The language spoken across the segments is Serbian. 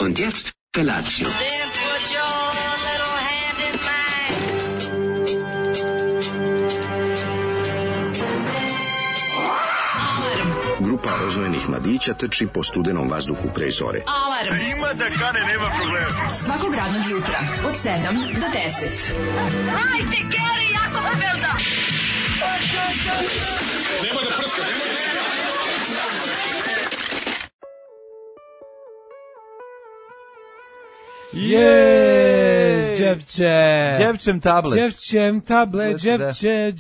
Und jetzt Felatio. Then put your little hand in mine. Grupa rozvojenih mladića trči po studenom vazduhu pre zore. Alarm. Ima da kane, nema problema. Svakog radnog jutra od 7 do 10. Hajde, Geri, jako se velda. Nemoj da prska, nemoj da prska. Yes, Đevče. Đevčem tablet. Đevčem tablet, Đevče,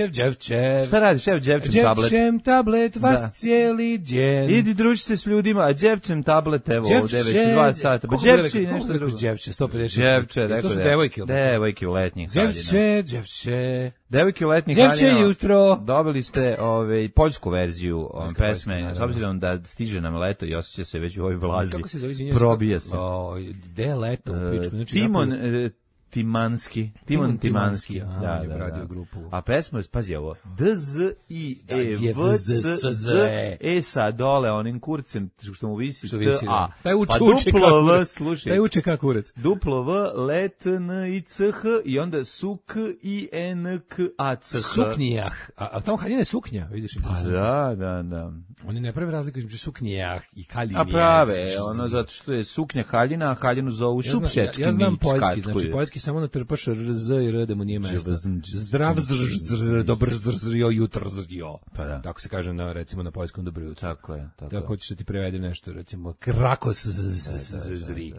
Đevče. Šta radiš, evo Đevčem tablet? Đevčem tablet, vas Da. cijeli djen. Idi druži se s ljudima, a Đevčem tablet, evo, ovdje već 2 sata. Pa Đevči i nešto drugo. Đevče, 150. Đevče, rekao to su da. devojke. Devojke u letnjih haljina. Đevče. Devojke u letnjih Đevče haljina. jutro. Dobili ste poljsku verziju pesme, naravno. s obzirom da stiže nam leto i osjeća se već u ovoj vlazi. Kako se zove, izvinjam se? Probija se. Gde je leto u pičku? Znači, Timon napolju- Timanski. Timon Timanski. aha, Da, je da, radio da. grupu. A pesma, pazi ovo, DZIEVCZ. E sa dole onim kurcem što mu visi Što visi, T, da. A. Taj uče, Pa uče duplo kako V, kurac. slušaj. Taj uče kako kurac. Duplo V, let, N, I, C, H i onda suk, I, N, K, A, C, H. Suknjah. A tamo haljina je suknja, vidiš. Pa interesantno. da. Oni ne prave razliku između suknjah i haljinje. A prave, ono zato što je suknja haljina, a haljinu zovu šupšečki. Ja znam mić, poljski, katkuju. znači poljski samo natrpaš RZ i R da mu nije mesta. Zdrav, dobro, jutro, Pa da. tako se kaže na, recimo na poljskom dobro jutro. Tako je. Da hoćeš da ti prevedem nešto, recimo krakos zri.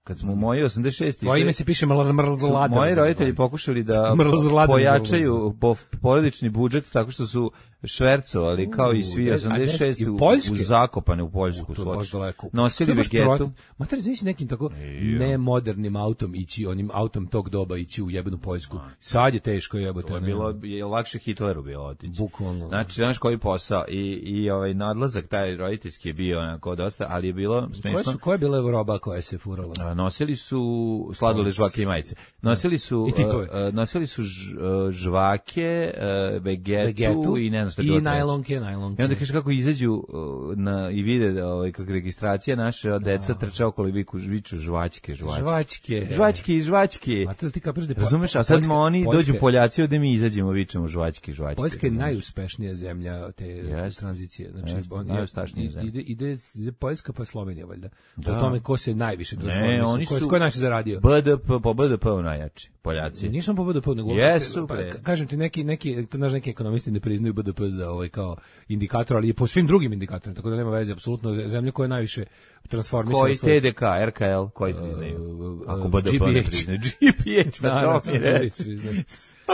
Kad smo u moji 86. Tvoje ime se piše mrzlada. Moji roditelji pokušali da Mrzlada. pojačaju porodični budžet tako što su švercovali kao i svi 86 u Zakopane u Poljsku. To je baš daleko. Nosili vegetu. Mater, znaš nekim tako nemodernim autom ići, onim autom tog doba ići u jebenu Poljsku. Sad je teško jebote. To je bilo lakše Hitleru bilo otići. Bukvalno. Znači, znaš koji posao i ovaj nadlazak taj roditeljski je bio onako dosta, ali je bilo smešno. Koja je bila roba koja se furala? Nosili su sladole, žvake i majice. Nosili su žvake, vegetu i ne znam šta je bilo. I najlonke. I onda kaže kako izađu i vide kako registracija naše deca trče okolo i viču žvačke. A to ti kapiraš da razumeš, a sad oni dođu Poljaci ovde mi izađemo vičemo žvačke. Poljska je najuspešnija zemlja te tranzicije. Znači najuspešnija zemlja. Ide Poljska pa Slovenija valjda. Po tome ko se najviše transformisao. Ne, oni su ko je najviše zaradio. Po BDP-u najjači Poljaci. Nisam po BDP-u, nego jesu. Kažem ti neki ekonomisti ne priznaju BDP za kao indikator, ali i po svim drugim indikatorima, tako da nema veze apsolutno. Zemlja koja je najviše transformisala. Koji TDK, RKL, koji priznaju? Ako BDP ne priznaju. GPH,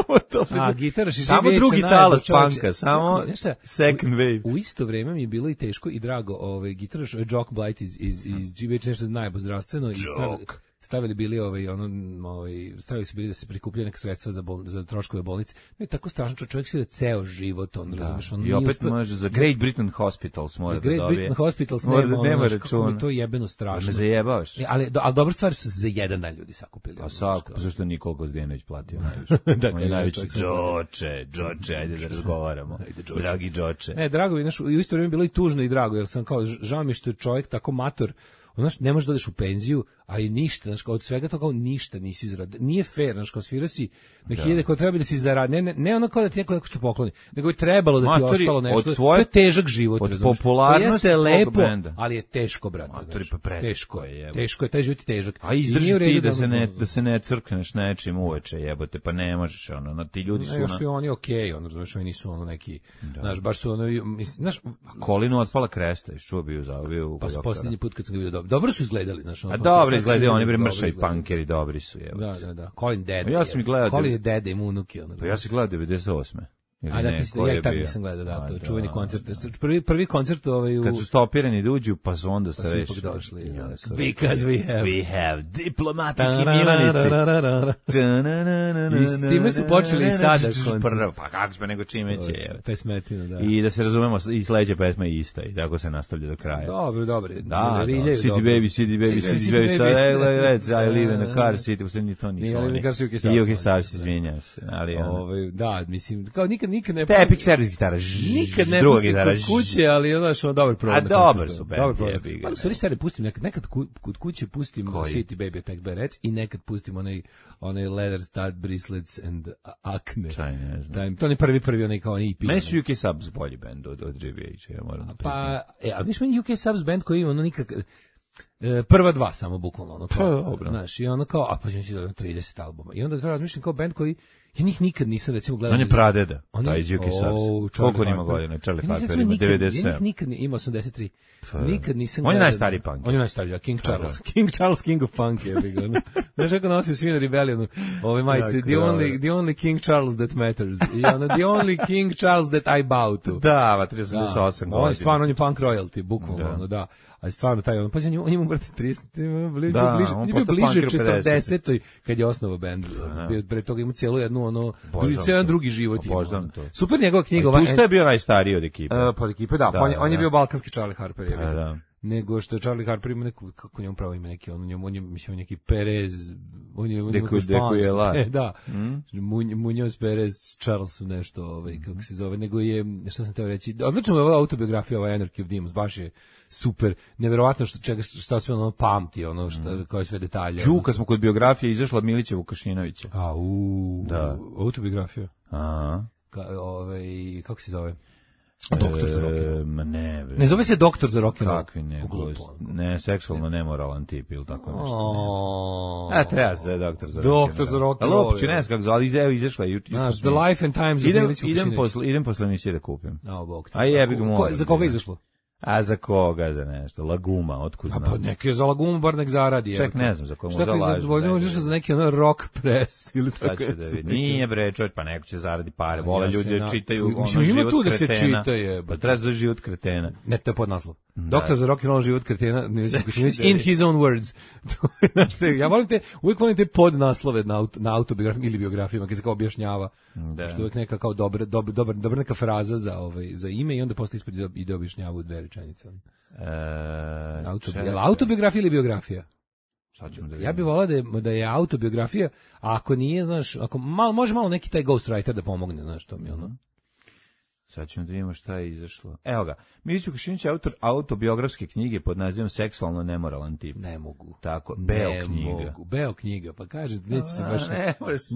pa to mi reći. Samo drugi talas panka, samo second wave. U isto vrijeme mi je bilo i teško i drago, gitaraš Jock Blight iz GBH, nešto najbolje zdravstveno. Stavili bili stavili su bili da se prikupljaju neka sredstva za troškove bolnice. Ne je tako strašno, čovjek svira ceo život, razumeš, i opet može za Great Britain Hospitals mora da dobije. Za Great Britain Hospitals nema računa. To je jebeno strašno. Me zajebavaš. Ali dobre stvari su za jedan dan ljudi sakupili. A svako, zašto je Nikola Gozdenović platio najviše? On je najveći Džoče, ajde da razgovaramo. Dragi Džoče. Ne, drago mi, u isto vrijeme bilo i tužno i drago, jer sam kao, žao mi što je čovjek tako mator, znaš, ne možeš da odeš u penziju, ali ništa, znaš, od svega to kao ništa nisi zaradio. Nije fair, znaš, kao svira si na hiljade koje treba da si zaradi. Ne ono kao da ti neko što pokloni, nego je trebalo da ti ostalo nešto. To je težak život, od razumiješ. popularnosti jeste lepo, benda. Ali je teško, brate. Teško je, taj život je težak. A izdrži ti da se ne crkneš nečim uveče, jebote, pa ne možeš, ti ljudi su... Još su oni okej, znaš, oni nisu neki, znaš, baš su znaš... Kolinu otpala kresta, iščuo bio u pa posljednji put kad sam ga vidio dobro su izgledali, znaš. A dobro izgledaju, oni bre mršavi punkeri, dobri su, evo. Da. Colin dede. Ja sam ih gledao. Colin je dede, ima unuke. Pa ja sam gledao 98. A da, ja tad nisam gledao, da, to je čuveni koncert. Prvi koncert kad su stopirani da uđu, pa su onda se reši. Došli, because we have diplomatic immunity. I s time su počeli i sada koncert. Pa kako smo nego čime će. Pesmetina, da. I da se razumemo, i sledeća pesma je ista i tako se nastavlja do kraja. Dobro. Da, City Baby, sad I live in a car city, u sve ni to nisu oni. I Uke Savs, izvinjam se. Da, mislim, kao nikad nikad ne... Tepik, servis gitara, nikad ne pustim kod kuće, ali je znaš, dobar provod. A dobar su band, ali u stvari stvari pustim, nekad kod kuće pustim City Baby Attack by Rats i nekad pustim onaj Leather Stud Bracelets and Acne. To je prvi onaj kao onaj EP. Meni su UK Subs bolji band od GBH, ja moram priznati. Pa, a viš meni UK Subs band koji ima ono nikak... prva dva samo bukvalno ono kao, znaš, i ono kao, a pa će izdali 30 albuma. I onda razmišljam kao band koji ja njih nikad nisam recimo gledao. On je pradeda, taj iz UK Subs. Koliko ima godina? Charlie Harper ima 97. Ja nikad ima 83. Nikad nisam gledao. On je najstariji punk. On je najstariji, King Charles. King Charles, King of Punk je bi ga. Znaš kako nosio svi na Rebellionu, ove majice, the only King Charles that matters. I ono, the only King Charles that I bow to. Da, 38 godina. On je stvarno, on je punk royalty, bukvalno, da. A stvarno taj on, pa on ima brate 30, bliže 40 kad je osnovao bend. Pre toga ima cijelu jednu cijeli drugi život ima. Super njegova knjiga. Pusta je bio najstariji od ekipe. Od ekipe, da. On je bio balkanski Charlie Harper. Nego što je Charlie Harper ima neku, kako njemu pravo ime neki, on je mislim neki Perez, on je da. Munoz Perez Charles su nešto, kako se zove, nego je, što sam teo reći, odlično je ova autobiografija, ova Anarchy of Demons, baš je super, neverovatno šta sve ono pamti, ono koje sve detalje. Kad smo kod biografije izašla Milića Vukašinovića. Da. Autobiografija. Kako se zove? Doktor za rock. Ne zove se Doktor za rock. Kakvi ne, seksualno nemoralan tip ili tako nešto. Treba se Doktor za rock. Doktor za rock. Ali uopće ne znam kako zove, ali izašla je. The Life and Times of Milića Vukašinovića. Idem posle emisije da kupim. Za koga je izašlo? A za koga, za nešto? Laguma, otkud znam? Pa neki je za Lagumu, bar nek zaradi. Ček, ne znam za koga mu zalaži. Šta možeš za neki rock press ili tako nešto? Nije bre, čovječ, pa neko će zaradi pare. Vole ljudi da čitaju ono život kretena. Ima tu da se čita je. Pa treba za život kretena. Ne, to je podnaslov. Doktor za rock and roll život kretena, in his own words. Ja uvijek volim te podnaslove na autobiografijama ili biografijama, kad se kao objašnjava. Što uvijek neka kao dobra neka fraza za ime i onda posle ispred ide objašnjava u dve rečenice. Autobiografija ili biografija? Ja bih volao da je autobiografija, a ako nije, znaš, ako može malo neki taj ghostwriter da pomogne, znaš, to mi ono. Sad ćemo da vidimo šta je izašlo. Evo ga, Milić Vukašinović je autor autobiografske knjige pod nazivom Seksualno nemoralan tip. Ne mogu. Tako, Beo knjiga, pa kaže, neće se baš...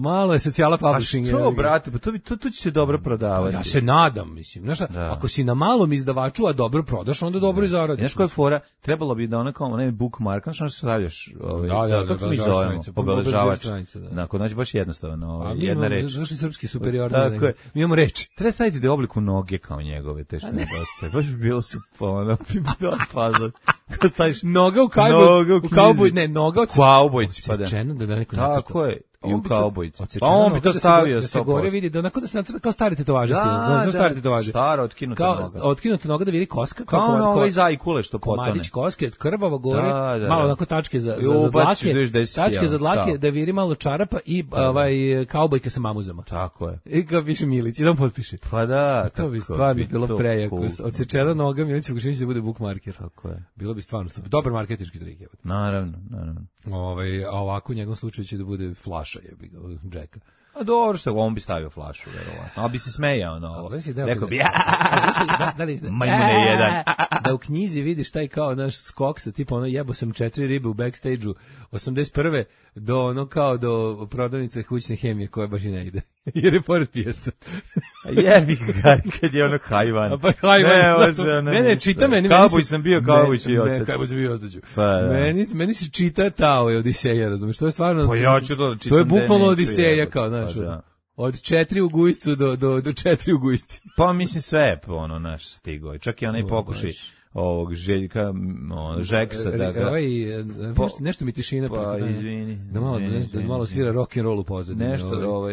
Malo je socijala publishing. A što, brate, pa to će se dobro prodavati. Ja se nadam, mislim. Znaš šta, ako si na malom izdavaču, a dobro prodaš, onda dobro i zaradiš. Znaš koja je fora? Trebalo bi da ona kao onaj bookmark, znaš što se stavljaš? Kako mi zovemo? Obeležavač. Kod nas je baš jednostavno, jedna reč. Znaš li srpski superiorni? Mi imamo reči. Treba staviti da je obliku noge kao njegove, te što nedostaje. Baš bi bilo su ono, da fazon. Kad staviš noga u kauboj, ne, noga od kaubojci, pa da neko tako je. I u kaubojci. Pa on bi to stavio. Da se gore vidi, da onako da se kao stari tetovaži stil. Stari tetovaži. Stara, otkinuta noga. Otkinuta noga da vidi koska. Kao ovaj zajkule što potone. Komadić koske, krvavo gore, malo onako tačke za dlake. Tačke za dlake, da viri malo čarapa i kaubojka sa mamuzama. Tako je. I kao piše Milić, i da on potpiše. Pa da. To bi stvarno bilo prejako. Odsečena noga, Milić Vukašinović da bude bookmarker. Tako je. Bilo bi stvarno super. Dobar marketinški trik. Naravno. A ovako u njegovom slučaju će da bude flaša jebi ga, Jacka. A dobro što on bi stavio flašu, verovatno. Ali bi se smejao na ovo. Rekao bi, majmune jedan. Da u knjizi vidiš taj kao naš skok sa tipa ono jebo sam 4 ribe u backstage-u 81. do ono kao do prodavnice kućne hemije koja baš i ne ide. Jer je pored pijaca. Jebi ga, kad je ono hajvan. Pa hajvan. Ne, čita meni. Kaubuj sam bio, kaubuj ću i ostati. Ne, kaubuj sam bio i ostaću. Meni se čita Tao je Odiseja, razumiješ? To je stvarno... Pa ja ću to čitam. To je bukvalno Odiseja kao, znaš. Od 4 u gujscu do 4 u gujsci. Pa mislim sve ono naš stigo. Čak i onaj pokušaj ovog Željka, Žeksa, da ga... Nešto mi tišina. Pa, izvini. Da malo svira rock and roll u pozadini. Nešto,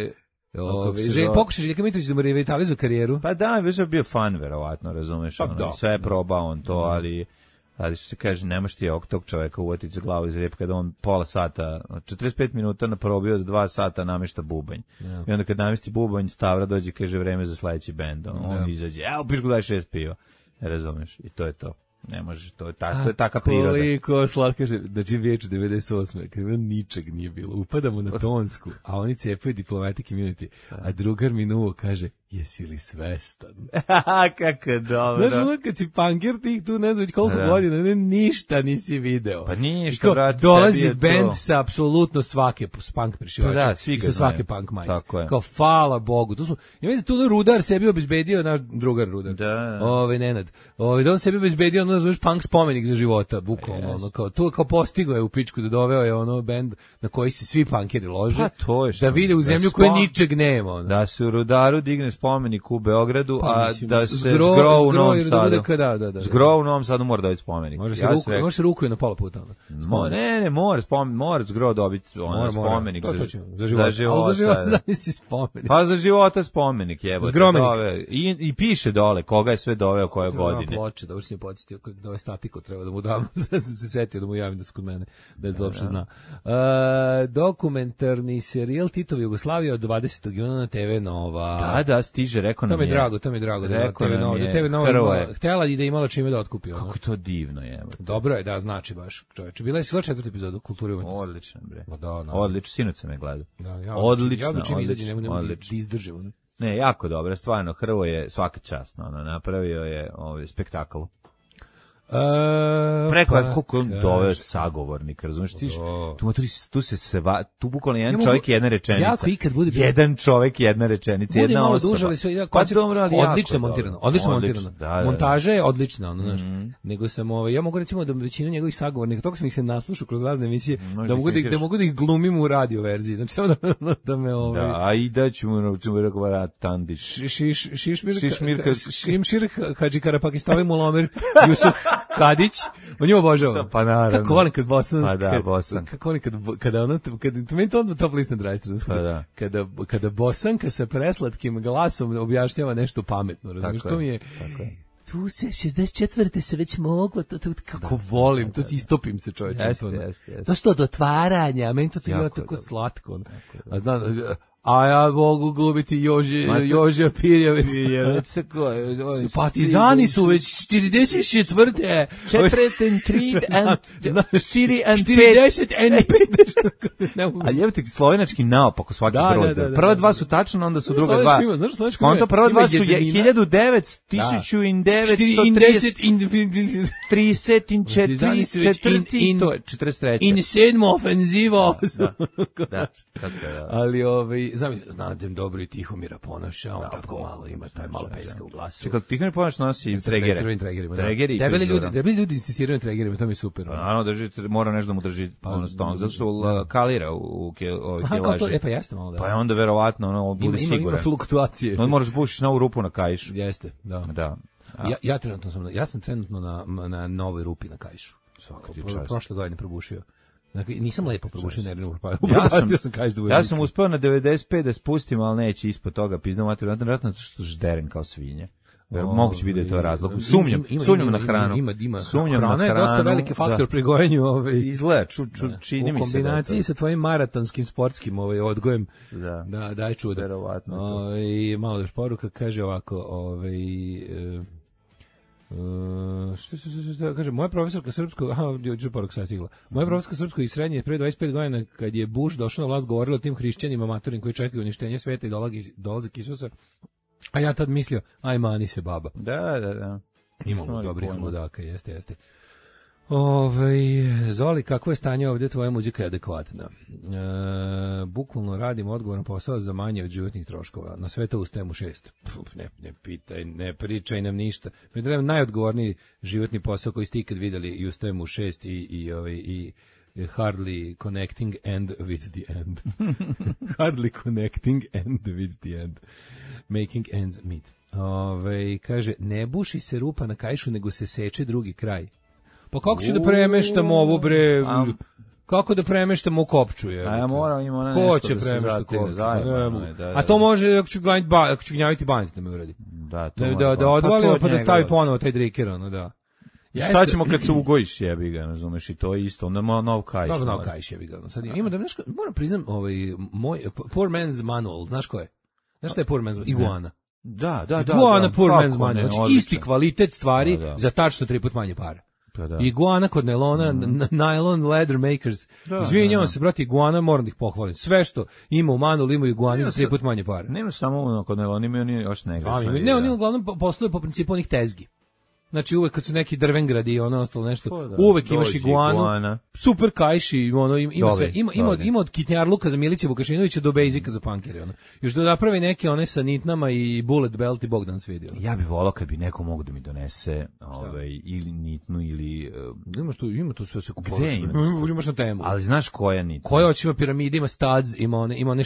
pokušaj Željka Mitrović da mu revitalizuje karijeru. Pa da, već je bio fan, verovatno, razumeš. Sve je probao on to, ali što se kaže, nemaš ti ovog tog čoveka uvotiti za glavu iz rep kada on pola sata, 45 minuta naprobio do 2 sata namešta bubanj. I onda kad namesti bubanj, Stavra dođe, kaže vreme za sledeći bend. On izađe, piš go daj 6 piva. Razumeš, i to je to. Ne može, to je taka priroda. Koliko slatko, da Jim Već 98. Kada ničeg nije bilo, upadamo na Tonsku, a oni cepaju Diplomatic Immunity, a drugar minuo kaže, jesi li svestan? Kako je dobro. Znaš, ono kad si punker tih tu, ne znam već koliko godina, ništa nisi video. Pa ništa, brate, dolazi band sa apsolutno svake punk prišivača. Pa da, svi ga sa svake znaju. punk majice. Tako je. Kao, hvala Bogu. Ja mislim, tu Rudar sebi obezbedio, naš drugar Rudar. Da. Nenad. Da on sebi obezbedio, znaš, punk spomenik za života, bukvalno. Ono, kao postigo je u pičku da doveo je ono band na koji se svi punkeri lože. Pa to je što. Da vide u zemlju koje ničeg nema. Ono. Da se u Rudaru digne spomenik u Beogradu, a da se zgro u Novom Sadu. Da. Zgro u Novom Sadu mora dobiti spomenik. Može se ruku je na pola puta. Ne, mora zgro dobiti spomenik za života. Zamisli spomenik. Pa za života spomenik, jebote. Zgromenik. I piše dole koga je sve doveo koje godine. Ploče, da se mi podsjetio da ovaj statiko treba da mu dam, da se setio da mu javim da su kod mene, bez da uopšte zna. Dokumentarni serijal Titova Jugoslavija od 20. juna na TV Nova. Da, stiže, rekao nam je. To mi je drago da TV Nova. Da TV Nova htjela i da imala čime da otkupi. Kako je to divno, jebote. Dobro je, da, znači baš, čoveče. Bila je sila 4. epizoda Kulture i umetnosti. Odlično, bre. Da. Odlično, sinoć sam je gledao. Odlično. Ja čim izađe, ne mogu da izdržim. Ne, jako dobro, stvarno, Hrvoje svaka čast, napravio je spektakl. Preko koliko je on doveo sagovornik, razumiješ, tu bukvalno jedan čovjek i jedna rečenica. Jedan čovjek i jedna rečenica, jedna osoba. Odlično montirano. Montaža je odlična, znaš. Nego sam, ja mogu recimo da većinu njegovih sagovornika, toga sam ih se naslušao kroz razne emisije, da mogu da ih glumim u radio verziji. Znači samo da me Da, a i da ćemo razgovarati Tandić. Šimšir Hadži Karapakistavi Mulomir Jusuf Kadić, on njima obožava. Pa naravno. Kako volim kad bosanski. Pa da, bosan. Kako volim kada ono, to meni to top list na drajstru. Kada bosanka sa preslatkim glasom objašnjava nešto pametno, razumiješ, to mi je... Tu se 64. se već moglo, kako volim, to si istopim se čovječe. Jeste. To što do otvaranja, meni to je tako slatko. A znam, a ja mogu glumiti Jože Pirjevec. Partizani su već 44. 40 a jebate slovenački naopako svaki broj. Prva dva su tačno, onda su druga dva. Onda prva dva su 1900, 1934, to je 43. In sedmo ofenzivo. Da. Ali znam da dobro i Tihomira Ponoša, on tako malo ima, taj malo peska u glasu. Čekaj, Tihomir Ponoš nosi tregere. Debeli ljudi insistiraju na tregerima, to mi je super. Naravno, mora nešto da mu drži stomak, zato što kalira u kilaži. Pa jeste malo da. Pa je onda verovatno bude siguran. Ima fluktuacije. On moraš bušiš na ovu rupu na kaišu. Jeste, da. Ja sam trenutno na novoj rupi na kaišu. Prošle godine probušio. Nisam lepo probušio nervnu propaju. Ja sam uspeo na 95 da spustim, ali neće ispod toga. Pizdam materiju, vjerojatno što žderen kao svinje. Moguće biti da je to razlog. Sumnjam na hranu. Hrana je dosta veliki faktor pri gojenju. Izgleda, čini mi se. U kombinaciji sa tvojim maratonskim sportskim odgojem. Da, daj čuda. Verovatno. I malo još poruka, kaže ovako, što kaže, moja profesorka srpskog, moja profesorka srpskog i srednje pre 25 godina, kad je Bush došao na vlast, govorila o tim hrišćanima maturim koji čekaju uništenje sveta i dolazak Isusa, a ja tad mislio, aj mani se baba. Da. Imamo dobrih ludaka, jeste. Zoli, kako je stanje ovdje, tvoja muzika je adekvatna. Bukvalno radim odgovoran posao za manje od životnih troškova. Na sve to ustajem u 6. Ne pitaj, ne pričaj nam ništa. Mi trebam najodgovorniji životni posao koji ste ikad vidjeli i ustajem u 6 i hardly connecting end with the end. Hardly connecting end with the end. Making ends meet. Kaže, ne buši se rupa na kaišu, nego se seče drugi kraj. Pa kako ću da premeštam ovo, bre? Kako da premeštam u kopču, je? A ja moram ima nešto ko će premešta kopču? A to može, ako ću gnjaviti banjit da me uradi. Da odvalimo pa da stavi ponovo taj driker, da. Šta ćemo kad se ugojiš, jebi ga, razumeš, i to je isto, onda ima nov kaiš. Dobro, nov kaiš, jebi ga. Sad ima da nešto, moram priznam, moj Poor Man's Manual, znaš ko je? Znaš šta je Poor Man's Manual? Iguana. Da. Iguana Poor Man's Manual, znači isti kvalitet stvari za tačno 3 puta manje para. Iguana kod Nailona, Nylon Leather Makers. Izvinjavam se, brate, Iguana, moram da ih pohvalim. Sve što ima u Manulu, ima Iguani za 3 puta manje pare. Nema samo kod Nailona, ima oni još nega. Ne, oni uglavnom posluju po principu onih tezgi. Znači uvek kad su neki drvengradi i ono ostalo nešto, uvek imaš iguanu, super kajši, ono ima sve, ima od kitnjarluka za Milića Vukašinovića do bejzika za punkere, ono. Još da napravi neke one sa nitnama i bullet belt i Bogdan se vidio. Ja bih volao kad bi neko mogao da mi donese ili nitnu ili ima to sve se kupuje. Imaš na temu. Ali znaš koja nitna? Koja hoće, ima piramide, ima studs, ima one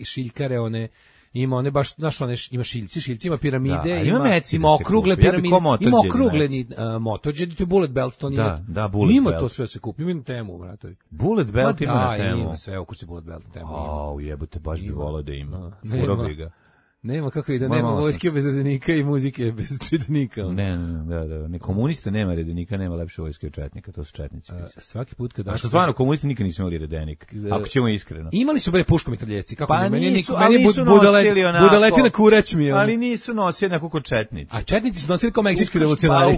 šiljkare, one ima one baš, znaš, one ima šiljci, ima piramide, ima okrugle piramide, ima okrugle motođe, to je bullet belt, to nije. Da, bullet ima belt. To sve se kupi, ima temu, bratovi. Bullet belt ima na temu. Ima sve, okući bullet belt na temu. Jebote, baš bi volao da ima. Furo bi ga. Nema kako i da nema vojske bez redenika i muzike bez četnika. Ne, komuniste nema redenika, nema lepše vojske od četnika, to su četnici. Svaki put kad što stvarno komunisti nikad nisu imali redenik. Ako ćemo iskreno. Imali su bre puškomitraljevci, kako pa meni budaletina kurać mi. Ali nisu nosili nekako kod četnici. A četnici su nosili kao meksički revolucionari.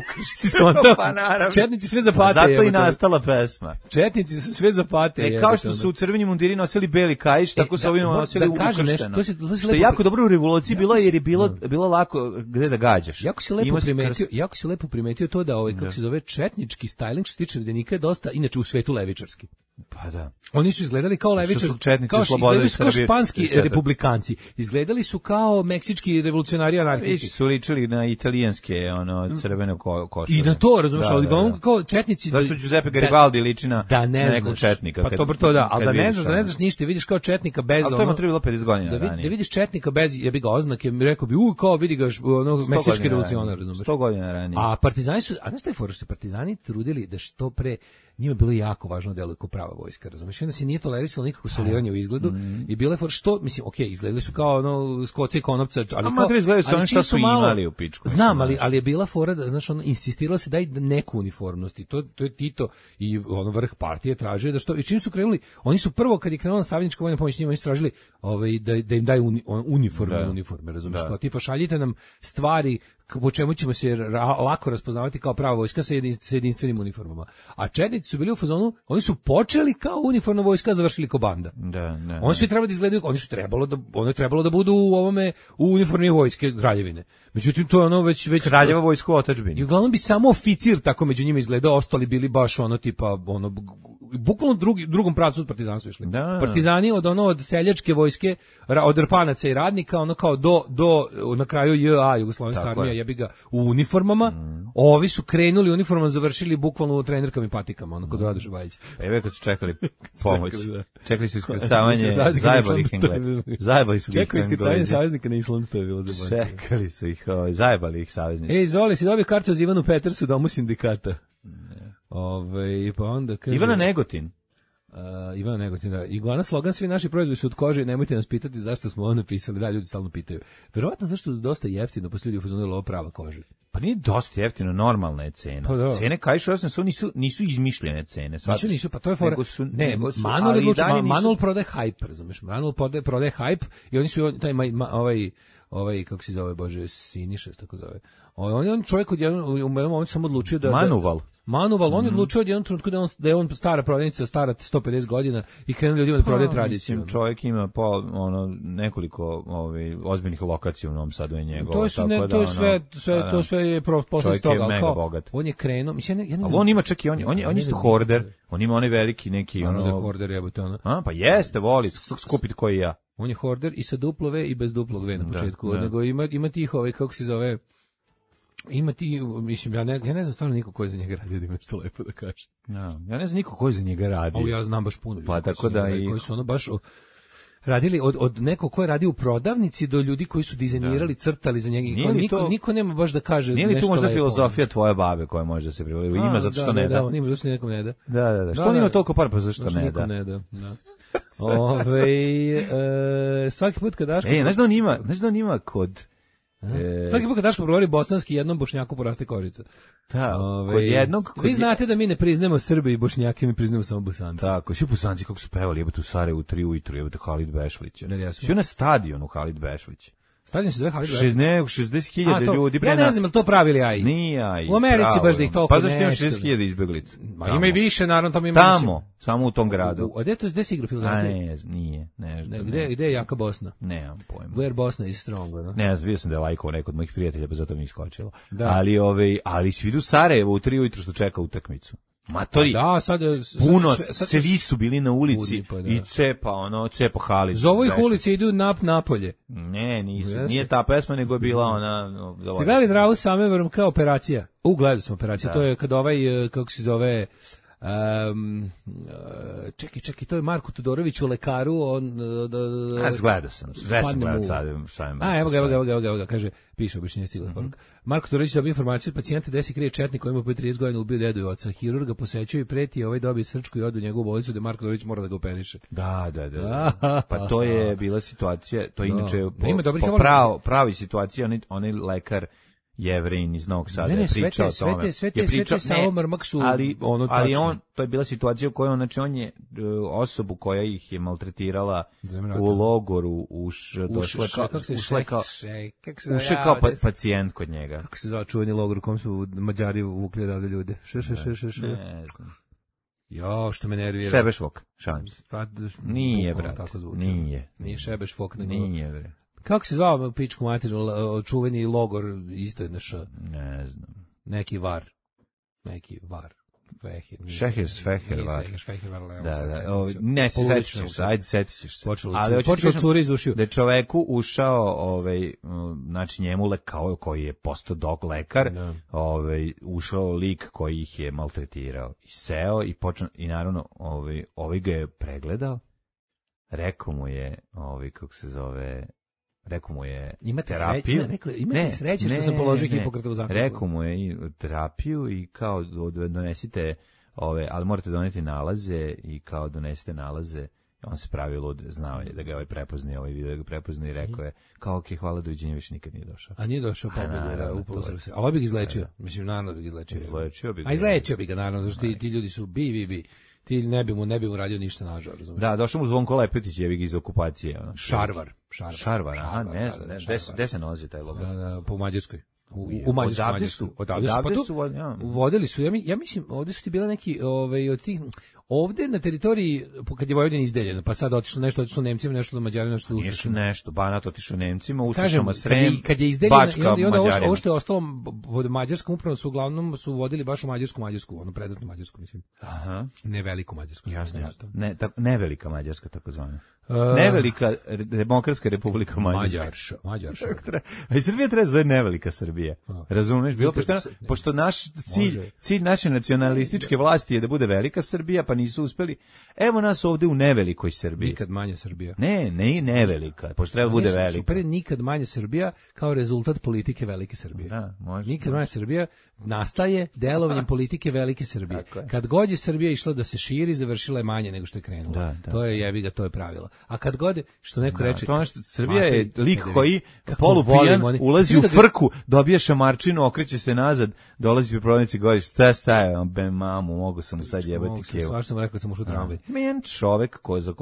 Četnici sve zapate. Zato i nastala pesma. Četnici su sve zapate. Kao što su u crveni mundiri nosili beli kaiš, tako su ovi nosili ukršteno. Što je jako dobro revoluciji bilo jer je bilo lako gde da gađaš. Jako se lepo primetio to da kako se zove četnički styling što se tiče redenika je dosta inače u svetu levičarski. Pa da. Oni su izgledali kao levičarski, kao španski republikanci. Izgledali su kao meksički revolucionari anarhisti. Su ličili na italijanske crveno košulje. I na to, razumeš, ali uglavnom kao četnici. Zašto Giuseppe Garibaldi liči na nekog četnika? Pa to da, ali da ne znaš ništa, vidiš kao četnika bez ono. A to ima trebalo 50 godina ranije. Da vidiš četnika bez jebi ga oznake, rekao bi kao vidi ga meksički revolucionar, razumeš. 100 godina ranije. A partizani su, a znaš šta je fora, što partizani trudili da što pre njima bilo jako važno da deluju kao prava vojska, razumiješ? Onda se nije tolerisalo nikako soliranje u izgledu i bile for što, mislim, izgledali su kao skoci i konopca, ali šta su imali u pičku. Znam, ali je bila fora da, znaš, insistiralo se daj neku uniformnosti. To je Tito i vrh partije tražio da što, i čim su krenuli, oni su prvo kad je krenula saveznička vojna pomoć, njima oni su tražili da im daju uniforme, razumiješ? Kao tipa šaljite nam stvari po čemu ćemo se lako raspoznavati kao prava vojska sa jedinstvenim uniformama. A četnici su bili u fazonu, oni su počeli kao uniformna vojska, završili kao banda. Oni su trebali da izgledaju, ono je trebalo da budu u ovome u uniformi vojske Kraljevine. Međutim to je već Kraljeva vojska u otadžbini. I uglavnom bi samo oficir tako među njima izgledao, ostali bili baš bukvalno drugom pravcu od partizanstva išli. Partizani od seljačke vojske, od rpanaca i radnika, kao do na kraju JA, Jugoslovenska armija, jebi ga, u uniformama. Ovi su krenuli uniformama, završili bukvalno u trenerkama i patikama, kod Radoša Bajića. Evo kad su čekali pomoć. Čekali su iskrcavanje, zajebali ih Englezi. Čekali iskrcavanje saveznika na Islandu, to je bilo zabavno. Čekali su ih, zajebali ih saveznici. Zoli, si dobio kartu za Ivanu Petersu, domu sindikata. Pa onda kaže... Ivana Negotin. Ivana Negotin, da. Iguana slogan, svi naši proizvodi su od kože, nemojte nas pitati zašto smo ovo napisali. Da, ljudi stalno pitaju. Verovatno zašto je dosta jeftino, posle ljudi ufazonili ovo prava kože. Pa nije dosta jeftino, normalna je cena. Pa da. Cene kaišu nisu izmišljene cene. Nisu, pa to je fora. Manuel prodaje hype, razumeš? Manuel prodaje hype i oni su ovaj kako se zove, bože, Siniša, tako zove. On čovjek u jednom momentu samo odlučio da Manuval, on je odlučio od jednom trenutku da je on stara prodavnica, stara 150 godina i krenuli ljudima da prodaje tradiciju. Čovjek ima nekoliko ozbiljnih lokacija u Novom Sadu i njegova. To sve je posle toga. Čovjek je mega bogat. On je krenuo, mislim, ja ne znam. Ali on ima čak i on isto hoarder. On ima onaj veliki neki da hoarder jebote ono. Pa jeste, voli skupiti koji ja. On je hoarder i sa duplo V i bez duplog V na početku, nego ima tih kako se zove. Ima ti, mislim, ja ne znam stvarno niko ko je za njega radio, da ima što lepo da kaže. Ja ne znam niko ko je za njega radio. Ja znam baš puno ljudi. Pa tako da i koji su baš radili od nekog ko je radio u prodavnici do ljudi koji su dizajnirali, crtali za njega. Niko nema baš da kaže nešto lepo. Nije li tu možda filozofija tvoje babe koja može da se privodi? Ima zato što ne da. Da, on ima zato što nekom ne da. Da. Što on ima toliko para, pa zašto ne da? Ne da. Svaki put kad Daško... Znaš da on ima kod... Svaki put kad Daško progovori bosanski, jednom Bošnjaku poraste kožica. Da, kod jednog... Vi znate da mi ne priznamo Srbe i Bošnjake, mi priznamo samo Bosanci. Tako, svi Bosanci kako su pevali, jebate u Sarajevu 3 ujutru, jebate Halid Bešlić. Svi na stadionu Halid Bešlić. Stadion se zove Halid. 60.000 ljudi. Ja ne znam, je li to pravili AI? Nije AI. U Americi baš da ih toliko nešto. Pa zašto ima 60.000 izbeglica? Ma ima i više, naravno, tamo ima tamo, samo u tom gradu. A gde se igra Filadelfija? A ne, nije. Gde je jaka Bosna? Nemam pojma. Where Bosna is strong, no? Ne, vidio sam da je lajkao neko od mojih prijatelja, pa zato mi iskočilo. Ali si vidio Sarajevo u 3 ujutru što čeka utakmicu. Matori, puno, svi su bili na ulici i cepa hali. Zovu ih ulici, idu napolje. Ne, nije ta pesma, nego je bila ona... Ste gledali Dravu Samevarom kao operacija? Gledali sam operaciju, to je kad kako se zove... čekaj, to je Marko Todorović u Lekaru, gledao sam sad. Evo ga, kaže, piše objašnjenje stigla poruka. Marko Todorović dobio informaciju od pacijenta gde se krije četnik koji ima po 30 godina ubio dedu i oca. Hirurga posećuje i preti, dobije srčku i odu u njegovu bolnicu, da Marko Todorović mora da ga operiše. Da. Pa to je bila situacija, to je inače pravi situacija, onaj lekar Jevrin iz Novog Sada je pričao o tome. Sve te samo mrmak su ali to je bila situacija u kojoj on je osobu koja ih je maltretirala u logoru ušla kao pacijent kod njega. Kako se zove čuveni logor u kom su Mađari vukli rade ljude? Ne znam. Jo, što me nervira. Šebešvok, šalim se. Nije, brate. Nije Šebešvok, nego... Nije, bre. Kako se zvao pičku materinu, čuveni logor, isto je naš... Ne znam. Neki var. Šeher var. Ne, setiš se. Počelo curi iz ušiju. Da je čoveku ušao, znači njemu koji je postao dog lekar, ušao lik koji ih je maltretirao. I seo i naravno ovaj ga je pregledao. Rekao mu je, kako se zove... Rekao mu je terapiju. Imate sreće što sam položio Hipokratovu zakletvu. Rekao mu je i terapiju i kao donesite ali morate doneti nalaze i kao donesite nalaze. On se pravi lud, znao je da ga prepoznao, video da ga prepoznao i rekao je kao ok, hvala, doviđenja, više nikad nije došao. A nije došao, pa upalo se. A ovo bi ga izlečio. Mislim, naravno bi ga izlečio. Izlečio bi ga, naravno, zašto ti ljudi su bi. Ti ne bi mu radio ništa nažal, razumiješ? Da, došao mu Zvonko Lepetić, jebi ga iz okupacije. Šarvar, aha, ne znam, gde se nalazi taj logor? Po Mađarskoj. U Mađarskoj. Odavde su vodili su, ja mislim, ovde su ti bila neki od tih... Ovde na teritoriji, kad je Vojvodina izdeljena, pa sad otišlo Nemcima, nešto do Mađarima, nešto do Ustašima. Nešto, Banat otišao Nemcima, Ustašama Srem, kad je izdeljena, i onda ovo što je ostalo pod Mađarskom, upravo su uglavnom vodili baš u Mađarsku, ono predatnu Mađarsku, mislim. Aha. Ne veliku Mađarsku. Jasno. Nevelika Mađarska, takozvana. Nevelika Demokratska Republika Mađarska. Mađarša. A i Srbija treba zove nevelika Srbija. Razumeš? Bilo pošto naš cilj naše nacionalističke vlasti je da bude velika Srbija, pa nisu uspeli. Evo nas ovde u nevelikoj Srbiji. Nikad manja Srbija. Ne nevelika, pošto treba bude velika. Super je nikad manja Srbija kao rezultat politike velike Srbije. Da, može. Nikad manja Srbija nastaje delovanjem politike velike Srbije. Kad god je Srbija išla da se širi, završila je manje nego što je krenula. To je jebiga, to je pravilo. A kad god, što neko reče... Srbija je lik koji polupijan ulazi u frku, dobije šamarčinu, okreće se nazad, dolazi pri prodavnici i govori, staje, be mamu, mogu sam mu sad jebati kevu. Svaš sam rekao, sam ušao u tramvaj. Men čovek za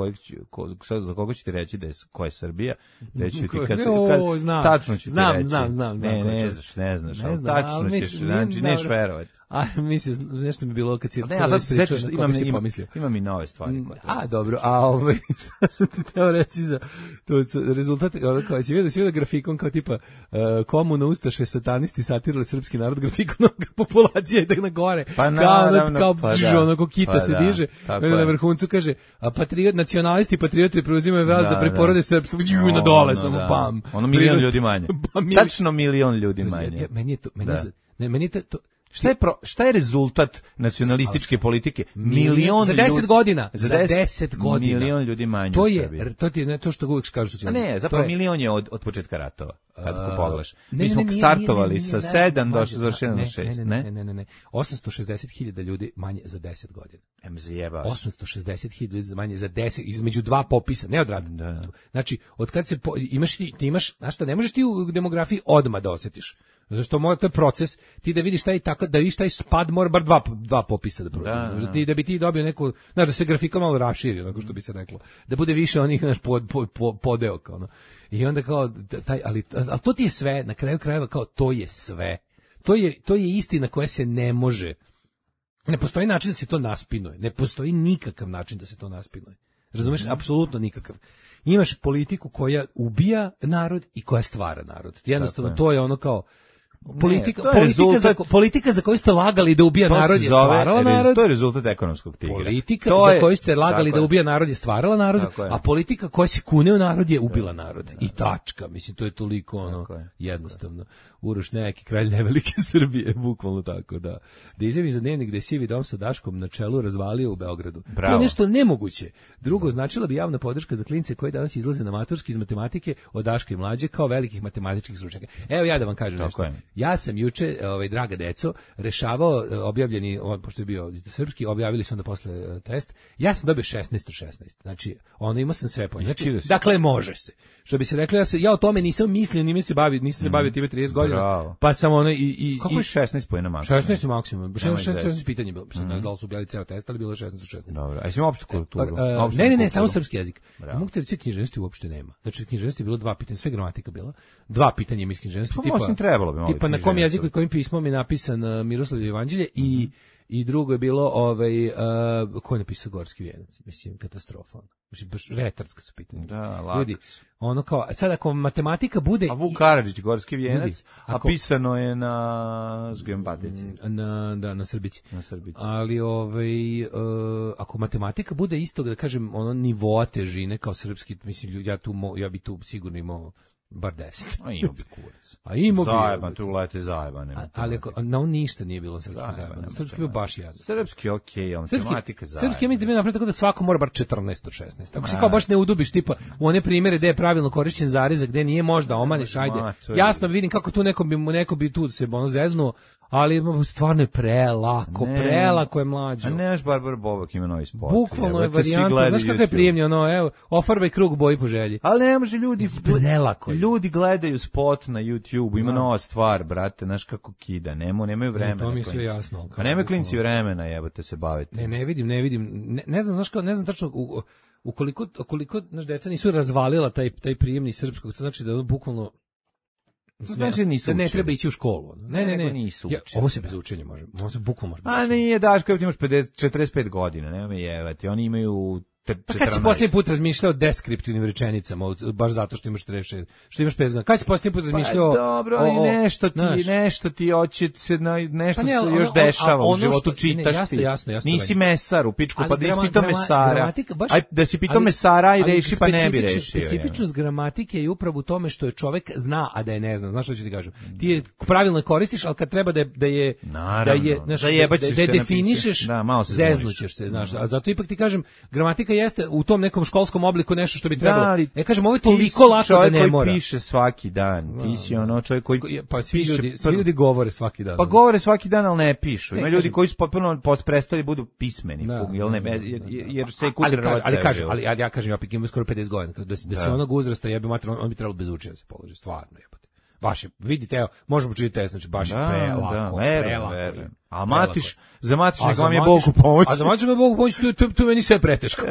koga ću ti reći da je ko je Srbija, reći ti kad tačno ću ti reći. Znam. Ne znaš, tačno ćeš, znači neš verovati. A mislim, nešto mi bilo kad si imam i nove stvari. A, dobro, šta sam ti teo reći za rezultat, kao si vidio grafikon kao tipa komuna ustaše satanisti satirali srpski narod, grafikon populacija ide na gore, kao onako kita se diže, na vrhuncu kaže, nacionalisti patrioti preuzimaju vlast da preporode srpstvo, na dole samo pam. Ono milion ljudi manje. Tačno milion ljudi manje. Meni je to... Šta je rezultat nacionalističke politike? Za 10 godina. Za 10 godina. Milion ljudi manje to je, to ti je to što uvijek kažu socijalisti. Ne, zapravo milion je od početka ratova, kad pogledaš. Mi smo startovali sa 7, došli završeno na 6, ne. 860.000 ljudi manje za 10 godina. Zjeba. 860.000 ljudi manje za 10, između dva popisa, ne odrada. Znači, od kad se, imaš, znaš šta, ne možeš ti u demografiji odmah da osjetiš. Zašto to je proces, ti da vidiš taj tako, da vidiš taj spad mora bar dva popisa da prođe. Da bi ti dobio neku, znaš, da se grafika malo raširi, onako što bi se reklo. Da bude više onih naš podeo kao. I onda kao taj ali to ti je sve, na kraju krajeva kao to je sve. To je istina koja se ne može. Ne postoji način da se to naspinuje. Ne postoji nikakav način da se to naspinuje. Razumeš? Apsolutno nikakav. Imaš politiku koja ubija narod i koja stvara narod. Jednostavno to je ono kao politika za koju ste lagali da ubija narod je stvarala narod. To je rezultat ekonomskog tigra. Politika za koju ste lagali da ubija narod je stvarala narod, a politika koja se kune u narod je ubila narod. I tačka. Mislim, to je toliko ono jednostavno. Uroš neki kralj nevelike Srbije, bukvalno tako, da. Da izjavi za dnevnik gde sivi dom sa Daškom na čelu razvalio u Beogradu. Bravo. To je nešto nemoguće. Drugo, značila bi javna podrška za klince koji danas izlaze na maturski iz matematike od Daška i mlađe kao velikih matematičkih stručnjaka. Evo ja da vam kažem nešto. Ja sam juče, draga deco, rešavao objavljeni, pošto je bio srpski, objavili su onda posle test. Ja sam dobio 16 od 16. Znači, imao sam sve po njemu. Znači, dakle, može se. Što bi se reklo, ja o tome nisam mislio, nisam se bavio time 30 godina. Bravo. Pa sam Kako je 16 poena maksimum? 16 maksimum. 16 pitanja je bilo. Ne znam da li su objavili ceo test, ali bilo je 16 od 16. Dobro. A jesi imao opštu kulturu? Ne, samo srpski jezik. Mogu te reći, književnosti uopšte nema. Znači, književnosti je bilo 2 pitanja, sve gramatika bila. 2 pitanja ima iz književnosti. Tipa na kom jeziku i kojim pismom je napisan Miroslavljevo jevanđelje i drugo je bilo ko je napisao Gorski vijenac, mislim katastrofa. Mislim baš retarska su pitanja. Da, ljudi, ono kao sad ako matematika bude a Vuk Karadžić Gorski vijenac, a pisano je na Zgembatici. Na Srbici. Ali ako matematika bude istog da kažem nivoa težine kao srpski, mislim ja bi tu sigurno imao bar 10. A imao bi kurac. Zajeban, tu lete zajebane. Ali na on ništa nije bilo srpski zajeban. Srpski bio baš jadan. Srpski okej, on matematika zajebana. Srpski mislim da bi napravio tako da svako mora bar 14 od 16. Ako se kao baš ne udubiš tipa u one primjere gde je pravilno korišćen zarezak, gde nije možda omaniš, ajde. Jasno vidim kako tu neko bi tu se zeznuo, ali stvarno je prelako je mlađo. A nemaš Barbara Bobak ima novi spot. Bukvalno je varijanta, znaš kako je prijemnio, evo, ofarbaj krug boji po želji. Ali ne može prelako. Ljudi gledaju spot na YouTube, ima nova stvar, brate, znaš kako kida, nemaju vremena. To mi je sve jasno. A nemaju klinci vremena, jebote se baviti. Ne vidim. Ne znam, znaš kao, ne znam tačno ukoliko naš deca nisu razvalila taj prijemni srpskog, to znači da bukvalno znači nisu ne treba ići u školu. Ne. Nisu učili. Ovo se bez učenja može. Ovo se bukvalno može. A nije, Daško, ti imaš 45 godina, nema me jevati. Oni imaju 14. Pa kad si posljednji put razmišljao o deskriptivnim rečenicama, baš zato što imaš 36, što imaš 5 godina? Kad si posljednji put razmišljao dobro, ali nešto ti hoće se nešto se još dešava u životu, čitaš ti. Jasno. Nisi mesar u pičku, pa da si pitao mesara. Aj, da si pitao mesara i reši, pa ne bi rešio. Specifičnost gramatike je upravo u tome što je čovek zna, a da je ne zna. Znaš što ću ti kažem? Ti je pravilno koristiš, ali kad treba da je definišeš, zeznućeš se, znaš. A zato ipak ti kažem, gramatika jeste u tom nekom školskom obliku nešto što bi trebalo. Kažem, ovo je toliko lako da ne mora. Čovjek koji piše svaki dan, ti si čovjek koji svi ljudi govore svaki dan. Pa govore svaki dan, ali ne pišu. Ima ljudi koji su potpuno prestali budu pismeni, jer se kulturno. Ali ja kažem, ja imam skoro 50 godina, da se onog uzrasta jebe mater, on bi trebalo bez učenja se položi, stvarno jebote. Baš je, vidite, evo, možemo učiti test, znači baš je prelako. A za matiš nek vam je Bog u pomoć. A za matiš nek Bog u pomoć, tu meni sve preteško.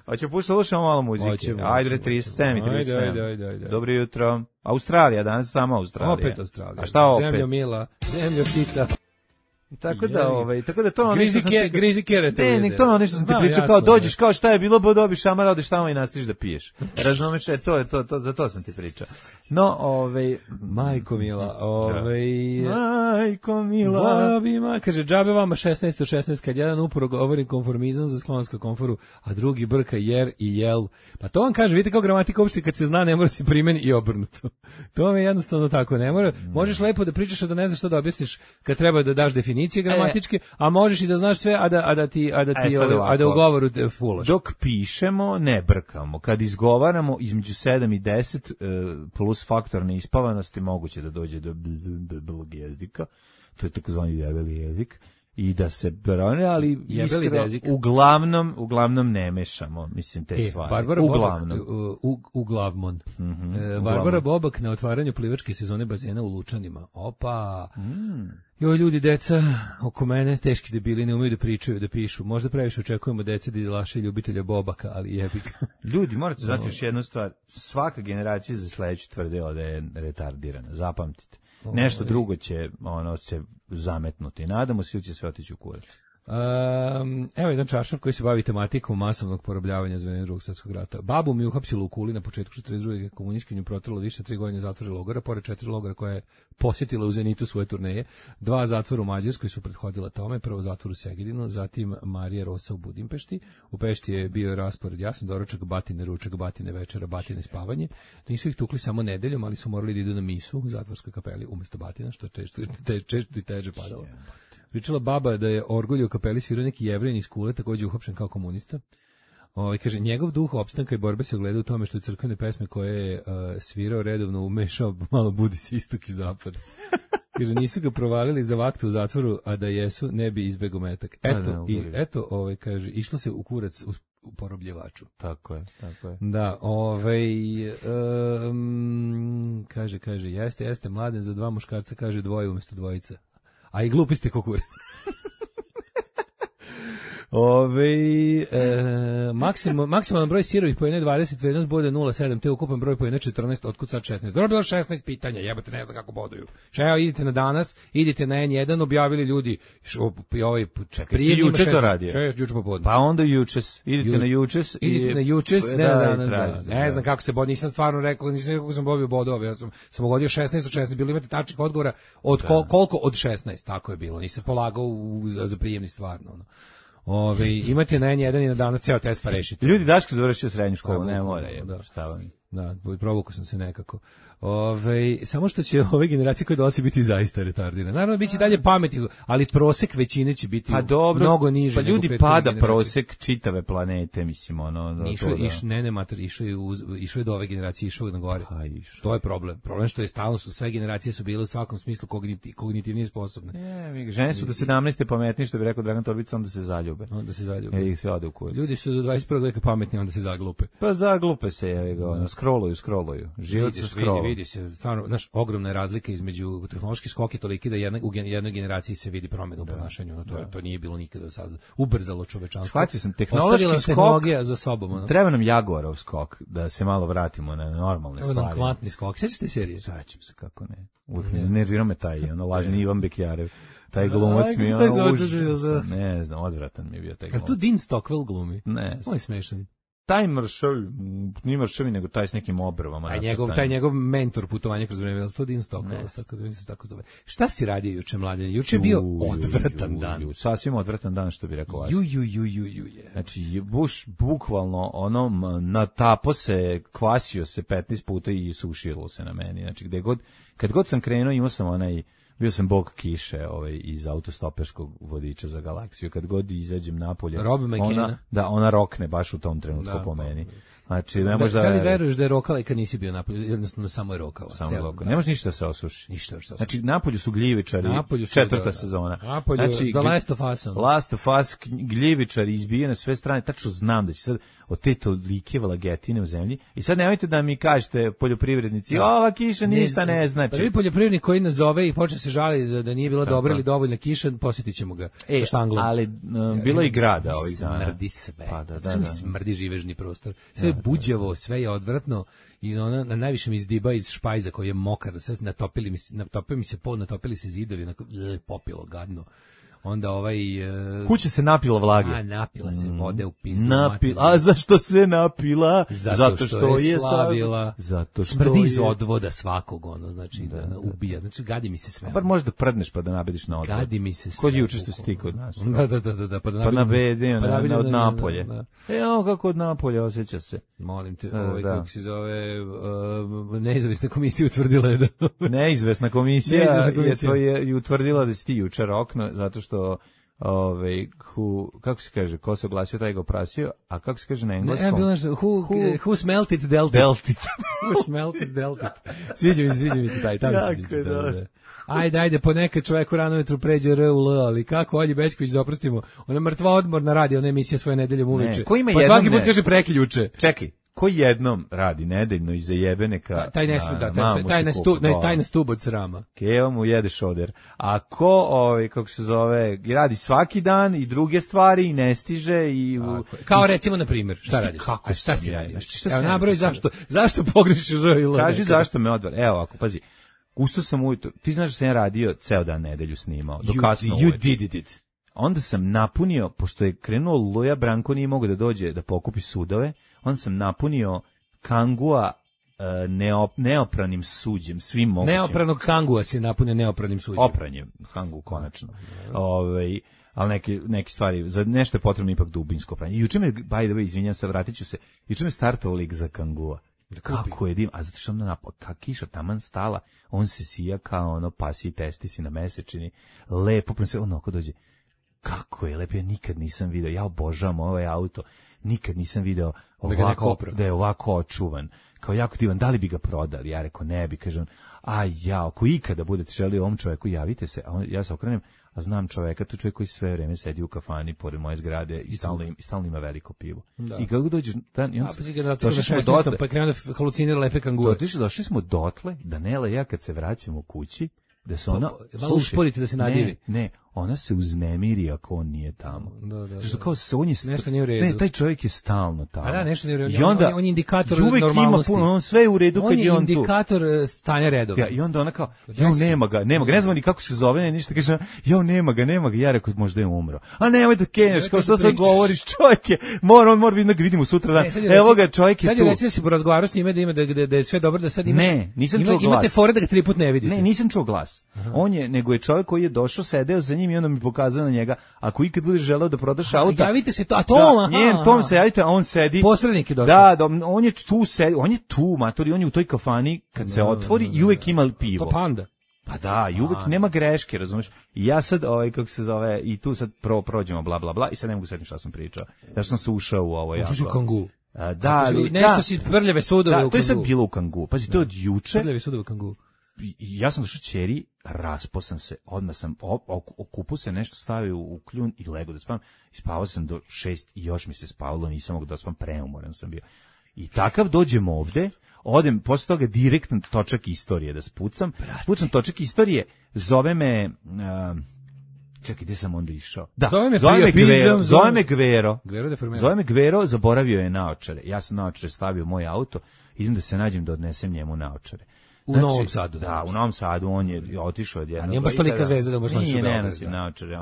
Hoće slušamo malo muzike. Ajde, 37. Dobro jutro. Australija, danas samo Australija. Opet Australija. A šta opet? Zemljo mila, zemljo sita. Tako da to ono grizi kerete. Ne, to ono nešto sam ti pričao, kao dođeš, kao šta je bilo, dobiš šamara, odeš tamo i nastaviš da piješ. Razumeš, za to sam ti pričao. No, majko mila, majko mila. Kaže, džabe vama 16 od 16, kad jedan uporo govori konformizam za sklonsku konforu, a drugi brka jer i jel. Pa to vam kaže, vidite kao gramatika uopšte kad se zna, ne mora se primeni i obrnuto. To vam je jednostavno tako, ne mora. Možeš lepo da pričaš, a da ne znaš što da objasniš kad treba da daš definicije gramatičke, a možeš i da znaš sve, a da u govoru fulaš. Dok pišemo, ne brkamo. Kad izgovaramo između 7 i 10 plus faktor neispavanosti, moguće da dođe do blog jezika. To je takozvani debeli jezik. i da se brane, ali Jebeli dezik. uglavnom ne mešamo, mislim, te stvari. Barbara uglavnom. Bobak, uglavnom. Barbara Bobak na otvaranju plivačke sezone bazena u Lučanima. Opa! Joj, ljudi, deca oko mene, teški debili, ne umeju da pričaju, da pišu. Možda previše očekujemo dece da izlaše ljubitelja Bobaka, ali jebi ga. Ljudi, morate znati još jednu stvar. Svaka generacija za sledeću tvrdila da je retardirana. Zapamtite. Nešto drugo će se zametnuti. Nadamo se ili će sve otići u kurac. Evo jedan čaršav koji se bavi tematikom masovnog porobljavanja za vreme Drugog svjetskog rata. Babu mi uhapsilo u Kuli na početku 42. komunistički protrlo više 3 godine zatvora i logora, pored 4 logora koje je posjetila u Zenitu svoje turneje, 2 zatvora u Mađarskoj su prethodila tome, prvo zatvor u Segedinu, zatim Marija Rosa u Budimpešti. U Pešti je bio raspored jasan, doručak, batine, ručak, batine, večera, batine, spavanje. Nisu ih tukli samo nedeljom, ali su morali da idu na misu u zatvorskoj kapeli umjesto batina, što često i teže padalo. Pričala baba da je orgulje u kapeli svirao neki Jevrin iz Kule, također uhapšen kao komunista. Kaže, njegov duh opstanka i borbe se ogleda u tome što je crkvene pesme koje je svirao redovno umešao, malo budi se istok i zapad. Kaže, nisu ga provalili za vaktu u zatvoru, a da jesu, ne bi izbegao metak. Eto, kaže, išlo se u kurac u porobljevaču. Tako je. Da, kaže, jeste, Mladen za 2 muškarca, kaže 2 umjesto 2. A i glupi ste kukurac. Maksimalan broj sirovih pojene 20, vrednost bode 0,7, te ukupan broj pojene 14, otkud sad 16. Dobro, bilo 16 pitanja, jebate, ne znam kako boduju. Evo, idite na Danas, idite na N1, objavili ljudi, prije juče to radio. Juče popodne. Pa onda Jučes, idite na Jučes, ne na Danas, ne znam kako se bodi, nisam stvarno rekao, nisam kako sam dobio bodove, ja sam ugodio 16 od 16, bilo imate tačnih odgovora, koliko od 16, tako je bilo, nisam polagao za prijemni stvarno, imate na N1 i na Danas ceo test pa rešite. Ljudi, Daško završio srednju školu, ne mora je. Šta vam? Da, provukao sam se nekako. Samo što će ove generacije koje dolazi biti zaista retardirane. Naravno, bit će dalje pametni, ali prosek većine će biti mnogo niže. Pa ljudi, pada prosek čitave planete, mislim, išao je do ove generacije, išao je na gore. To je problem. Problem što je stalno sve generacije su bile u svakom smislu kognitivnije sposobne. Žene su do 17. pametni, što bi rekao Dragan Torbica, onda se zaljube. I sve ode u kurac. Ljudi su do 21. veka pametni, onda se zaglupe. Pa zaglupe se, scrolluju. Život se scrolluju. Vidi se, stvarno, znaš, ogromna je razlika između tehnološki skok i toliki da u jednoj generaciji se vidi promjena u ponašanju, to nije bilo nikada do sada. Ubrzalo čovečanstvo. Shvatio sam, tehnološki skok, za sobom. Treba nam Jaguarov skok, da se malo vratimo na normalne stvari. Treba nam kvantni skok, sjećaš te serije? Sjećam se, kako ne. Nervira me taj, lažni Ivan Bekjarev. Taj glumac mi je užasan. Ne znam, odvratan mi je bio taj glumac. Kad tu Dean Stockwell glumi? Ne. On je smešan. Taj nije mršavi, nego taj s nekim obrvama. Taj njegov mentor putovanja kroz vreme, to Dean Stockwell, tako zove. Šta si radio juče, Mladen? Juče je bio odvratan dan. Sasvim odvratan dan, što bi rekao vas. Znači, Bush bukvalno natapo se, kvasio se 15 puta i sušilo se na meni. Znači, kad god sam krenuo, imao sam bio sam bog kiše iz autostoperskog vodiča za galaksiju. Kad god izađem napolje, ona rokne baš u tom trenutku po meni. Znači, ne može da li veruješ da je rokala i kad nisi bio napolje, jednostavno samo je rokala. Ne može ništa da se osuši. Ništa da se osuši. Znači, napolju su gljivičari, 4. sezona. Napolju, The Last of Us. Last of Us, gljivičari izbije na sve strane, tačno znam da će sad od te tolike vlagetine u zemlji. I sad nemojte da mi kažete, poljoprivrednici, ova kiša ništa ne znači. Prvi poljoprivrednik koji nas zove i počne se žali da nije bila dobra ili dovoljna kiša, posjetit ćemo ga sa štanglom. Ali bilo je i grada ovih dana. Smrdi sve. Smrdi živežni prostor. Sve je buđavo, sve je odvratno. I na najvišem izdiba iz špajza koji je mokar, sve natopili se zidovi, popilo gadno. Onda kuća se napila vlage. Napila se vode u pizdu. A zašto se napila? Zato što je slavila. Smrdi iz odvoda svakog, znači da ubija. Znači gadi mi se sve. Bar možda prdneš pa da nabediš na odvod. Gadi mi se sve. Kod juče što si ti kod nas. Da. Pa nabedi od Napolje. Evo kako od Napolja osjeća se. Molim te, kako se zove, nezavisna komisija utvrdila je da... Neizvesna komisija je utvrdila da si ti juče rokno, zato što kako se kaže, ko se oglasio, taj ga oprasio, a kako se kaže na engleskom? Ne, bilo nešto, who smelt it, dealt it. Who smelt it, dealt it. Sviđa mi se taj, tamo se sviđa. Ajde, ponekad čoveku rano ujutru pređe R u L, ali kako Olji Bećković da oprostimo? Ona mrtva odmorna radi, ona emisija svoje nedeljom uveče. Pa svaki put kaže preključe. Čekaj, ko jednom radi nedeljno i zajebe neka... Taj ne sme, taj na stub od srama. Keva mu jede šoder. A ko, kako se zove, radi svaki dan i druge stvari i ne stiže i... Kao recimo, na primjer, šta radiš? Kako šta si radio? Evo, nabroj zašto pogrešiš R i L? Kaži zašto me odvar. Evo, ako, pazi, usto sam ujutro, ti znaš da sam ja radio ceo dan nedelju snimao, do kasno uveče. You did it. Onda sam napunio, pošto je krenuo Luja, Branko nije mogao da dođe da pokupi sudove, onda sam napunio Kangua neopranim suđem, svim mogućim. Neopranog Kangua si napunio neopranim suđem. Opranjem, Kangu konačno. Ali neke stvari, za nešto je potrebno ipak dubinsko pranje. Juče me, by the way, izvinjam se, vratit ću se, juče me startao lik za Kangua. Kako je dim, a zato što onda kiša taman stala, on se sija kao ono pasi testisi na mesečini, lepo, prema se onako dođe, kako je lepo, ja nikad nisam video, ja obožavam ovaj auto, nikad nisam video da je ovako očuvan, kao jako divan, da li bi ga prodali, ja rekao ne bi, kaže on, ako ikada budete želi ovom čoveku, javite se, a ja se okrenem, a znam čoveka, to čovjek koji sve vreme sedi u kafani pored moje zgrade i stalno ima veliko pivo. Da. I kako dođeš dan, i on došli smo dotle, pa krenuo da halucinira lepe kangure. Došli smo dotle da Nela i ja kad se vraćamo kući, da se ona malo usporiti da se nadivi. Ne, ona se uznemiri ako on nije tamo. Da. Što kao se on je nešto nije u redu. Ne, taj čovjek je stalno tamo. A da, nešto nije u redu. I onda on je indikator Uvek normalnosti. ima puno, on sve je u redu kad je on tu. On je indikator stanja redova. Ja, i onda ona kao, nema ga, ne znam ni kako se zove, ništa, kaže, nema ga, ja rekao, možda je umro. A nemoj da kenješ, kao što sad govoriš, čovjek je, on mora biti da ga vidimo sutra dan. Evo ga, čovjek je tu. Sad je reći da si porazgovarao s njime, da je sve dobro, da sad imaš. Ne, nisam čuo glas. Imate fore da ga 3 puta ne vidite. Ne, nisam čuo glas. Nego je čovjek koji je došao, sedeo za njim i onda mi pokazao na njega, ako ikad budeš želeo da prodaš auto, javite se to, a to tom se javite, a on sedi. Posrednik je došao. Da, on je tu sedi, on je tu, matori, on je u toj kafani kad se otvori i uvek ima pivo. To Panda. Pa da, i uvek nema greške, razumeš? I ja sad, kako se zove, i tu sad prođemo bla bla bla i sad ne mogu setiti šta sam pričao. Ja sam se ušao u ovo u Kangu. Nešto si prljave sudove u Kangu. To je sad bilo u Kangu. Pazi, to je od juče. Prljave sudove u Kangu. Ja sam došao ćeri, rasposam se, odmah sam okupu se, nešto stavio u kljun i lego da spavam. I spavao sam do 6 i još mi se spavalo, nisam mogu da spavam, preumoran sam bio. I takav dođem ovde, odem, posle toga direktno točak istorije da spucam. Spucam točak istorije, zove me... Čekaj, gde sam onda išao? Da, zove me Gvero. Zove me Gvero, zaboravio je naočare. Ja sam naočare stavio u moj auto, idem da se nađem da odnesem njemu naočare. U Novom Sadu. Da, u Novom Sadu on je otišao od jednog. Nije baš tolika zvezda da možeš naći u Beogradu. Ne nosim naočare,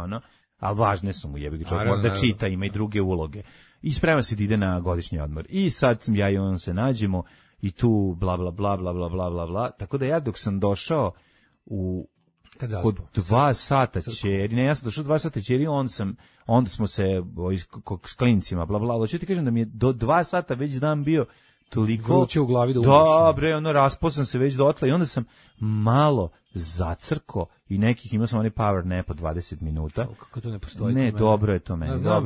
ali važne su mu, jebi ga, čovjek mora da čita, ima i druge uloge. I sprema se da ide na godišnji odmor. I sad ja i on se nađemo i tu bla bla bla bla bla bla bla bla. Tako da ja dok sam došao kod 2 sata ćeri, ja sam došao 2 sata ćeri, onda smo se s klincima bla bla. Hoću ti kažem da mi je do 2 sata već dan bio toliko vruće u glavi da umreš. Dobre, rasposam se već dotle i onda sam malo zacrko i imao sam onaj power nap od 20 minuta. Kako to ne postoji? Ne, dobro je to meni. Znam,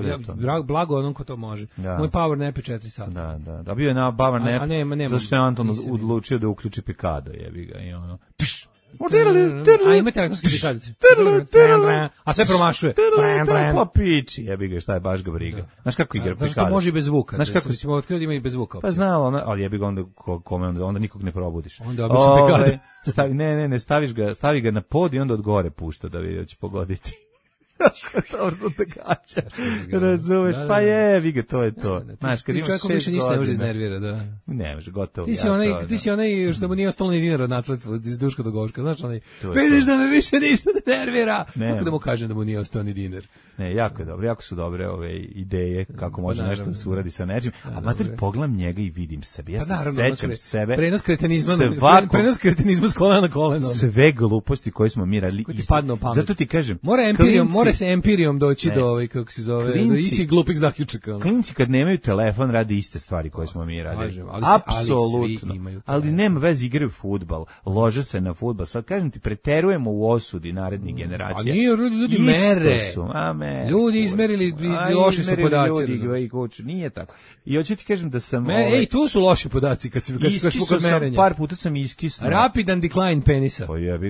blago onom ko to može. Da. Moj power nap je 4 sata. Da, bio je na power nap, zašto je Anton odlučio da uključi Pikado, jebi ga, i ono, a imate aktorske pikadice. A sve promašuje. Pa piči, jebi ga, šta je baš ga briga. Znaš kako igra Pikado? Zašto može i bez zvuka? Znaš kako si otkrio da ima i bez zvuka? Pa znao, ali jebi ga onda nikog ne probudiš. Onda obično Pikado. Ne, stavi ga na pod i onda od gore pušta da vidi da će pogoditi. Dobro te gaća. Razumeš, pa jebi ga, to je to. Znaš, kad imaš 6 godina. Više ništa ne može iznervira, da. Ne može, gotovo. Ti si onaj što mu nije ostalo ni dinar od nasledstva iz Duška do Goška, znaš onaj, vidiš da me više ništa ne nervira. Kako da mu kažem da mu nije ostao ni dinar. Ne, jako je dobro, jako su dobre ove ideje kako može nešto da se uradi sa nečim. A mater, pogledam njega i vidim sebe. Ja se sećam sebe. Prenos kretenizma s kolena na koleno. Sve gluposti koje smo mi radili. Ko ti padne u pamet. Zato ti kažem, mora more se empirijom doći do ovaj, kako se zove, do istih glupih zaključaka. Klinci kad nemaju telefon rade iste stvari koje smo mi radili. Apsolutno. Ali nema veze, igraju fudbal, lože se na fudbal. Sad kažem ti, preterujemo u osudi narednih generacija. A nije, ljudi mere. Ljudi izmerili, loši su podaci. Nije tako. I hoću ti kažem da sam... Ej, tu su loši podaci kad se kod merenja. Par puta sam iskisnuo. Rapidan decline penisa.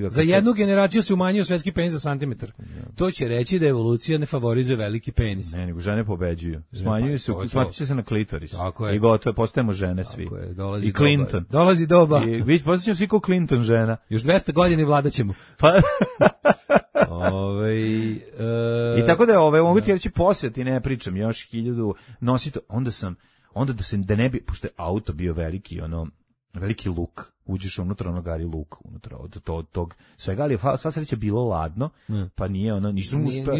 Za jednu generaciju se umanjio svetski penis za santimetar. To će reći da evolucija ne favorizuje veliki penis. Ne, nego žene pobeđuju. Smanjuju se, smatiće se na klitoris. Tako je. I gotovo, postajemo žene svi. Tako je, i Clinton. Dolazi doba. I posjećamo svi kao Clinton žena. Još 200 godina i vladat ćemo. Pa... I tako da mogu ti reći posjeti, ne pričam, još 1000 nosito, onda da ne bi, pošto je auto bio veliki luk, uđeš unutra, gari luk unutra od tog svega, ali je sva sreća bilo ladno, pa nije nisam uspeo,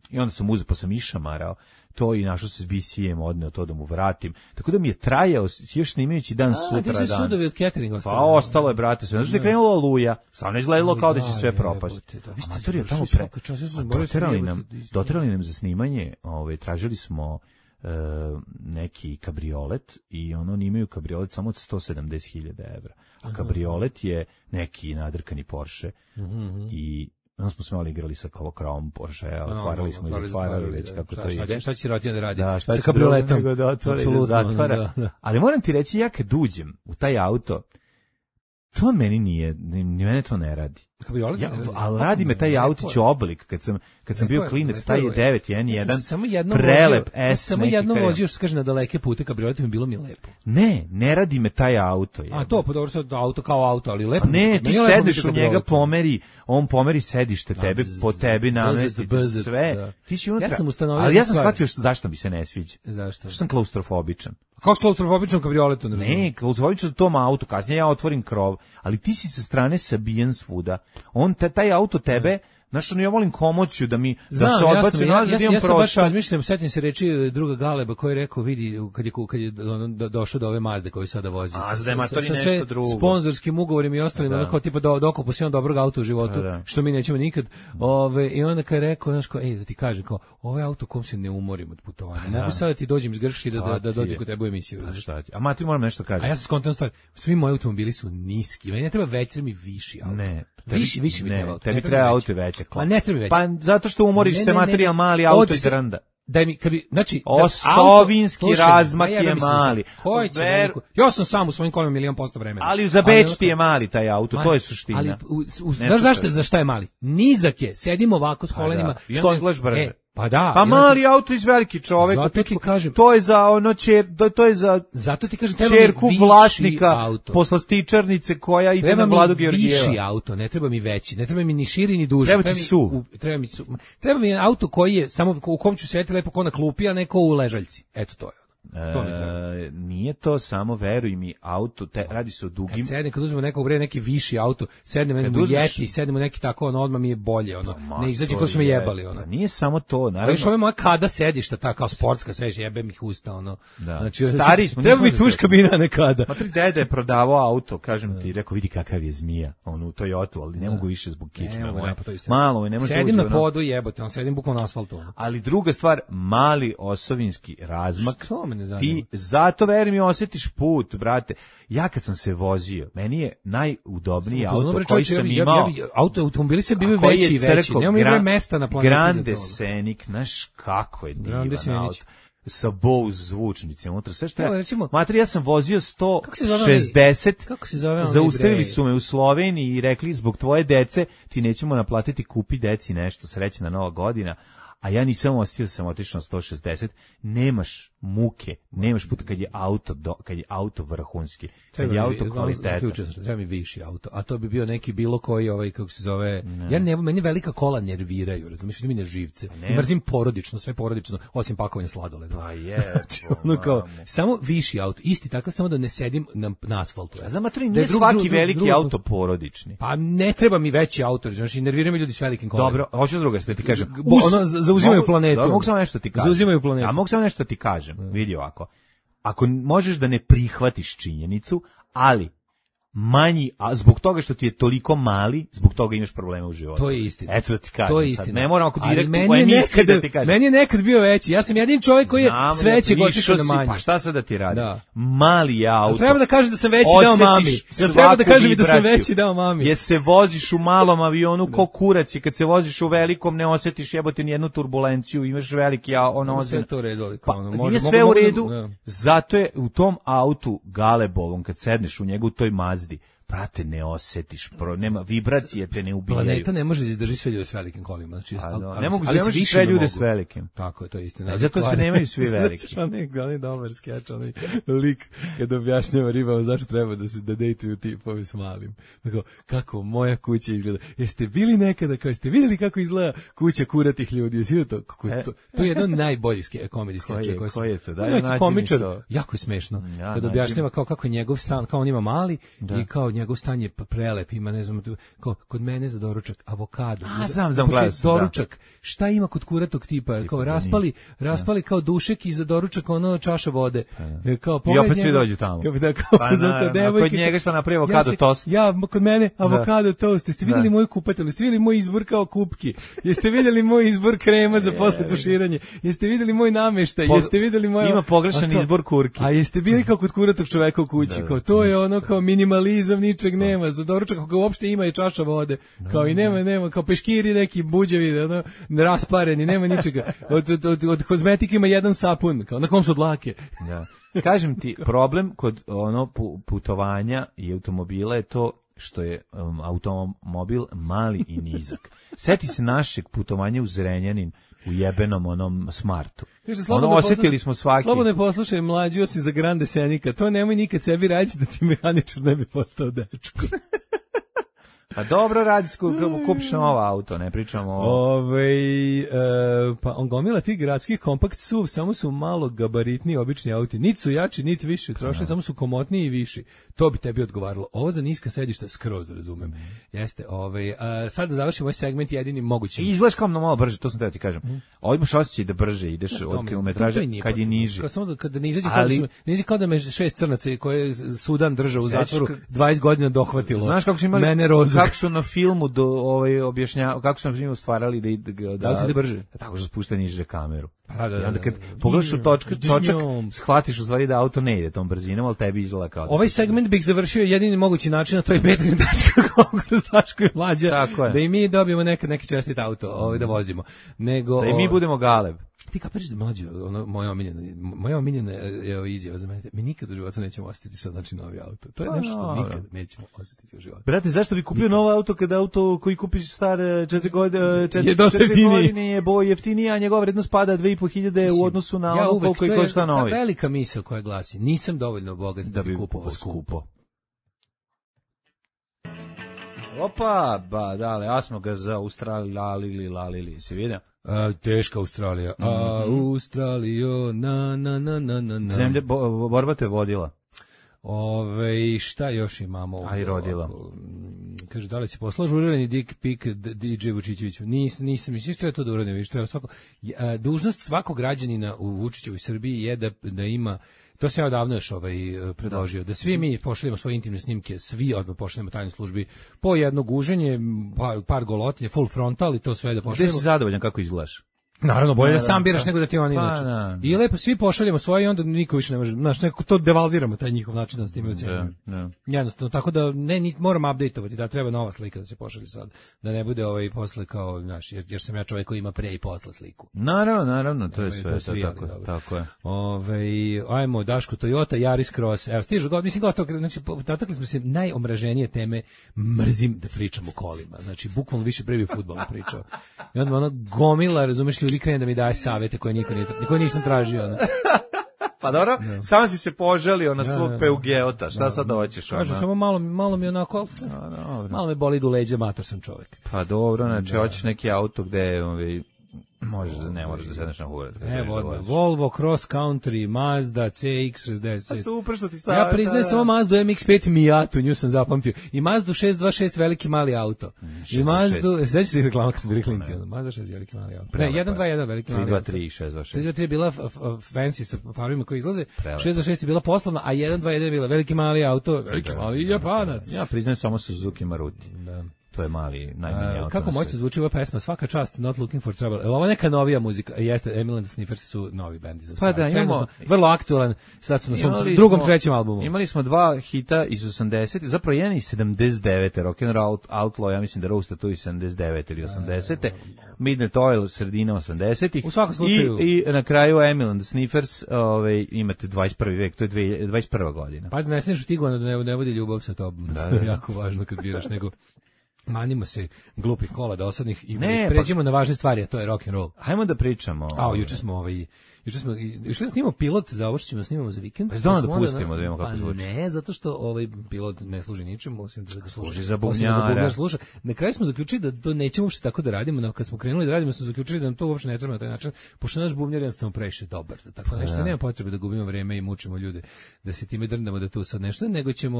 i onda sam uzeo, pa sam išamarao to i našao se s BC-em, odneo to da mu vratim. Tako da mi je trajao, još snimajući dan sutra dan. A ti su sudovi od cateringa? Pa ostalo je, brate, sve. Znači da je krenula oluja, samo ne izgledalo kao da će sve propasti. Amator je tamo doterali nam za snimanje, tražili smo neki kabriolet i oni imaju kabriolet samo od 170.000 evra. A kabriolet je neki nadrkani Porsche i onda smo smali igrali sa kolokravom Porsche, otvarali smo i zatvarali već kako to ide. Šta će sirotina da radi? Da, sa kabrioletom? Da otvara i da zatvara. Ali moram ti reći, ja kad uđem u taj auto, to meni nije, ni mene to ne radi. Ali radi me taj autić oblik, kad sam bio klinec, taj je 911, prelep S. Samo jednom vozio, što se kaže, na daleke pute kabrioletom, bilo mi je lepo. Ne radi me taj auto. A to, pa dobro, sad auto kao auto, ali lepo. Ne, ti sedneš u njega, on pomeri sedište tebe, po tebi namesti sve. Ti si unutra, ali ja sam shvatio zašto mi se ne sviđa. Zašto? Što sam klaustrofobičan. Kao s klaustrofobičnom kabrioletom? Ne, klaustrofobičan za tom autu, kasnije ja otvorim krov, ali ti si sa strane sabijen svuda. Taj auto tebe, znaš, ja volim komociju da se odbaci nazad, imam prostor. Ja sam baš razmišljam, setim se reči druga Galeba koji je rekao, vidi, kad je došao do ove Mazde koju sada vozi. Sa sve sponzorskim ugovorima i ostalim, onako tipa dokupu si on dobrog auta u životu, što mi nećemo nikad. I onda kad je rekao, znaš, da ti kažem, ovo je auto kom se ne umorim od putovanja. Mogu sada ti dođem iz Grčke da dođem kod tebe u emisiju. A Mati, moram nešto kažem. A ja sam skontan stvar, svi moji automobili su niski, meni ne treba veći, mi viši auto. Ne. Više mi treba auto. Tebi treba auto veće. Pa ne treba veće. Pa zato što umoriš se materijal mali auto i drnda. Daj mi, znači... Osovinski razmak je mali. Ja sam sam u svojim kolima 100% vremena. Ali za Beč ti je mali taj auto, to je suština. Ali, znaš za šta je mali? Nizak je, sedimo ovako s kolenima. I onda izgledaš brže. Pa da. Pa mali auto iz veliki čovek. Zato ti kažem. To je za to je za zato ti kažem treba mi ćerku vlasnika poslastičarnice koja ide na Vladu Georgijeva. Viši auto, ne treba mi veći, ne treba mi ni širi ni duži. Treba mi auto koji je samo u kom ću sedeti lepo ko na klupi, a ne ko u ležaljci. Eto to je. Nije to samo, veruj mi, auto, radi se o dugim... Kad uzmemo nekog neki viši auto, sednemo u Yeti, sednemo neki tako, odmah mi je bolje, ne izađe ko su me jebali. Nije samo to, naravno... Ali što je moja kada sedišta, ta kao sportska sedišta, jebem ih usta, Znači, stari smo... Treba mi tuš kabina nekada. Matri deda je prodavao auto, kažem ti, rekao, vidi kakav je zmija, u Toyotu, ali ne mogu više zbog kičme. Malo, ne može... Sedim na podu, jebote, sedim bukvalno na asfaltu. Ali druga stvar, mali osovinski razmak. Ti zato, verujem, i osjetiš put, brate. Ja kad sam se vozio, meni je najudobniji auto koji sam imao. Automobili se bili veći i veći. Nemamo imali mesta na planeti. Grande Scenic, znaš kako je divan auto. Sa Bose zvučnicima unutra, sve što je. Matri, ja sam vozio 160, zaustavili su me u Sloveniji i rekli, zbog tvoje dece ti nećemo naplatiti, kupi deci nešto, srećna Nova godina. A ja nisam ostio, sam otišao na 160, nemaš muke, nemaš puta kad je auto vrhunski, kad je auto kvalitetan. Treba mi viši auto, a to bi bio neki bilo koji, kako se zove, meni velika kola nerviraju, razumiješ, mi ne živce, mrzim porodično, sve porodično, osim pakovanja sladoleda. Pa je, samo viši auto, isti tako, samo da ne sedim na asfaltu. A znam, nije svaki veliki auto porodični. Pa ne treba mi veći auto, znaš, i nerviraju mi ljudi s velikim kolima. Dobro, hoću druga se ti kažem. Zauzimaju planetu. Mogu samo nešto ti kažem. Zauzimaju planetu. A mogu samo nešto ti kažem. Vidi ovako. Ako možeš da ne prihvatiš činjenicu, ali manji, a zbog toga što ti je toliko mali, zbog toga imaš probleme u životu. To je istina. Eto da ti kažem. To je istina. Ne moram ako direktno meni u je emisiji nekad, da ti kažem. meni je nekad bio veći. Ja sam jedin čovjek koji je sve veće otišao na manje. Pa šta sad da ti radi? Da. Mali je auto. Treba da kažeš da sam veći dao mami. Jel treba da kažem da sam veći dao mami? Je se voziš u malom avionu ko kurac i kad se voziš u velikom ne osjetiš jebote ni jednu turbulenciju, imaš veliki sve to u redu, pa, nije sve u redu. Zato je u tom autu Galebovom kad sedneš u njegu u toj Mazdi, prate, ne osjetiš, nema vibracije, te ne ubijaju. Planeta ne može da izdrži sve ljude s velikim kolima. Znači, ne mogu da sve ljude s velikim. Tako je, to je istina. Zato se nemaju svi veliki. Znači, onaj dobar skeč, onaj lik kad objašnjava ribama zašto treba da dejtuju tipovi s malim. Tako, kako moja kuća izgleda. Jeste bili nekada, kao jeste vidjeli kako izgleda kuća kuratih ljudi? Jeste to? To je jedan od najboljih komedijskih skečeva. Koji je to? Neki komičar, jako je smešno. Kad objašnjava kako je njegov stan, kao on ima mali i kao njegov stan je prelep, ima, ne znam, kao kod mene za doručak avokado. Znam, glas. Doručak. Šta ima kod kuratog tipa? Kao raspali kao dušek i za doručak ono čaša vode. Kao i opet svi dođu tamo. Kod njega što napravi avokado tost. Kod mene avokado tost. Jeste vidjeli moju kupatelju? Jeste vidjeli moj izbor kao kupki? Jeste vidjeli moj izbor krema za posle tuširanje? Jeste vidjeli moj nameštaj? Jeste vidjeli moj... Ima pogrešan izbor kurki. A jeste bili kao kod kuratog čoveka u kući? Kao to je ono kao minimalizam, ničeg nema. Za doručak ako ga uopšte ima i čaša vode. Kao i nema kao peškiri neki buđevi, ono, raspareni, nema ničega. Od kozmetike ima jedan sapun, kao na kom su dlake. Da. Kažem ti, problem kod ono putovanja i automobila je to što je automobil mali i nizak. Seti se našeg putovanja u Zrenjanin u jebenom onom Smartu. Kaže, osjetili smo svaki. Slobodno poslušaj, mlađi osim za Grande Senika. To nemoj nikad sebi raditi da ti mehaničar ne bi postao dečko. Pa dobro radi, kupiš novo auto, ne pričamo o... Pa on gomila tih gradskih kompakt SUV, samo su malo gabaritni obični auti. Niti su jači, niti više, troše, samo su komotniji i viši. To bi tebi odgovaralo. Ovo za niska sedišta skroz razumem. Jeste, sad da završim ovaj segment jedinim mogućim. Izgledaš kao malo brže, to sam teo ti kažem. Ovo imaš osjećaj da brže ideš od kilometraže kad je niži. Samo kada ne izađe kao da me 6 crnaca koje Sudan držao u zatvoru 20 godina dohvatilo. Znaš kako su imali, mene rozu. Kako su na filmu objašnjavali, kako su na filmu stvarali da se ide brže. Tako su spuštali niže kameru. Da, onda kad pogledaš u točak, shvatiš u stvari da auto ne ide tom brzinom, ali tebi izgleda kao... Ovaj segment bih završio jedini mogući način, a to je Petrin.com kroz Daško i Mlađa, da i mi dobijemo neki čestit auto da vozimo. Da i mi budemo Galeb. Ti kapiraš da Mlađa, moja omiljena je izjava za mene, mi nikad u životu nećemo osjetiti sad novi auto. To je nešto što nikad nećemo osjetiti u životu. Brate, zašto bi kupio novo auto kada auto koji kupiš star 4 godine je jeftiniji, a njegova vrednost pada 2.500 u odnosu na ono koliko i košta novi. To je velika misao koja glasi, nisam dovoljno bogat da bi kupovao skupo. Opa, dale, ja smo ga za Australili, se vidio? Teška Australija. Australijo, na. Zemlja, borba te vodila. Šta još imamo? A i rodila. Kaže, da li si poslao žurirani dick pic DJ Vučićeviću? Nisam, mislim što je to da uradim, više treba svako. Dužnost svakog građanina u Vučićevoj Srbiji je da ima, to sam ja odavno još predložio, da svi mi pošaljemo svoje intimne snimke, svi odmah pošaljemo tajnoj službi po jedno guženje, par golotinje, full frontal i to sve da pošaljemo. Gde si zadovoljan kako izgledaš? Naravno, bolje da sam biraš nego da ti oni inače. I lepo svi pošaljemo svoje i onda niko više ne može, znaš, neko to devalviramo, taj njihov način da s time ocenjujemo. Jednostavno, tako da moram updateovati, da treba nova slika da se pošalje sad, da ne bude posle kao, znaš, jer sam ja čovjek koji ima pre i posle sliku. Naravno, to je sve tako je. Ajmo, Daško, Toyota, Yaris Cross, evo, stižu, mislim, gotovo, znači, dotakli smo se najomraženije teme, mrzim da pričam o kolima, znači, bukvalno više pre bi fudbalom pričao. I onda ono gomila, razumeš, ljudi krene da mi daje savete koje nisam tražio. Pa dobro, samo si se požalio na svog Peugeota, šta sad hoćeš? Kažu, samo malo mi onako, malo me boli do leđa, mator sam čovjek. Pa dobro, znači hoćeš neki auto gde Ne možeš da sedneš na hurat. Evo, Volvo Cross Country, Mazda CX-60. Super što ti sad. Ja priznajem samo Mazdu MX-5 Miatu, nju sam zapamtio. I Mazdu 626 veliki mali auto. I Mazdu, sveći se reklama kad sam bili klinci. Mazda 6 veliki mali auto. Ne, 121 veliki mali auto. 323 i 626. 323 je bila fancy sa farbima koji izlaze, 626 je bila poslovna, a 121 je bila veliki mali auto, veliki mali Japanac. Ja priznajem samo Suzuki Maruti. Da. To je mali, najmanji auto. Kako moćno zvuči ova pesma, svaka čast, Not Looking for Trouble. Ovo neka novija muzika, jeste, Emil and the Sniffers su novi bendi za Pa da, imamo vrlo aktualan, sad su na svom drugom, trećem albumu. Imali smo 2 hita iz 80, zapravo jedan iz 79. Rock and Roll Outlaw, ja mislim da Roasta tu iz 79 ili 80. Midnight Oil, sredina 80-ih. U svakom slučaju. I na kraju Emil and the Sniffers, imate 21. vek, to je 21. godina. Pa ne smiješ utigovano da ne vodi ljubav sa tobom. Da. Jako važno kad biraš, nego manimo se glupih kola dosadnih i pređemo na važne stvari, a to je rock and roll. Hajmo da pričamo. Juče smo išli da snimamo pilot za ovo što ćemo da snimamo za vikend. Pa da pustimo da vidimo kako zvuči. Ne, zato što pilot ne služi ničemu, osim da ga služi za bubnjara. Na kraju smo zaključili da to nećemo uopšte tako da radimo, no kad smo krenuli da radimo smo zaključili da nam to uopšte ne treba na taj način, pošto naš bubnjar jednostavno previše dobar za tako nešto, nema potrebe da gubimo vreme i mučimo ljude da se time drndamo da tu sad nešto,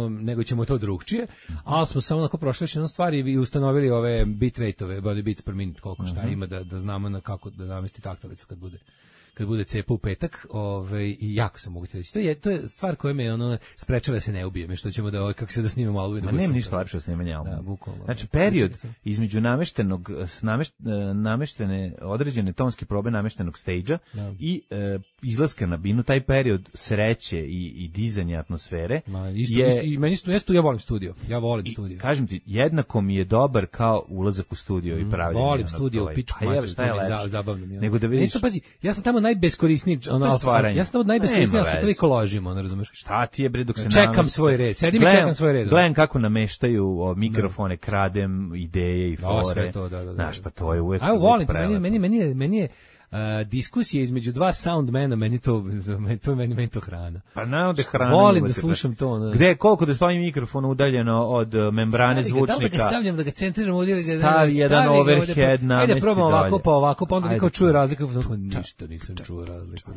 nego ćemo to drugčije, ali smo samo onako prošli jednu stvar i ustanovili ove bitrate-ove, body beats per minute, koliko šta ima da znamo na kako da namesti taktalicu kad bude cepa u petak, i jako sam mogu ti reći. To je stvar koja me sprečava da se ne ubijem, što ćemo da kako se da snimamo album. Ma nema ništa lepše od snimanja albuma. Da, bukvalno. Znači period između nameštene određene tonske probe nameštenog stage-a i izlaska na binu, taj period sreće i dizanja atmosfere. I meni isto ja volim studio. Ja volim studio. Kažem ti, jednako mi je dobar kao ulazak u studio i pravljenje. Volim studio u pičku maču, zabavno mi je. Nego da vidiš. Pazi, ja sam tamo najbeskorisniji, ja sam tamo najbeskorisniji, ja se toliko ložimo, ne razumeš? Šta ti je bre dok se čekam svoj red, sedim i čekam svoj red. Gledam kako nameštaju mikrofone, kradem ideje i fore. Sve to, da. Znaš, pa to je uvek. Ajmo, volim, meni je diskusije između dva soundmana, meni to hrana. Pa naravno da hrana. Volim da slušam to. Gde, koliko da stoji mikrofon udaljeno od membrane zvučnika. Da ga stavljam, da ga centriram ovdje, da ga stavi jedan overhead namesti. Ajde, probam ovako, pa onda niko čuje razliku. Ništa nisam čuo razliku.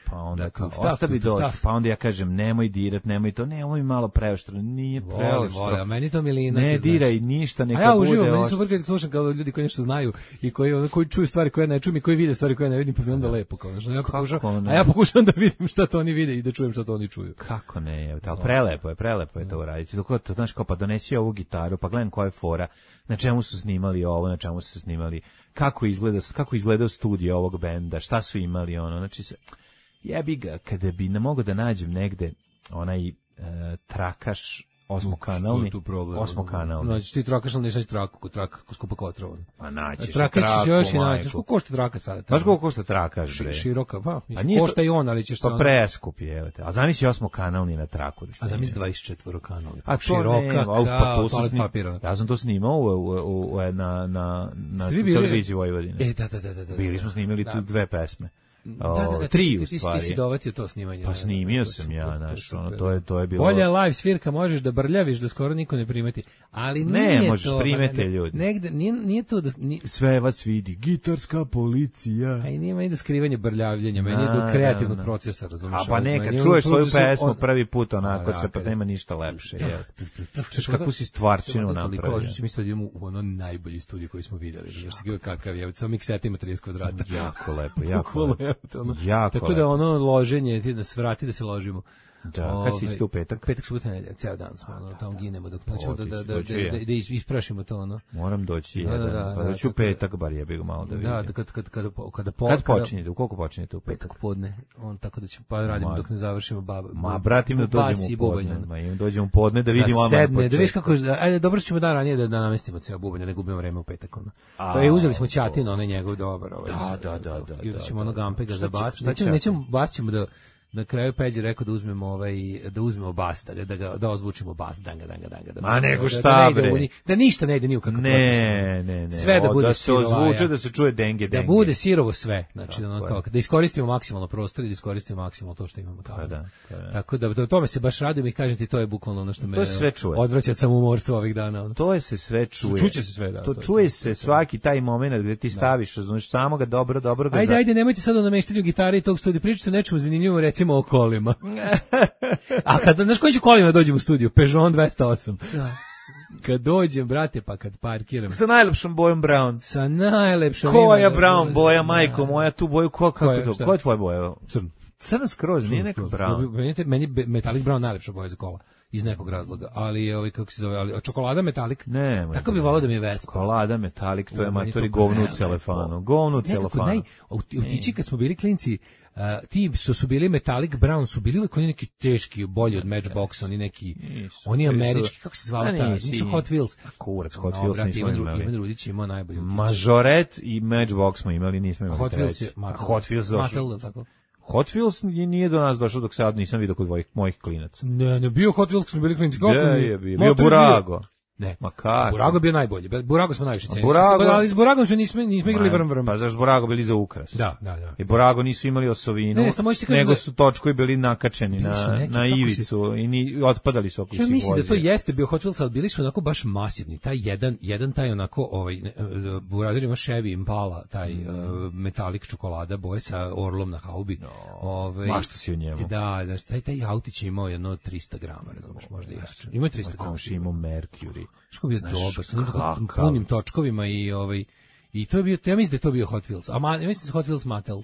Pa onda ostavi dođi, pa onda ja kažem nemoj dirat, nemoj to, nemoj malo preoštro, nije preoštro. Volim, a meni to milina. Ne diraj ništa, neka bude. A ja uživam, meni su super kad slušam kao ljudi koji nešto znaju i koji čuju stvari koje ne čujem i koji vide stvari koje ne vidim, pa mi onda lepo kao nešto. Ja pokušam da vidim šta to oni vide i da čujem šta to oni čuju. Kako ne, ali prelepo je to uraditi. Dok to znaš kao pa donesi ovu gitaru, pa gledam koja je fora, na čemu su snimali ovo, na čemu su se snimali, kako izgleda studio ovog benda, šta su imali znači se jebi ga kada bi ne mogao da nađem negde onaj trakaš osmokanalni. Znači ti trakaš, ali nećeš traku, skupa kotrovan. Pa naćeš traku, još i naćeš. Koliko košta traka sada? Znaš koliko košta trakaš, bre? Široka, pa. Košta i on, ali ćeš pa preskup je. A zamisli osmokanalni na traku. A zamisli 24-kanalni. A široka, kao toalet papira. Ja sam to snimao na televiziji Vojvodine. Da. Bili smo snimili tu 2 pesme. Da, tri u stvari. Ti si dovatio to snimanje. Pa snimio sam ja, znaš, to je bilo. Bolje live svirka, možeš da brljaviš, da skoro niko ne primeti, ali nije ne, možeš to. primete ljudi. Negde, nije to da... Sve vas vidi, gitarska policija. A i nije meni do skrivanja brljavljenja, meni je do kreativnog procesa, razumiješ? A pa neka, čuješ svoju pesmu prvi put onako, sve pa nema ništa lepše. Čuješ kakvu si stvarčinu napravio. Mi sad idemo u ono najbolji studij koji smo vidjeli, znaš kakav je, samo mikseta ima 30 kvadrata. Jako lepo. Tako da ono loženje, ti nas vrati da se ložimo. Da, kad si isto u petak? Petak, subota, nedelja, ceo dan smo, tamo ginemo dok nećemo da isprašimo to, Moram doći jedan, pa doći u petak, bar jebi ga malo da vidim. Da, kad počinjete, u koliko počinjete u petak? Podne, tako da ćemo, pa radimo dok ne završimo bratim da dođemo u podne, dođemo u podne da vidimo odmah početak. Da vidiš kako, ajde, dobro ćemo dan ranije da namestimo ceo bubanj, ne gubimo vreme u petak, To je, uzeli smo Ćatin, onaj njegov dobar, da. I uzet ćemo Gampega za bas, nećemo bas ćemo da na kraju Peđa rekao da uzmemo bas, da ozvučimo bas, danga. Ma nego šta bre. Da ništa ne ide ni u kakav proces. Ne. Sve da bude da se ozvuče, da se čuje denge. Da bude sirovo sve, znači da iskoristimo maksimalno prostor i da iskoristimo maksimalno to što imamo tamo. Tako da tome se baš radujem i kažem ti, to je bukvalno ono što me odvraća od samoumorstva ovih dana. To se sve čuje. Čuće se sve, da. To čuje se svaki taj momenat gde ti staviš, znaš, samo ga dobro ga. Ajde, nemojte sad o nameštanju gitare i tog studija, pričate o nečemu zanimljivom, recimo o kolima. A kad, znaš koji ću kolima dođem u studiju? Peugeot 208. Kad dođem, brate, pa kad parkiram. Sa najlepšom bojom brown. Sa najlepšom. Koja brown boja, majko moja, tu boju, kako je to? Koja je tvoja boja? Crna skroz, nije neka brown. Meni metalik brown najlepša boja za kola. Iz nekog razloga, ali kako se zove, ali čokolada metalik. Ne, tako bi voleo da mi je Vespa. Čokolada metalik, to je matori govno u celofanu. Govno u celofanu. U tiči kad smo bili klinci, ti su bili metalik brown, su bili uvijek oni neki teški, bolji od Matchboxa, oni neki, oni američki, kako se zvala ta, nisu Hot Wheels. Kurac, Hot Wheels nismo imali. Ivan Rudić imao najbolji. Majoret i Matchbox smo imali, nismo imali. Hot Wheels došao. Hot Wheels nije do nas došao dok sad nisam vidio kod mojih klinaca. Ne, bio Hot Wheels kad smo bili klinci. Bio Burago. Ne, Makar. Burago je bio najbolji. Burago smo najviše cenili. Ali s Buragom nismo igrali vrm. Pa zašto Burago bili za ukras? Da. I Burago nisu imali osovinu, nego su točkovi bili nakačeni na ivicu i otpadali su oko svih vozija. Ja mislim da to jeste bio Hot Wheels, ali bili su onako baš masivni. Taj jedan taj onako, Burazer ima Chevy Impala, taj metalik čokolada boje sa orlom na haubi. Mašto si o njemu. Da, taj autić je imao jedno 300 grama, razumiješ, možda i jače. Ima 300 grama. Imao Mercury. Što bi dobar, sa punim točkovima i to je bio, ja mislim da je to bio Hot Wheels. A ja mislim da Hot Wheels Mattel, je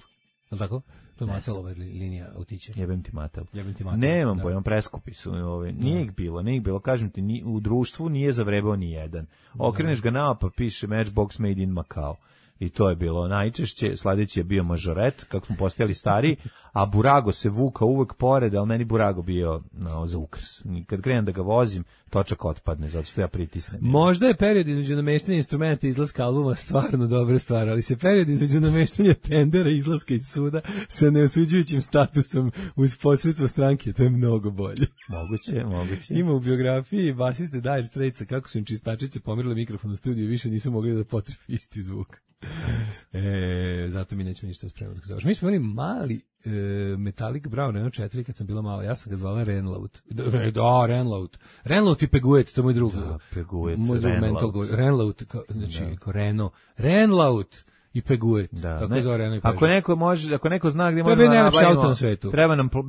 li tako? To je Mattelova linija autića. Jebem ti Mattel. Nemam pojma, preskupi su. Nije ih bilo, kažem ti, u društvu nije zavrebao ni jedan. Okreneš ga naopako, piše Matchbox Made in Macau. I to je bilo najčešće, sledeći je bio Majoret, kako smo postajali stariji, a Burago se vukao uvek pored, ali meni Burago bio za ukras. Kad krenem da ga vozim, točak otpadne, zato što ja pritisnem. Možda je period između nameštanja instrumenta i izlaska albuma stvarno dobra stvar, ali se period između nameštanja tendera i izlaska iz suda sa neosuđujućim statusom uz posredstvo stranke, to je mnogo bolje. Moguće. Ima u biografiji basiste Dire Straitsa kako su im čistačice pomerile mikrofon u studiju i više nisu mogli da potrefi isti zvuk. Zato mi nećemo ništa spremati. Mi smo imali mali metalik brown Renault 4 kad sam bila mala, ja sam ga zvala Renlaut. Renlaut i Peguet, to je moj drug. Da, Peguet, moj drug mental go. Renlaut, znači kao Renault. Renlaut i Peguet. Tako zove Renault i Peguet. Ako neko zna gdje možemo da nabavimo,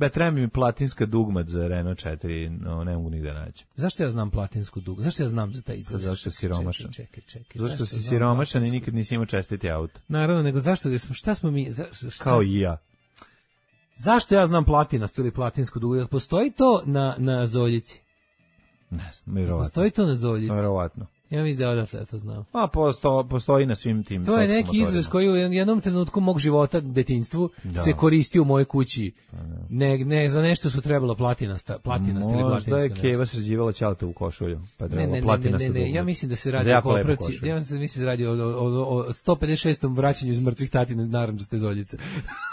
treba mi platinska dugmat za Renault 4, ne mogu nigde naći. Zašto ja znam platinsku dugmat? Zašto ja znam za taj izraz? Zašto si siromašan? Čekaj. Zašto si siromašan i nikad nisi imao čestiti auto? Naravno, nego zašto, šta smo mi... Kao i ja. Zašto ja znam platinastu ili platinsku dugmat? Postoji to na Zoljici? Ne znam, vjerovatno. Postoji to na Zoljici? Vjerovatno. Ja mislim da odatle to znam. A postoji na svim tim. To je neki izraz koji u jednom trenutku mog života, detinjstvu, se koristi u mojoj kući. Ne, za nešto su trebalo platinast ili platinska. Možda je Keva sređivala ćalate u košulju, pa trebalo platinasta dugmat. Ne, ja mislim da se radi o popravci. Ja mislim da se radi o 156. vraćanju iz mrtvih tatina narandžaste Zoljice.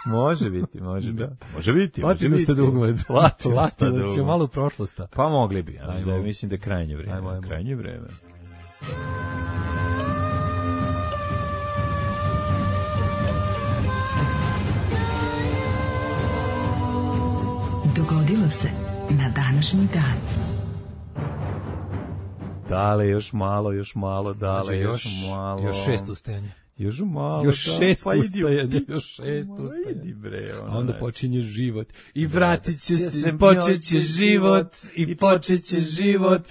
Može biti. Platinasta dugmat. Platinasta, će malo u prošlost. Pa mogli bi, ja mislim da je krajnje vreme. Dogodilo se na današnji dan. Dale, još malo, dale, još malo. Još 6 ustajanja. Još malo. Još 6 ustajanja. Idi bre. A onda počinje život. I vratit će se, počet će život. I počet će život.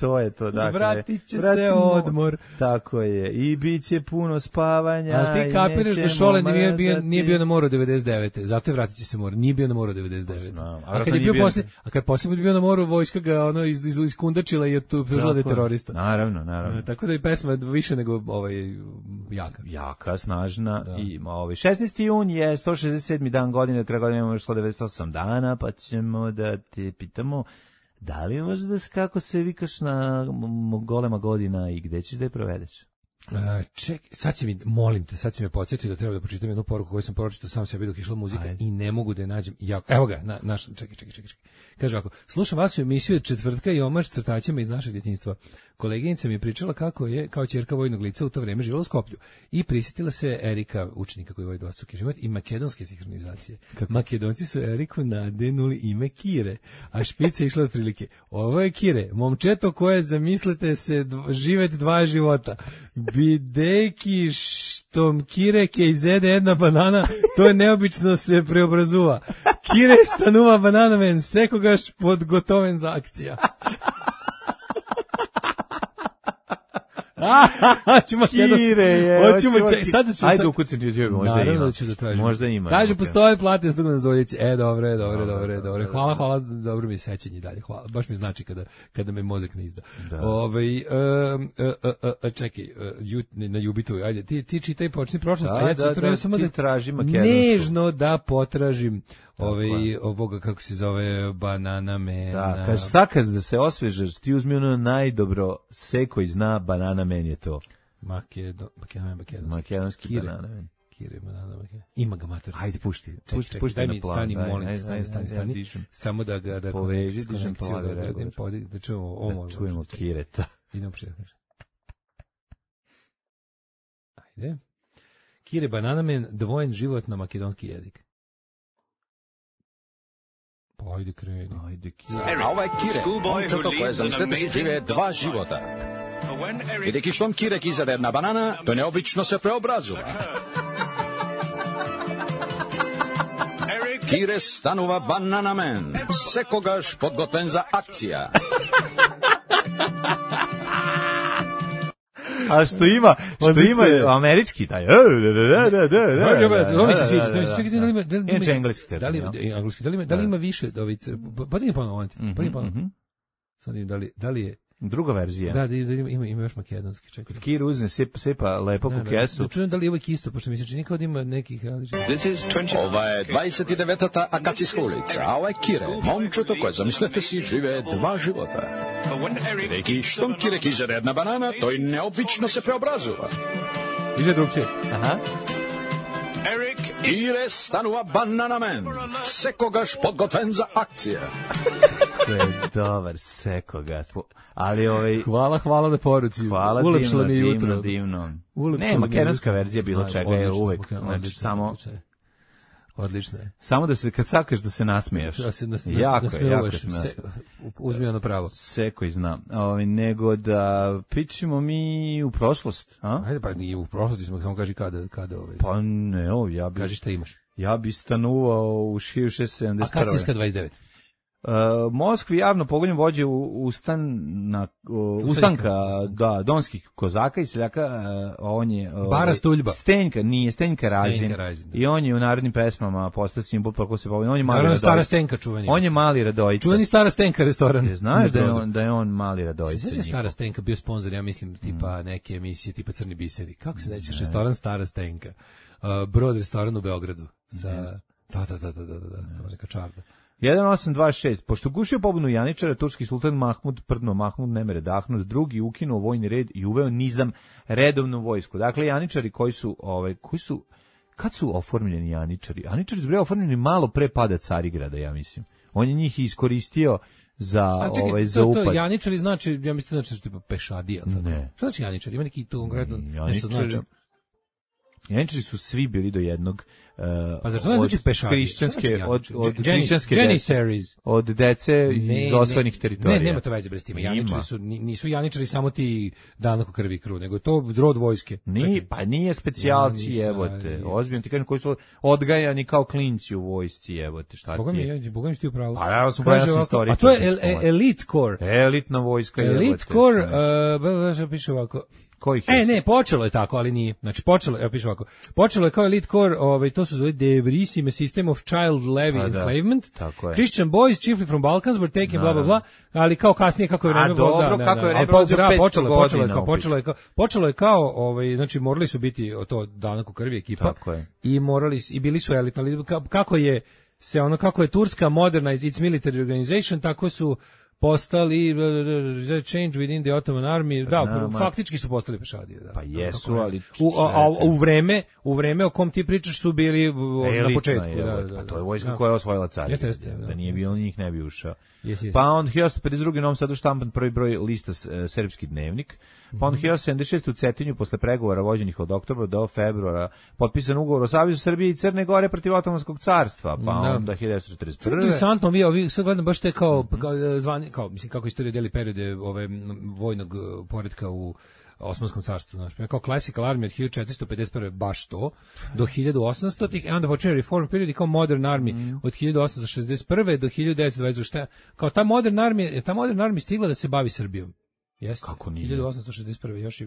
To je to. Dakle, vratit će se odmor. Tako je. I bit će puno spavanja. Ali ti kapiraš da Šole nije bio na moru 99. Zato je vratit će se mora. Nije bio na moru 99. A kad je bio poslije, poslije bio na moru, vojska ga iskundačila i optužila da je terorista. Naravno. Tako da je pesma više nego jaka, snažna. I 16. jun je 167. dan godine, kraj godine imamo još 198 dana, pa ćemo da te pitamo da li možda kako se vikaš na golema godina i gde ćeš da je provedeš? Sad si mi, molim te, sad si me podsjetio da treba da pročitam jednu poruku koju sam pročitao sam sebi dok išla muzika. Ajde. I ne mogu da je nađem. Evo ga, čekaj. Kaže ovako, slušam vas u emisiju od četvrtka i omaž crtačima iz našeg djetinjstva. Koleginica mi je pričala kako je, kao ćerka vojnog lica u to vreme živjela u Skoplju. I prisjetila se Erika, učenika koji vodi dvostruki život, i makedonske sinhronizacije. Makedonci su Eriku nadenuli ime Kire, a špica išla otprilike. Ovo je Kire, momčeto koje zamislite se živet dva života. Bideki štom Kire ke izede jedna banana, to je neobično se preobrazuva. Kire stanuva banana men, sekogaš podgotoven za akcija. Kire je. Ajde ukucim ti možda ima. Naravno da ću da tražim. Možda ima. Kaže, postoje plate s dugom na Zoljici. Dobro. Hvala, dobro mi je sećanje dalje. Hvala. Baš mi znači kada me mozak ne izda. Čekaj, na Jubitu, ajde, ti čitaj počni prošlost, a ja ću treba samo da tražim makedonsku. Nežno da potražim ovoga, kako se zove, Banana Man. Da, kaže, sakaz da se osvežaš, ti uzmi ono najdobro seko i zna Banana Man je to. Makedonski Banana Man. Kire, Banana Man. Ima ga mater. Ajde, pušti. Daj mi, stani, molim, stani. Samo da ga poveži, dižem plave, da čujemo Kireta. Idemo prijatno. Ajde. Kire, Banana Man, dvojen život na makedonski jezik. Ajde kreni. A ovaj Kire, momčeto koje zamislite si žive dva života. I deki štom Kirek izade jedna banana, to neobično se preobrazuva. Kire stanuva Banana Man, sekogaš podgotoven za akcija. A što ima američki taj. Ovo mi se sviđa. Čekajte, da li ima više dovice? Pa nije ponovno. Da li je druga verzija? Da, ima još makedonski. Čekaj. Kir uzne, sepa lepo po kesu. Čujem da li je ovo isto, pošto mi se čini kao da ima nekih različitih. Ova je 29. Akacijska ulica, a ovaj Kire, momčeto koje zamislite si žive dva života. Neki štom Kirek izade jedna banana, to i neobično se preobrazuva. Više drugčije. Aha. Kire stanuva Banana Man, sekogaš podgotoven za akcije. To je dobar, sekogaš. Ali Hvala na poruci. Hvala, ulepšalo mi jutro. Divno. Ne, makedonska verzija bilo čega je uvek. Znači, samo... Odlično je. Samo da se, kad sakaš da se nasmiješ. Jako se uzmi ono pravo. Seko i znam. Nego da pričamo mi u prošlost. Ajde, pa nije u prošlosti smo, samo kaži kada. Pa ne, ja bi... Kaži šta imaš. Ja bi stanovao u 1671. Akacijska 29. Moskvi javno pogonjem vođe ustanka donskih kozaka i seljaka, on je Bara Stuljba. Stenjka Razin. I on je u narodnim pesmama postao simbol kako se pogleda. On je mali Radojica. Stara Stenka čuveni. On je mali Radojica. Čuveni Stara Stenka restoran. Znaš da je on mali Radojica. Sveća Stara Stenka bio sponzor, ja mislim, tipa neke emisije tipa Crni biseri. Kako se nećeš restoran Stara Stenka? Brod restoran u Beogradu. Da, neka čarda. 1826. Pošto gušio pobunu Janičara, turski sultan Mahmud ne mere dahnut, drugi ukinuo vojni red i uveo nizam, redovnu vojsku. Dakle, Janičari koji su kad su oformljeni Janičari? Janičari su bili oformljeni malo pre pada Carigrada, ja mislim. On je njih iskoristio za upad. To Janičari znači, ja mislim znači tipa pešadija. Ne. Šta znači Janičari? Ima neki tu konkretno nešto znači? Janičari su svi bili do jednog pa zašto ne znači pešadije? Od dece iz osvojenih teritorija. Ne, nema to veze s tim. Janičari nisu Janičari samo ti danako krvi i krv, nego to rod vojske. Nije specijalci, evote. Ozbiljno ti kažem, koji su odgajani kao klinci u vojsci, evote. Šta ti je? Boga mi ti upravo. Pa ja sam pravi istoričar. A to je Elite Corps. Elitna vojska. Elite Corps, piše ovako. Ne, počelo je tako, ali nije. Znači, počelo je kao Elite Corps, to su zove The Verissime System of Child Levy Enslavement. Christian boys, chiefly from Balkans, were taken, bla, bla, bla, ali kao kasnije, kako je vreme bilo, počelo je kao, znači, morali su biti to danak krvi ekipa i bili su elitni, kako je Turska modernized its military organization, tako su postali change within the Ottoman army, da, faktički su postali pešadije. Da, pa jesu, ali... U vreme o kom ti pričaš su bili elitna, na početku. Pa to je vojska koja je osvojila Carinu. Da nije bilo njih, ne bi ušao. Pa onda 1852. Novom Sadu štampan prvi broj lista Srpski dnevnik. Pa onda 1876. u Cetinju posle pregovora vođenih od oktobra do februara potpisan ugovor o Savezu Srbije i Crne Gore protiv Otomanskog carstva. Pa onda 1941. Interesantno, vi sad gledam baš te kao zvani, kao mislim kako istorija deli periode vojnog poretka u Osmanskom carstvu, znači kao Classical Army od 1451 baš to do 1800-ih, a onda počinje Reform period i kao Modern Army od 1861 do 1920, šta kao ta Modern Army stigla da se bavi Srbijom. Jeste. Kako nije? 1861 još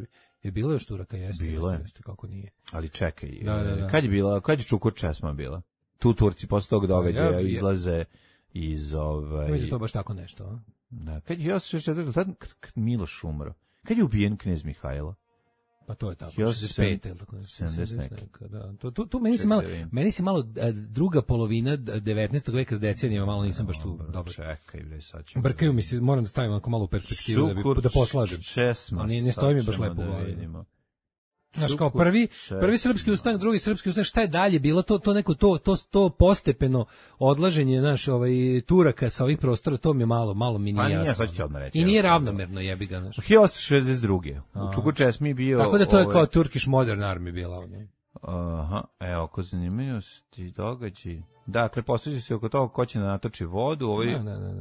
je bilo još Turaka, jeste. Bilo je. Jeste, kako nije. Ali čekaj, kad je bila, kad je Čukur Česma bila? Tu Turci posle tog događaja izlaze iz Mislim to baš tako nešto, a? Da, kad je 1864, tad Miloš umro. Kad je ubijen knez Mihajlo? Pa to je tako, 65 ili tako. 70 neka, da. Tu meni se malo druga polovina 19. veka s decenijama, malo nisam baš tu dobro. Čekaj, bre, sad ću. Brkaju mi se, moram da stavim onako malo u perspektivu da poslažem. Ali ne stoji mi baš lepo u glavi. Znaš, kao prvi srpski ustanak, drugi srpski ustanak, šta je dalje bilo, to postepeno odlaženje, znaš, Turaka sa ovih prostora, to mi je malo mi nije jasno. I nije ravnomerno, jebi ga, znaš. 1862. U Čukur Česmi bio... Tako da to je kao Turkish Modern Army bila ovdje. Aha, evo, kod zanimljivosti događaji. Dakle, posveđa se oko toga ko će da natoči vodu,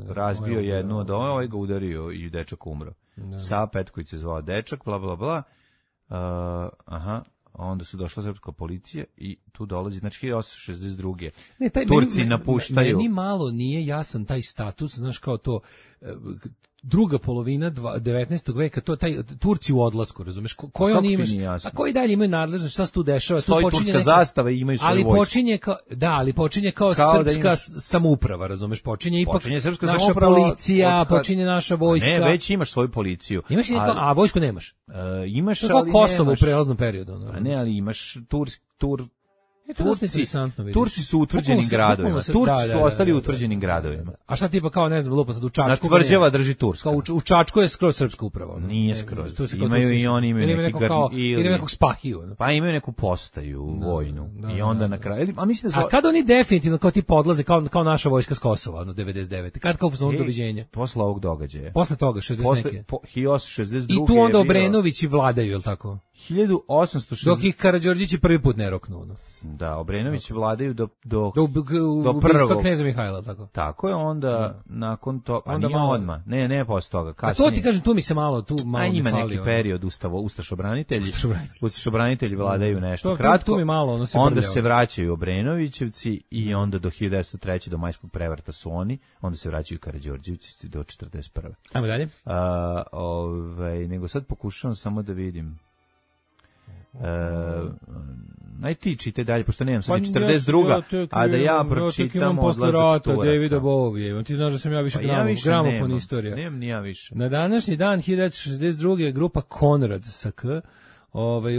razbio jednu od ove, ga udario i dečak umro. Sava Petković se zvao dečak, bla, bla, bla. Onda su došla srpska policija i tu dolazi, znači 1862. Turci napuštaju. Meni malo nije jasan taj status, znaš, kao to druga polovina 19. veka, to taj Turci u odlasku, razumeš? Koji oni imaš? A koji dalje imaju nadležnost? Šta se tu dešava? Stoji turska zastava i imaju svoju vojsku. Ali počinje kao srpska samouprava, razumeš? Počinje ipak naša policija, počinje naša vojska. Ne, već imaš svoju policiju. Imaš a vojsku nemaš. Imaš, ali nemaš. Kosovo u prelaznom periodu. A ne, ali imaš Turci su utvrđenim gradovima. Turci su ostali utvrđenim gradovima. A šta tipa kao, ne znam, lupa sad u Čačku? Na tvrđava drži Turska. U Čačku je skroz srpska uprava. Nije skroz. Imaju i oni imaju ili nekog Spahiju. Pa imaju neku postaju vojnu. I onda na kraju... A kad oni definitivno kao tipa odlaze kao naša vojska s Kosova, 99. Kad kao pozvonu doviđenja? Posle ovog događaja. Posle toga, 60 neke. 1862. I tu onda Obrenovići vladaju, je li tako? 1860. Dok ih Karađorđići prvi put ne roknu. Da, Obrenović vladaju do prvog kneza Mihajla, tako. Tako je, onda nakon to, a nije odmah. Ne, posle toga, kasnije. A to ti kažem, tu mi se malo ima neki period Ustašobranitelji vladaju nešto kratko. Tu mi malo, onda se vraćaju Obrenovićevci i onda do 1903. do majskog prevrata su oni, onda se vraćaju Karađorđevci do 41. Ajmo dalje. Nego sad pokušavam samo da vidim. Aj ti čitaj dalje, pošto nemam sad 42. A da ja pročitam odlazak Turaka. Davida Bovije. Ti znaš da sam ja više gramofon istorija. Nemam ni ja više. Na današnji dan 1962. grupa Konrad sa K.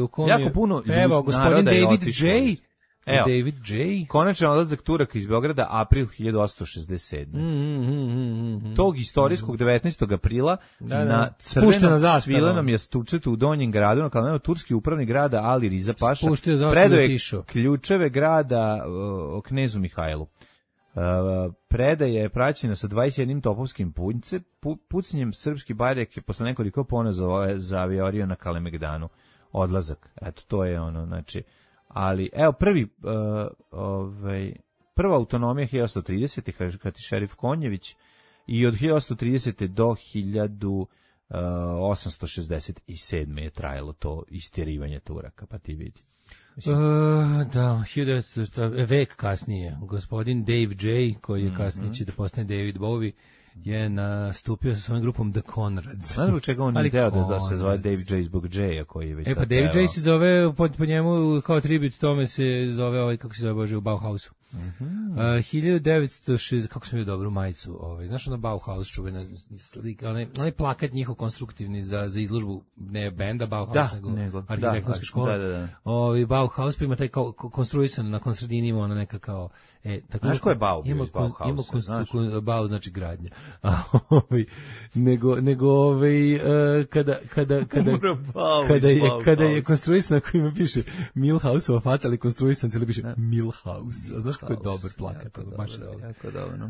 U kom jako puno evo, gospodin David J. Evo, David J. Konačan odlazak Turaka iz Beograda, april 1867. Tog istorijskog 19. aprila na crvenom svilenom jastučetu u Donjem gradu, na Kalmenu, turski upravni grada Ali Riza Paša predaje ključeve grada o knezu Mihajlu. Predaja je praćena sa 21 topovskim pucnjem srpski barjak je posle nekoliko ponazova zaviorio na Kalemegdanu. Odlazak, eto, to je ono, znači... Ali, evo, prva autonomija 1830. kad je šerif Konjević i od 1830. do 1867. je trajalo to istjerivanje Turaka, pa ti vidi. Da, vek kasnije, gospodin Dave J, koji je kasnije će da postane David Bowie, je nastupio sa svojom grupom The Conrads. Znaš zbog čega on nije teo da se zove David J zbog J-a koji je već... Pa David J se zove, po njemu kao tribut tome se zove, kako se zove Bože, u Bauhausu. 1906, kako sam bio dobru majicu, znaš ono Bauhaus čuvena slika, onaj plakat njihov konstruktivni za izložbu, ne benda Bauhaus, nego arhitektonske škole. Da. Bauhaus pa ima taj kao konstruisan na sredini ima ona neka kao... Znaš ko je Bau bio iz Bauhausa? Bau znači gradnja. Kada je konstruisan, ako ima piše Milhausova faca, ali konstruisan cijeli piše Milhaus. A znaš kako je dobar plakat? Jako dobro.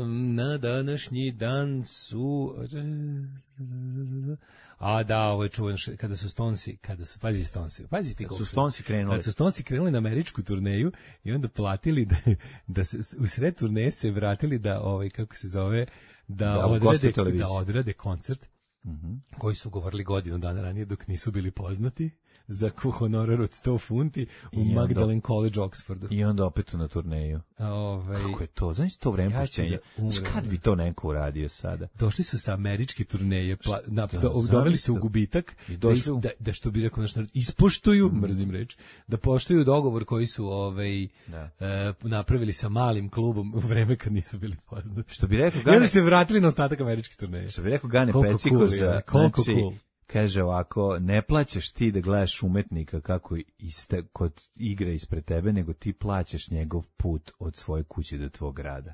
Na današnji dan su... A da, ovo je čuvan kada su Stonesi, pazi ti kako su Stonesi krenuli na američku turneju i onda platili da se u sred turneje se vratili da kako se zove da odrade koncert koji su govorili godinu dana ranije dok nisu bili poznati za honorar od 100 funti u Magdalen College, Oxfordu. I onda opet na turneju. Kako je to? Znaš to vreme pušćenja? Kad bi to neko uradio sada? Došli su sa američke turneje, doveli se u gubitak, da što bi rekao naš narod, ispoštuju, mrzim reč, da poštuju dogovor koji su napravili sa malim klubom u vreme kad nisu bili poznati. Što bi rekao Gane... I onda se vratili na ostatak američke turneje. Što bi rekao Gane Peciko za... Kaže ovako, ne plaćaš ti da gledaš umetnika kako kod igre ispred tebe, nego ti plaćaš njegov put od svoje kuće do tvog grada.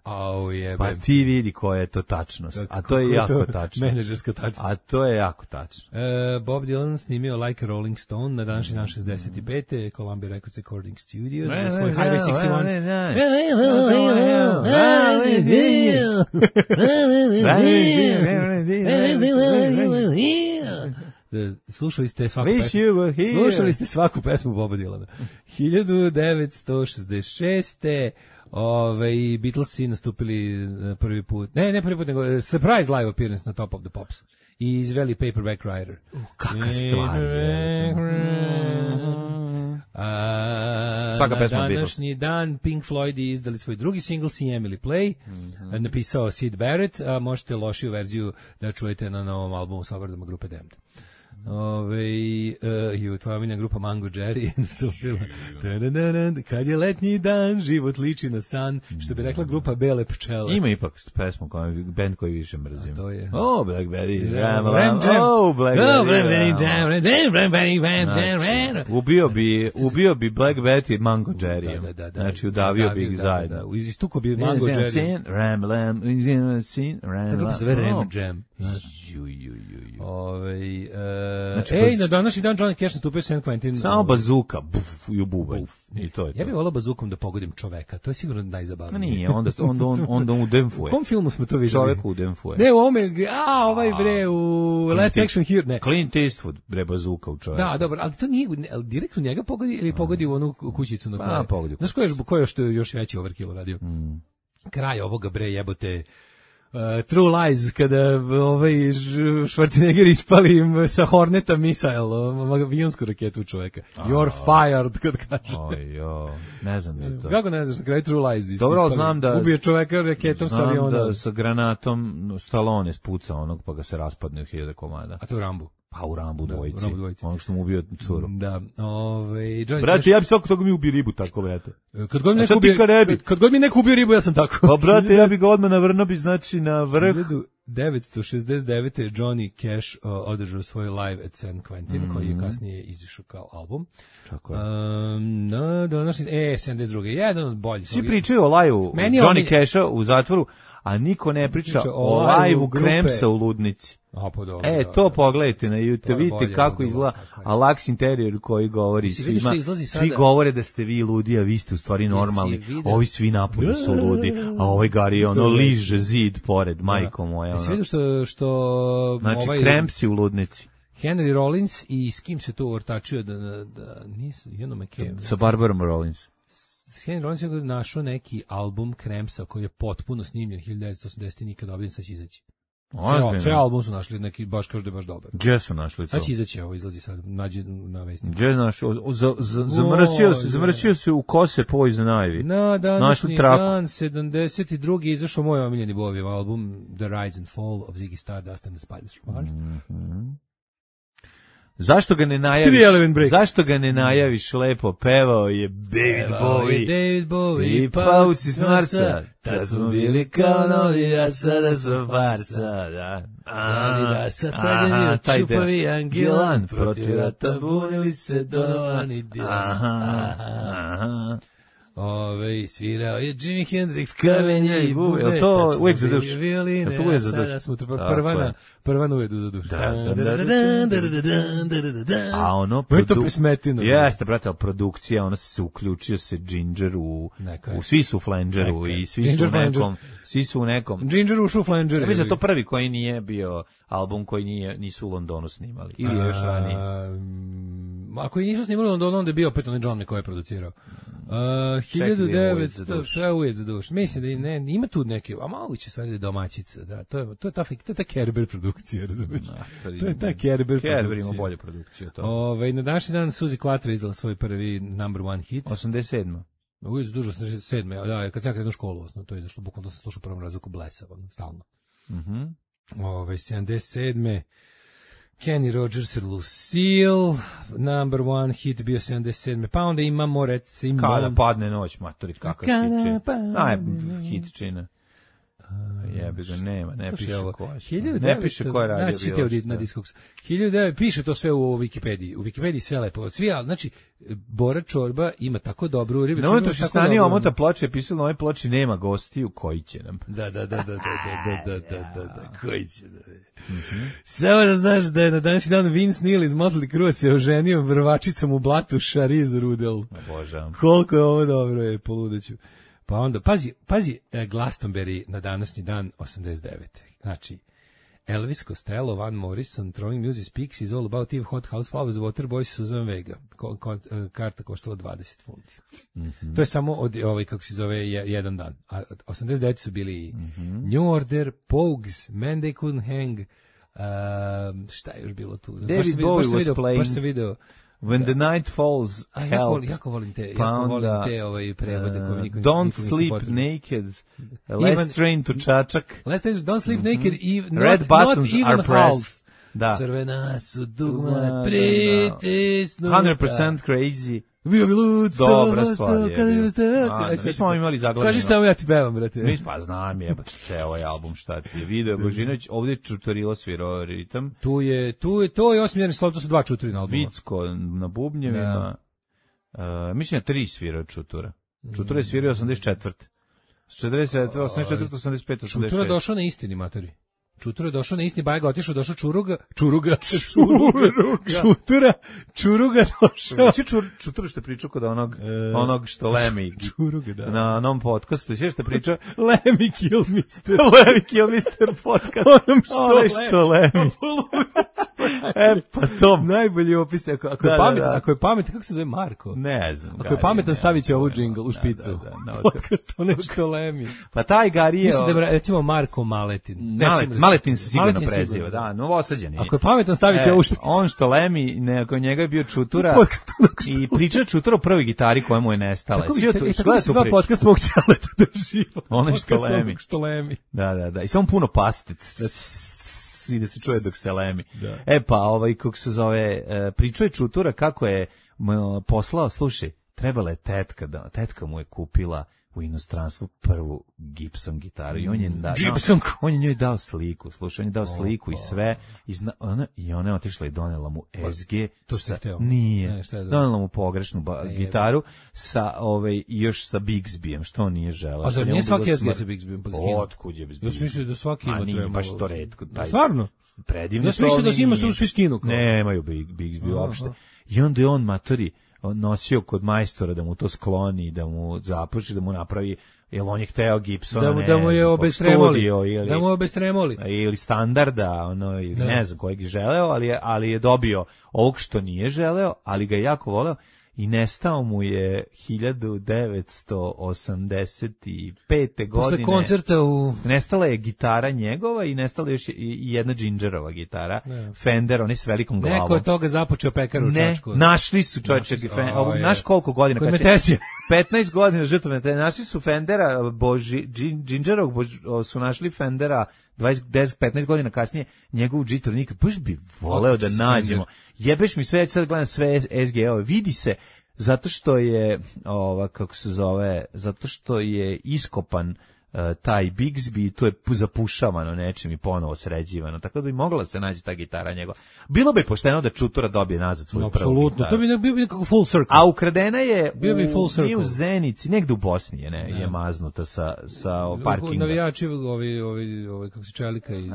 Pa ti vidi koja je to tačnost. A to je jako tačno. Menadžerska tačnost. A to je jako tačno. Bob Dylan snimio Like a Rolling Stone na današnji dan 65. Columbia Records Recording Studios. Za svoj Highway 61. Slušali ste svaku pesmu Boba Dylana. 1966. Beatlesi nastupili prvi put, ne prvi put, nego surprise live appearance na Top of the Pops i izveli Paperback Writer. Kakva stvar je. Na današnji dan Pink Floyd izdali svoj drugi single See Emily Play, napisao Syd Barrett, a možete lošiju verziju da čujete na novom albumu sa obradama grupe Damned. Tvoja omiljena grupa Mango Jerry nastupila. Kad je letnji dan, život liči na san, što bi rekla grupa Bele pčele. Ima ipak pesmu band koji više mrzim. A to je. Black Betty Jam. Ubio bi Black Betty Mango Jerry. Znači udavio bi ih zajedno. Istuko bi Mango Jerry. Tako se zove Ram Jam. Na današnji dan Johnny Cash nastupio San Quentin. Samo bazuka, i u bubanj. I to je to. Ja bih volao bazukom da pogodim čoveka, to je sigurno najzabavnije. Nije, onda u Denfuje. U kom filmu smo to videli? Čovek u Denfuje. Ne, u ome, u Last Action Hero, ne. Clint Eastwood, bazuka u čoveku. Da, dobro, ali to nije, direktno njega pogodi ili pogodi u onu kućicu na kraju. Pogodi. Znaš ko je što je još veći overkill radio? Kraj ovoga jebote. True Lies, kada Schwarzenegger ispali im sa Horneta misail, avionsku raketu čoveka. You're fired, kad kaže. Ne znam da to. Kako ne znaš, na kraju True Lies dobro, znam da ubije čoveka raketom sa aviona. Znam da sa granatom Stallone spuca onog, pa ga se raspadne u 1000 komada. A to je u Rambu. Pa u Rambu dvojici. Ono što mu ubio curu. Da. Brate, ja bi svako toga mi ubio ribu tako, brate. Kad god mi neko ubio ribu, ja sam tako. Pa, brate, ja bi ga odmah navrno bi, znači, na vrh. 1969. Johnny Cash održao svoj live at San Quentin, koji je kasnije izišao kao album. Tako je. 72. Jedan od boljih. Svi pričaju o live-u Johnny Casha u zatvoru, a niko ne priča o live-u Kremsa u Ludnici. To pogledajte na YouTube, vidite kako izgleda Alax Interior koji govori svima. Svi govore da ste vi ludi, a vi ste u stvari normalni. Ovi svi napolju su ludi, a ovaj Gari liže zid pored, majko moja. Si vidio što znači, Kremsi u Ludnici. Henry Rollins i s kim se to ortačio da nisu, sa Barbarom Rollins. Henry Rollins je našao neki album Kremsa koji je potpuno snimljen 1980 i nikad objavljen, sad će izaći. Sve album su našli, neki baš kaže da je baš dobar. Gdje su našli to? Sad će izaći, izlazi sad, nađe na Vesniku. Gdje je našao? Zamrsio se u kose Poison Ivy. Na današnji dan, 72. izašao moj omiljeni Bovijev album The Rise and Fall of Ziggy Stardust and the Spiders from Mars. Zašto ga ne najaviš? Zašto ga ne najaviš lepo? Pevao je David Bowie i pauci s Marsa. Tad smo bili kao novi, a sada smo farsa. Da, sad tad je čupavi Angelan, protiv rata bunili se Donovan i Dylan. Svirao je Jimi Hendrix, kamenje i bube. Je to uvek za duš? Violine, a sada smo prva uvedu za duš. A ono... Jeste, brate, ali produkcija, ono se uključio se Ginger svi su u Flangeru i svi su u nekom... Ginger ušao u Flanger. Ja mislim da to prvi koji nije bio album koji nisu u Londonu snimali. Ili još ranije. Ako i nisu snimali u Londonu, onda je bio opet onaj John koji je producirao. 1900 uvijek za duš. Mislim da ima tu neke, a moguće stvari da je domaćica, da, to je ta Kerber produkcija, razumiješ? To je ta Kerber produkcija. Kerber ima bolju produkciju. Na današnji dan Suzy Quattro izdala svoj prvi number one hit. 87. Uvijek za duž, 87. Da, kad sam krenuo školu, to je zašto bukvalno sam slušao prvom razvuku Blesa, stalno. 77. Kenny Rogers i Lucille, number one hit bio 77. Pa onda imamo recimo... Kada padne noć, matori, kakav hitčina. Hit čina. Jebi ga, nema, ne piše ko je. Ne piše ko je radio bilo. Na Discogs. 1900, piše to sve u Wikipediji. U Wikipediji sve lepo. Znači, Bora Čorba ima tako dobru ribicu. Na unutrašnjoj strani omota ploče je pisalo na ovoj ploči nema gostiju, koji će nam. Da, koji će nam. Samo da znaš da je na današnji dan Vince Neil iz Motley Crue se oženio vrvačicom u blatu Charlize Rudel. Božam. Koliko je ovo dobro, je poludeću. Pa onda, pazi Glastonbury na današnji dan 89. Znači, Elvis Costello, Van Morrison, Throwing Music, Pixies, All About Eve, Hot House Flowers, Waterboys, Susan Vega. Karta koštala 20 funti. To je samo od, kako se zove, jedan dan. A 89. su bili New Order, Pogues, Man They Couldn't Hang, šta je još bilo tu? David Bowie was playing. Baš sam video. When the night falls, help. Jako volim te prevode koje niko Don't sleep naked. Let's train to čačak. Don't sleep naked. Red buttons are pressed. Crvena su dugma pritisnu. 100% crazy. Bio bi lud, dobra stvar je. Mi smo imali zaglavljeno. Kaži samo ja ti pevam, brate. Mi pa znam jebate, ceo ovaj album šta ti je video. Božinović, ovdje je Čutorilo svirao ritam. To je osmjerni slov, to su dva Čuturi na albumu. Vicko na bubnjevima. Mislim da 3 svirao Čutura. Čutura je svirao 84. 44, 84, 85, 86. Čutura došao na istini, matori. Čutura došao na istini, Bajga otišao, došao Čuruga došao. Čutura što pričao kod onog što Lemi na onom podcastu, sve što pričao Lemi Kill Mister podcast. Onom što Lemi. Pa to najbolji opis, ako je pametan, kako se zove Marko? Ne znam. Ako je pametan, stavit će ovu džingl u špicu. Podcast ono što Lemi. Pa taj Gari je... Mislim da recimo Marko Maletin. Maletin se sigurno preziva, da, novosađen je. Ako je pametan, stavit će ovu špicu. On što Lemi, nakon njega je bio Čutura i priča Čutura o prvoj gitari koja mu je nestala. Tako bi se sva podcast mog Ćaleta drživa. Ono što Lemi. Da. I samo puno pastic. I da se čuje dok se lemi. Da. Pa kako se zove, pričao je Čutura kako je poslao, slušaj, trebala je tetka mu je kupila u inostranstvu prvu Gibson gitaru i on je njoj dao sliku, slušaj, on je dao sliku i sve i ona je otišla i donela mu SG, nije, donela mu pogrešnu gitaru sa još sa Bixbyjem, što on nije želeo. A zar nije svaki SG sa Bixbyjem? Otkud je Bixby? Ja sam mislio da svaki ima treba. Baš to redko. Stvarno? Predivno. Ja sam mislio da si ima svi skinu. Nemaju Bixby uopšte. I onda je on matori nosio kod majstora da mu to skloni, da mu zapuši, da mu napravi, jer on je hteo Gibsona, da mu je obestremoli, da mu je obestremoli. Ili standarda, ne znam kojeg je želeo, ali je dobio ovog što nije želeo, ali ga je jako voleo. I nestao mu je 1985. godine. Posle koncerta nestala je gitara njegova i nestala je još i jedna Gingerova gitara. Fender, on je s velikom glavom. Neko je toga započeo pekar u Čačku. Našli su čovječe, znaš koliko godina? Kod Metesija. 15 godina žrtva Metesija. Našli su Fendera, Gingerovog su našli Fendera 10-15 godina kasnije, njegovu Džitor nikad, baš bi voleo da nađemo. Jebeš mi sve, sad gledam sve SGO, vidi se, zato što je, zato što je iskopan taj Bigsby, to je zapušavano nečim i ponovo sređivano, tako da bi mogla se naći ta gitara njegova. Bilo bi pošteno da Čutura dobije nazad svoju prvu gitaru. Apsolutno, to bi bio nekako full circle. A ukradena je u Zenici, negde u Bosni je maznuta sa parkinga. Navijači, ovi kako se Čelika iz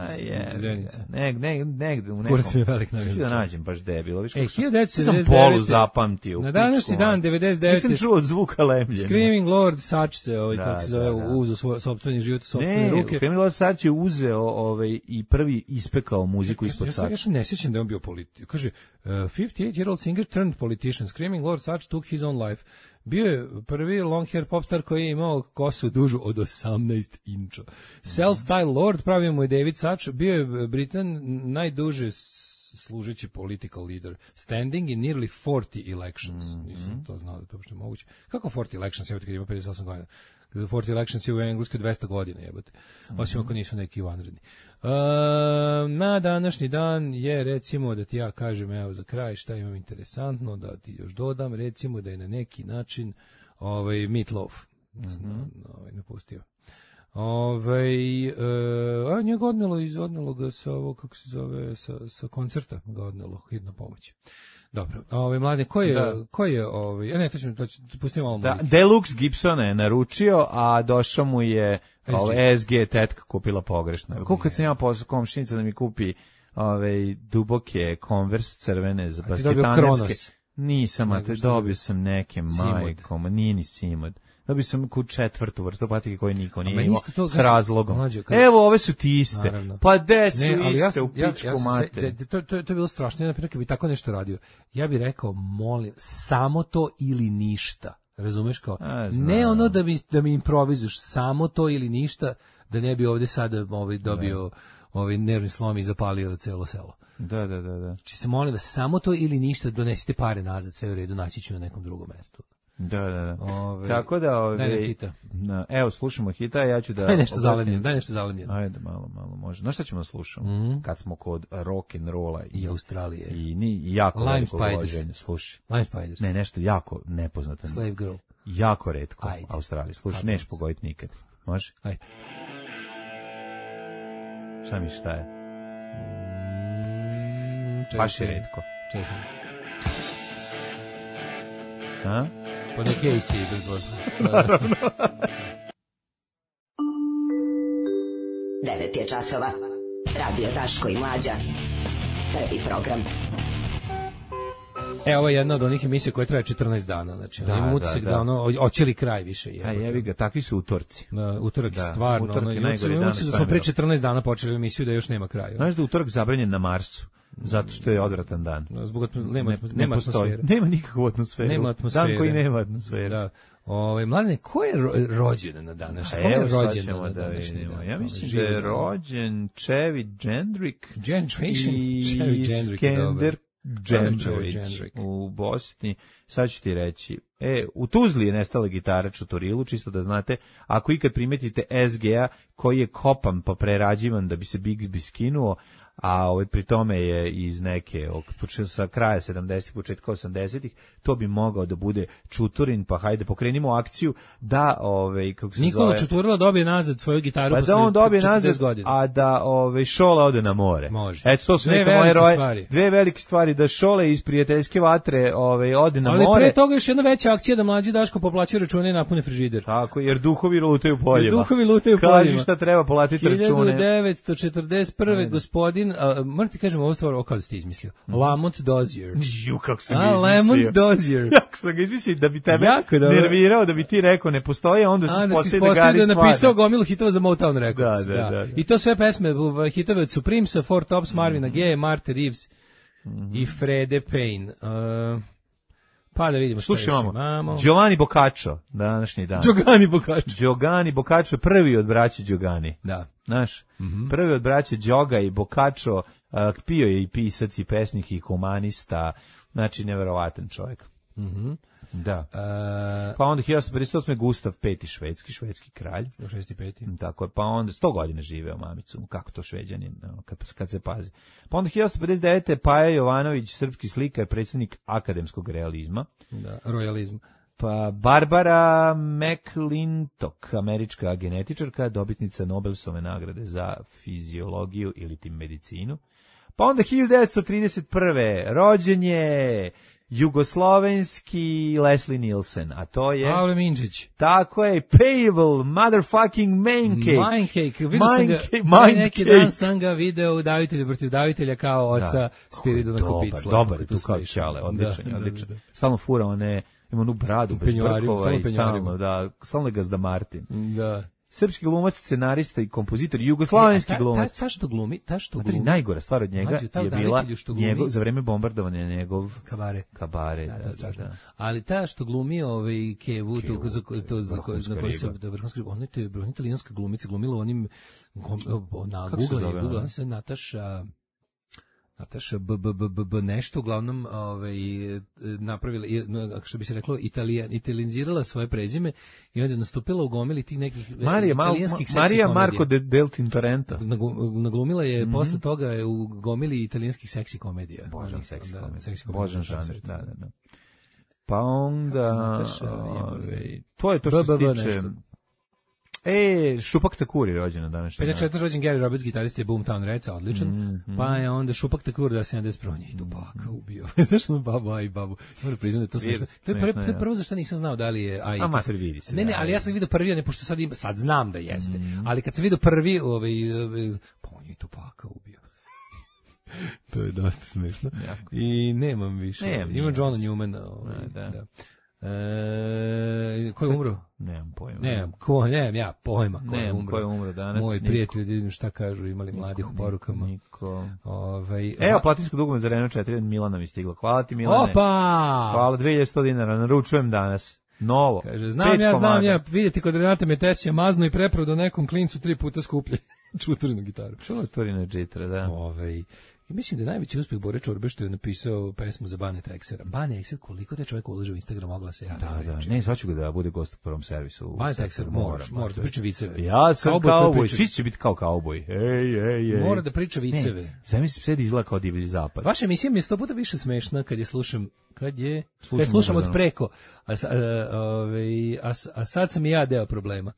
Zenice. Negde u nekom. Kurac mi je velik navijač. Da nađem baš debilo. Viš kako sam polu zapamtio. Na današnji dan, 99. Nisam čuo od zvuka lemljenja. Screaming Lord Such se, kako se zove, uzeo sopstveni život, sopstvene ruke. Screaming Lord Such je uzeo i prvi ispekao muziku ispod Such. Ja se ne sjećam da je on bio politik. Kaže, 58-year-old singer turned politician. Screaming Lord Such took his own life. Bio je prvi long hair popstar koji je imao kosu dužu od 18 inča. Self-style Lord pravio mu je David Such. Bio je Britan najduže služeći political leader, standing in nearly 40 elections. Nisam to znao da to uopšte moguće. Kako 40 elections, jebate, kad ima 58 godina? 40 elections je u Engleskoj 200 godina, jebate. Osim ako nisu neki vanredni. Na današnji dan je, recimo, da ti ja kažem, evo za kraj šta imam interesantno, da ti još dodam, recimo da je na neki način Meatloaf napustio. Njega odnelo ga sa ovo, kako se zove, sa koncerta ga odnelo hitna pomoć. Dobro, mlade, ko je ne, to ću pustiti malo mojih. Deluxe Gibsona je naručio, a došao mu je SG tetka kupila pogrešno. Kako kad sam ja poslao komšinica da mi kupi duboke Converse crvene za basketanerske. Nisam, a dobio sam neke majkom, nije ni Simod. Dobio sam četvrtu vrstu patike koje niko nije imao s razlogom. Evo, ove su ti iste. Naravno. Pa de su iste u pičku mater. To je bilo strašno. Naprimjer, kad bi tako nešto radio, ja bih rekao, molim, samo to ili ništa. Razumeš kao? Ne ono da mi improvizuješ, samo to ili ništa, da ne bi ovde sada dobio nervni slom i zapalio celo selo. Da. Znači se molim da samo to ili ništa, donesite pare nazad, sve u redu, naći ću na nekom drugom mestu. Da. Tako da hita. Evo slušamo hita, ja ću da daj nešto zalemljeno. Ajde malo može. Znaš šta ćemo da slušamo? Kad smo kod rock and rolla i Australije i jako veliko uloženje. Slušaj. Lime Spiders. Ne, nešto jako nepoznato. Slave Girl. Jako retko u Australiji. Slušaj, neš pogoditi nikad. Može? Ajde. Šta mi šta je? Baš je retko. Čekaj. Ha? Po neki AC bezbog. Naravno. 9 je časova. Radio Daško i Mlađa. Prvi program. Ovo je jedna od onih emisija koja traje 14 dana. Znači, imam utisak da hoće li kraj više. Jebi ga, takvi su utorci. Utorak je stvarno. Utorak je najgori dan. Da smo pre 14 dana počeli emisiju da još nema kraja. Znaš da utorak zabranjen na Marsu? Zato što je odvratan dan. Zbog nema atmosfere. Nema nikakvu atmosferu. Nema atmosfere. Dan koji nema atmosfere. Da. Mladine, ko je rođen na današnji? Evo sad ćemo da vidimo. Ja mislim da je rođen Čevi Džendrik i Skender Džendrović u Bosni. Sad ću ti reći. U Tuzli je nestala gitara Čuturilu, čisto da znate. Ako ikad primetite SGA koji je kopan pa prerađivan da bi se Bigsby skinuo, a pri tome je iz neke sa kraja 70-ih, početka 80-ih, to bi mogao da bude Čuturin, pa hajde pokrenimo akciju da kako se Nikola Čuturila dobije nazad svoju gitaru posle 40 godina. Da on dobije nazad, a da Šola ode na more. Može. Eto, to su dve velike stvari, da Šole iz prijateljske vatre ode na more. Ali pre toga još jedna veća akcija da mlađi Daško poplaćuje račune i napune frižider. Tako, jer duhovi lutaju poljima. Kaži šta treba platiti račune. 1941. gospodin, moram ti kažem ovu stvar, kao da ste izmislio. Lamont Dozier. Kako sam ga izmislio. Lamont Dozier. Jako sam ga izmislio da bi tebe nervirao, da bi ti rekao ne postoji, onda se ispostavi da je napisao gomilu hitova za Motown Records. Da. I to sve pesme, hitove od Supremesa, Four Tops, Marvina Gaye, Martha Reeves i Frede Payne. Pa da vidimo što imamo. Giovanni Boccaccio, današnji dan. Giovanni Boccaccio, prvi od braće Giogani. Da. Znaš, prvi od braće Đoga i Boccaccio, pio je i pisac i pesnik i humanista, znači neverovatan čovjek. Da. Pa onda 1858. Gustav V. švedski kralj. 65. Tako je, pa onda 100 godina živeo mamicu, kako to Šveđanin, kad se pazi. Pa onda 1859. Paja Jovanović, srpski slikar, predsjednik akademskog realizma. Da, rojalizma. Pa Barbara McClintock, američka genetičarka, dobitnica Nobelove nagrade za fiziologiju ili tim medicinu. Pa onda 1931. rođen je jugoslovenski Leslie Nielsen, a to je... Pavle Minčić. Tako je, Pavel motherfucking Maincake. Maincake, vidio sam ga, neki dan sam ga video u Davitelju protiv Davitelja kao oca Spiridona Kopicla. Dobar je tu kao Ćale, odličan. Stalno fura one, ima onu bradu bez brkova i stalno je Gazda Martin. Da. Srpski glumac, scenarista i kompozitor, jugoslovenski glumac. Ta što glumi. Najgora stvar od njega je bila njegov, za vreme bombardovanja njegov kabare. Da. Ali ta što glumi Kevu, to za koje se ona je italijanska glumica, glumila onim na Google, ona se Nataša nešto, uglavnom napravila, što bi se reklo, italijanizirala svoje prezime i onda je nastupila u gomili tih nekih italijanskih seksi komedija. Marija Marco del Tintorento. Naglumila je posle toga u gomili italijanskih seksi komedija. Božan seksi komedija. Božan žanr, da. Pa onda... To je to što se tiče... Šupak Takuri rođen na današnji dan. 54. rođen Gary Roberts, gitarist je Boomtown Redsa, odličan. Pa je onda Šupak Takuri da 71. i Tupaka ubio. Znaš ono babu. Moram priznati da to smiješno. To je prvo za što nisam znao da li je... Amater vidi se. Ne, ali ja sam vidio prvi, ne, pošto sad znam da jeste. Ali kad sam vidio prvi, pa on je Tupaka ubio. To je dosta smiješno. I nemam više. Ima Johna Newmana. Da. Ko je umro? Nemam pojma. Nemam ja pojma ko je umro. Ko je umro danas? Moji prijatelji, vidim šta kažu, imali mladih u porukama. Niko. Evo, platinsko dugme za Renault 4 Milana mi stiglo. Hvala ti, Milane. Opa! Hvala, 2100 dinara, naručujem danas. Novo. Kaže, znam ja, vidjeti kod Renate Metesija maznu i prepravo da nekom klincu 3 puta skuplje čuturinu gitaru. Čuturina džitra, da. Mislim da je najveći uspjeh Bore Čorbe što je napisao pesmu za Bane Texera. Bane Texer, koliko te čovjek ulaže u Instagram, mogla se javiti. Da. Ne, sad ću ga da bude gost u prvom servisu. Bane Texer, mora da priča viceve. Ja sam kauboj, svi će biti kao kauboj. Ej. Mora da priča viceve. Zamisli sve da izgleda kao divlji zapad. Vaša emisija mi je 100 puta više smešna kad slušam od preko. A sad sam i ja deo problema.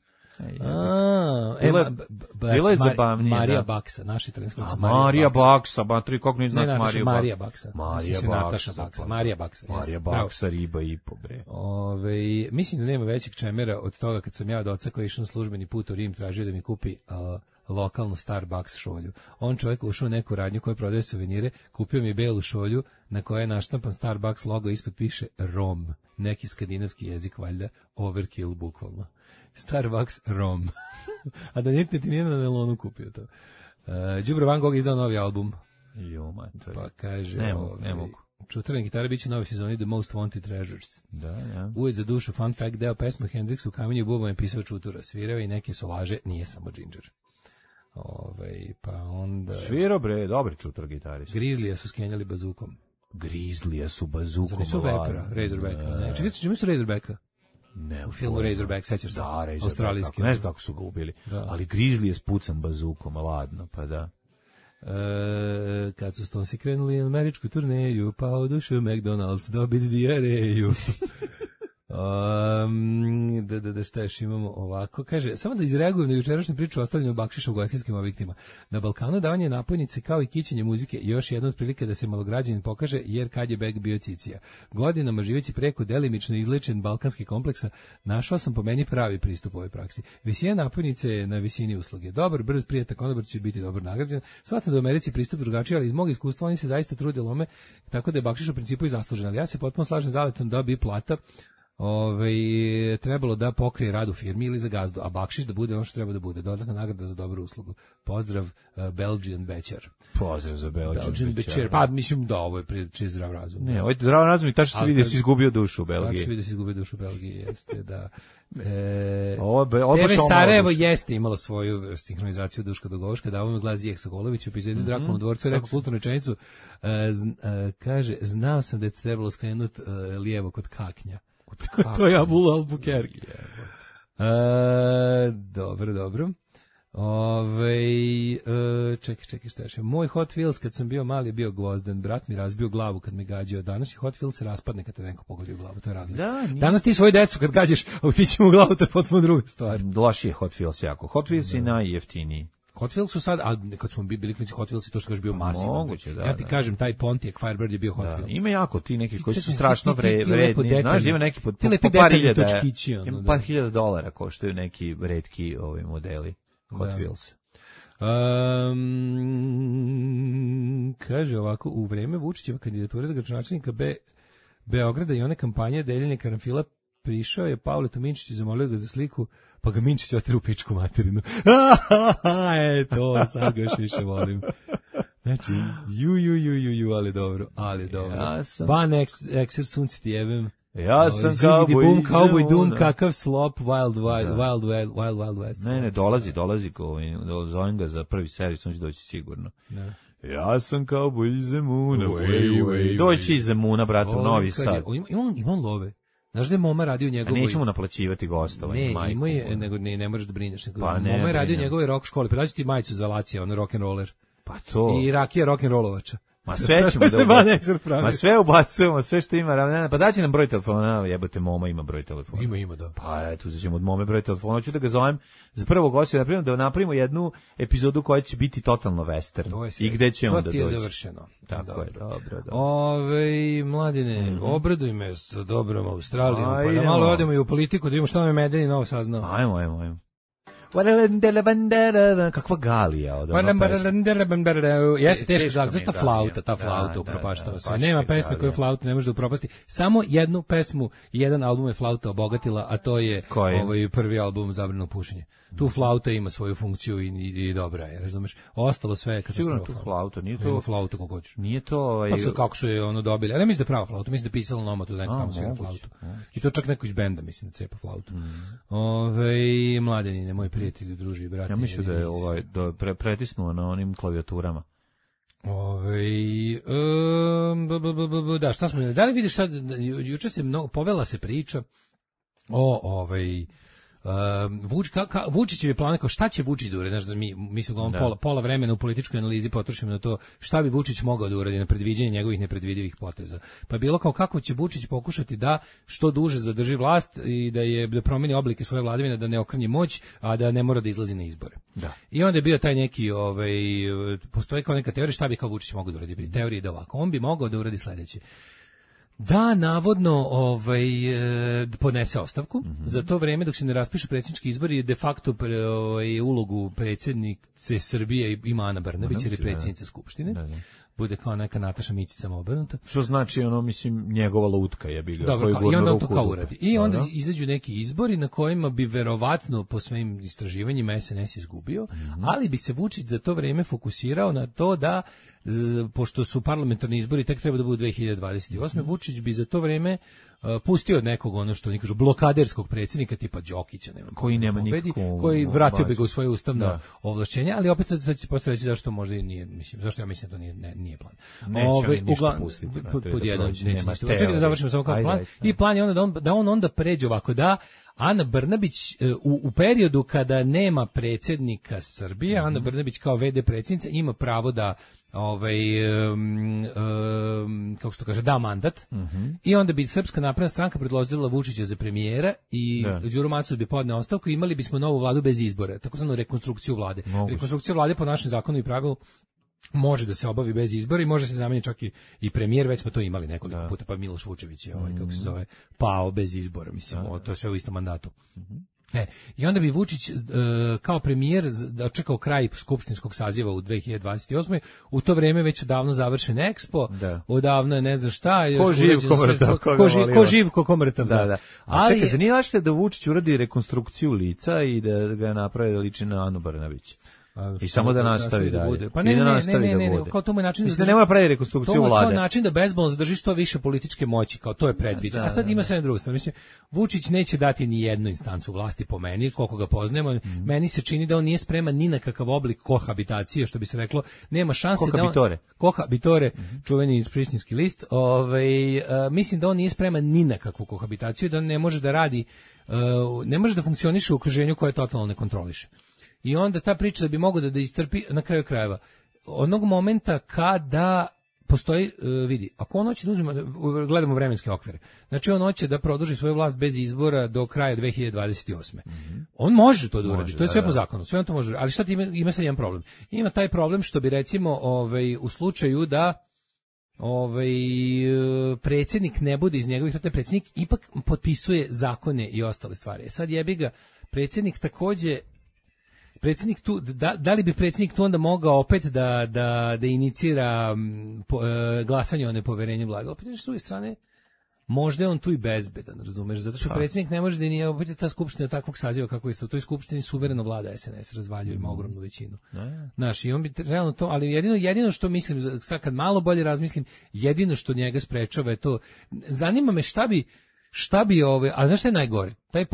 Bilo je zabavnije. Marija Baksa, naša italijanska. Marija Baksa, batri, kako ne znam Mariju Baksa. Marija Baksa. Marija Baksa, riba i po, bre. Mislim da nema većeg čemera od toga kad sam ja od oca koji išao na službeni put u Rim tražio da mi kupi lokalnu Starbucks šolju. On čovjek ušao u neku radnju koja prodaje suvenire, kupio mi belu šolju na kojoj je naštampan Starbucks logo, ispod piše Rom, neki skandinavski jezik, valjda, overkill bukvalno. Starbucks Rom. A da ti nije na nelonu kupio to. Đubro Van Gogh izdao novi album. Pa kaže... Ne mogu. Čutrne gitare biće u novoj sezoni The Most Wanted Treasures. Da. Uvijek za dušu, fun fact, deo pesma Hendrix u Kamenju i bubama je pisao Čutura. Svirao i neke solaže, nije samo Ginger. Pa onda... Svirao, bre, dobri Čutur gitarist. Grizzlija su skenjali bazukom. Grizzlija su bazukom. Zar nisu Vepra, Razorbacka? Ne, čekaj, čemu su Razorbacka? Ne, u filmu Razorback, sećaš se? Da, australijski. Ne znam kako su ga ubili, ali Grizzly je spucan bazukom, ladno, pa da. Kad su Stonesi krenuli na američku turneju, pa odušao McDonald's dobiti dijareju. Šta još imamo ovako? Kaže, samo da izreagujem na jučerašnju priču o ostavljanju bakšiša u ugostiteljskim objektima. Na Balkanu davanje napojnice kao i kićenje muzike još jedna od prilike da se malograđanin pokaže, jer kad je beg bio cicija. Godinama živeći preko delimično izlečen balkanski kompleksa, našao sam po meni pravi pristup ovoj praksi. Visina napojnice je na visini usluge. Dobar, brz, prijatan konobar će biti dobro nagrađen. Smatram da u Americi pristup drugačiji, ali iz mog iskustva oni se zaista trude lome, tako da je bakšiš u principu i zaslužen. Ali ja se potpuno slažem s Zaletom da bi plata trebalo da pokrije rad u firmi ili za gazdu, a bakšiš da bude ono što treba da bude, dodatna nagrada za dobru uslugu. Pozdrav, Belgian Bećer. Pozdrav za Belgian Bećer. Pa mislim da ovo je čist zdrav razum. Ne, ovo je zdrav razum i tačno se vidi da si izgubio dušu u Belgiji. Tačno se vidi da si izgubio dušu u Belgiji, jeste, da. TV Sarajevo jeste imalo svoju sinhronizaciju Duška Dogovoška, da ovome glasi Jeh Sokolović u epizodi s Drakom u dvorcu, rekao kulturnu rečenicu, kaže, znao sam da je trebalo skrenuti lijevo kod kaknja. To je Abul Albuquerque. Dobro. Čekaj, šta je? Moj Hot Wheels kad sam bio mali bio gvozden, brat mi razbio glavu kad me gađao. Danas je Hot Wheels se raspadne kad te neko pogodi u glavu, to je razlika. Danas ti svoju decu kad gađaš, a utići mu u glavu, to je potpuno druga stvar. Loši je Hot Wheels jako. Hot Wheels je najjeftiniji. Hot Wheels su sad, a kad smo bili klinici Hot Wheels, to što kažeš bio masivan. Moguće, da. Ja ti kažem, taj Pontiac Firebird je bio Hot Wheels. Ima jako ti neki koji su strašno vredni. Znaš, ima neki po par hiljada. Ima par $1,000 koštaju neki retki modeli Hot Wheels. Kaže ovako, u vreme Vučićeva kandidature za gradonačelnika Beograda i one kampanje deljenja karanfila prišao je Pavle Tominčić i zamolio ga za sliku, pa ga Minčić oteru u pičku materinu. To, sad ga još više volim. Znači, ali dobro. Ban Exer sunci ti jebem. Ja sam Cowboy Doom, kakav slop, Wild West. Ne, dolazi, zovem ga za prvi servis, on će doći sigurno. Ne. Ja sam Cowboy iz Zemuna, doći iz Zemuna, brate, u Novi Sad. Imam love. Znaš da je Moma radio njegovoj... A neću mu naplaćivati gostovanje, majku. Ne, ima je, nego ne možeš da brineš. Moma je radio njegovoj rock školi, pa daći ti majicu za Lacija, ono rock'n'roller. Pa to... I rakija rock'n'rollovača. Ma sve ćemo da ubacujemo. Ma sve ubacujemo, sve što ima. Pa daći nam broj telefona, jebote, Moma ima broj telefona. Ima, da. Pa eto, uzet ćemo od Mome broj telefona. Hoću da ga zovem za prvog gosta, da napravimo jednu epizodu koja će biti totalno western. I gde ćemo da doći. To ti je završeno. Tako je, dobro. Mladine, obraduj me sa dobrom Australijom, pa da malo odemo i u politiku, da vidimo šta nam je Medeni novo saznao. Ajmo. Kakva galija od jeste teška galija, zato ta flauta upropaštava sve. Nema pesme koju flauta ne može da upropasti. Samo jednu pesmu i jedan album je flauta obogatila, a to je prvi album Zabrano pušenje. Tu flauta ima svoju funkciju i dobra je, razumeš? Ostalo sve je katastrofa. Sigurno tu flauta, nije to... Ima flauta kako hoćeš. Nije to... Kako su je ono dobili, ali ne mislim da je prava flauta, mislim da je pisala Nomatu da neko tamo svira flautu. I to čak neko iz benda, mislim, da cepa flautu. Mladenine, moji prijatelji, druži, brati. Ja mislim da je pretisnuo na onim klavijaturama. Da, šta smo imali? Da li vidiš sad, juče se povela se priča o Vučićev je plan, kao šta će Vučić da uradi, znaš da mi se uglavnom pola vremena u političkoj analizi potrošimo na to šta bi Vučić mogao da uradi, na predviđenje njegovih nepredvidivih poteza. Pa bilo kao kako će Vučić pokušati da što duže zadrži vlast i da promeni oblike svoje vladavine, da ne okrnji moć, a da ne mora da izlazi na izbore. Da. I onda je bio taj neki, postoji kao neka teorija šta bi kao Vučić mogao da uradi. Teorija da ovako, on bi mogao da uradi sledeće. Da, navodno podnese ostavku. Za to vreme dok se ne raspišu predsjednički izbori de facto ulogu predsjednice Srbije ima Ana Brnabić jer je predsjednica Skupštine. Bude kao neka Nataša Mićić samo obrnuta. Što znači mislim njegova lutka je bila. Dobro, i onda on to kao uradi. I onda izađu neki izbori na kojima bi verovatno po svojim istraživanjima SNS izgubio, ali bi se Vučić za to vreme fokusirao na to da pošto su parlamentarni izbori tek treba da budu 2028. Vučić bi za to vreme pustio od nekog ono što oni kažu blokaderskog predsjednika tipa Đokića, koji nema nikakvu, koji vratio bi ga u svoje ustavno ovlašćenje, ali opet sad će posle reći zašto možda i nije, zašto ja mislim da to nije plan. Ništa pustiti. Pod jedan neće. Čekaj da završimo samo kao plan. I plan je onda da on onda pređe ovako da Ana Brnabić u periodu kada nema predsjednika Srbije, Ana Brnabić kao VD predsjednica ima pravo da kako se to kaže, da mandat i onda bi Srpska napredna stranka predložila Vučića za premijera i Đuro Macul bi podneo ostavku i imali bismo novu vladu bez izbora, takozvanu rekonstrukciju vlade. Rekonstrukcija vlade po našem zakonu i pravilu može da se obavi bez izbora i može se zameniti čak i premijer, već smo to imali nekoliko puta, pa Miloš Vučević je kako se zove, pao bez izbora, mislim, to je sve u istom mandatu. I onda bi Vučić kao premijer dočekao kraj skupštinskog saziva u 2028. U to vreme već odavno završen Expo, odavno je ne znam šta. Ko živ, ko živ, ko mrtav. Da. Ali čekaj, zanima li da Vučić uradi rekonstrukciju lica i da ga napravi da liči na Anu Brnabić? I samo da nastavi dalje. Pa ne, kao to mu je način da ne mora pravi rekonstrukciju vlade. To je način da bezbolno zadrži što više političke moći, kao to je predviđeno. A sad ima sve na drugu stranu. Mislim, Vučić neće dati ni jednu instancu vlasti po meni, koliko ga poznajemo. Meni se čini da on nije spreman ni na kakav oblik kohabitacije, što bi se reklo, nema šanse kohabitore. Kohabitore, čuveni prištinski list. Mislim da on nije spreman ni na kakvu kohabitaciju, da ne može da radi, ne može da funkcioniše u okruženju koje totalno ne kontroliše. I onda ta priča da bi mogao da istrpi na kraju krajeva. Onog momenta kada postoji, vidi, ako on hoće da uzme, gledamo vremenske okvire, znači on hoće da produži svoju vlast bez izbora do kraja 2028. On može to da uradi, to je sve po zakonu, sve on to može, ali šta ima sad jedan problem? Ima taj problem što bi recimo u slučaju da predsjednik ne bude iz njegovih, taj predsjednik ipak potpisuje zakone i ostale stvari. Sad jebi ga, predsjednik takođe, predsjednik tu, da li bi predsjednik tu onda mogao opet da inicira glasanje o nepoverenju vlade? Opet s druge strane, možda je on tu i bezbedan, razumeš, zato što predsjednik ne može da nije opet ta skupština takvog saziva kako je sa u toj skupštini suvereno vlada SNS, razvaljuje, ima ogromnu većinu. Znaš, i on bi realno to, ali jedino što mislim, sad kad malo bolje razmislim, jedino što njega sprečava je to, zanima me šta bi a znaš šta je najgore? Taj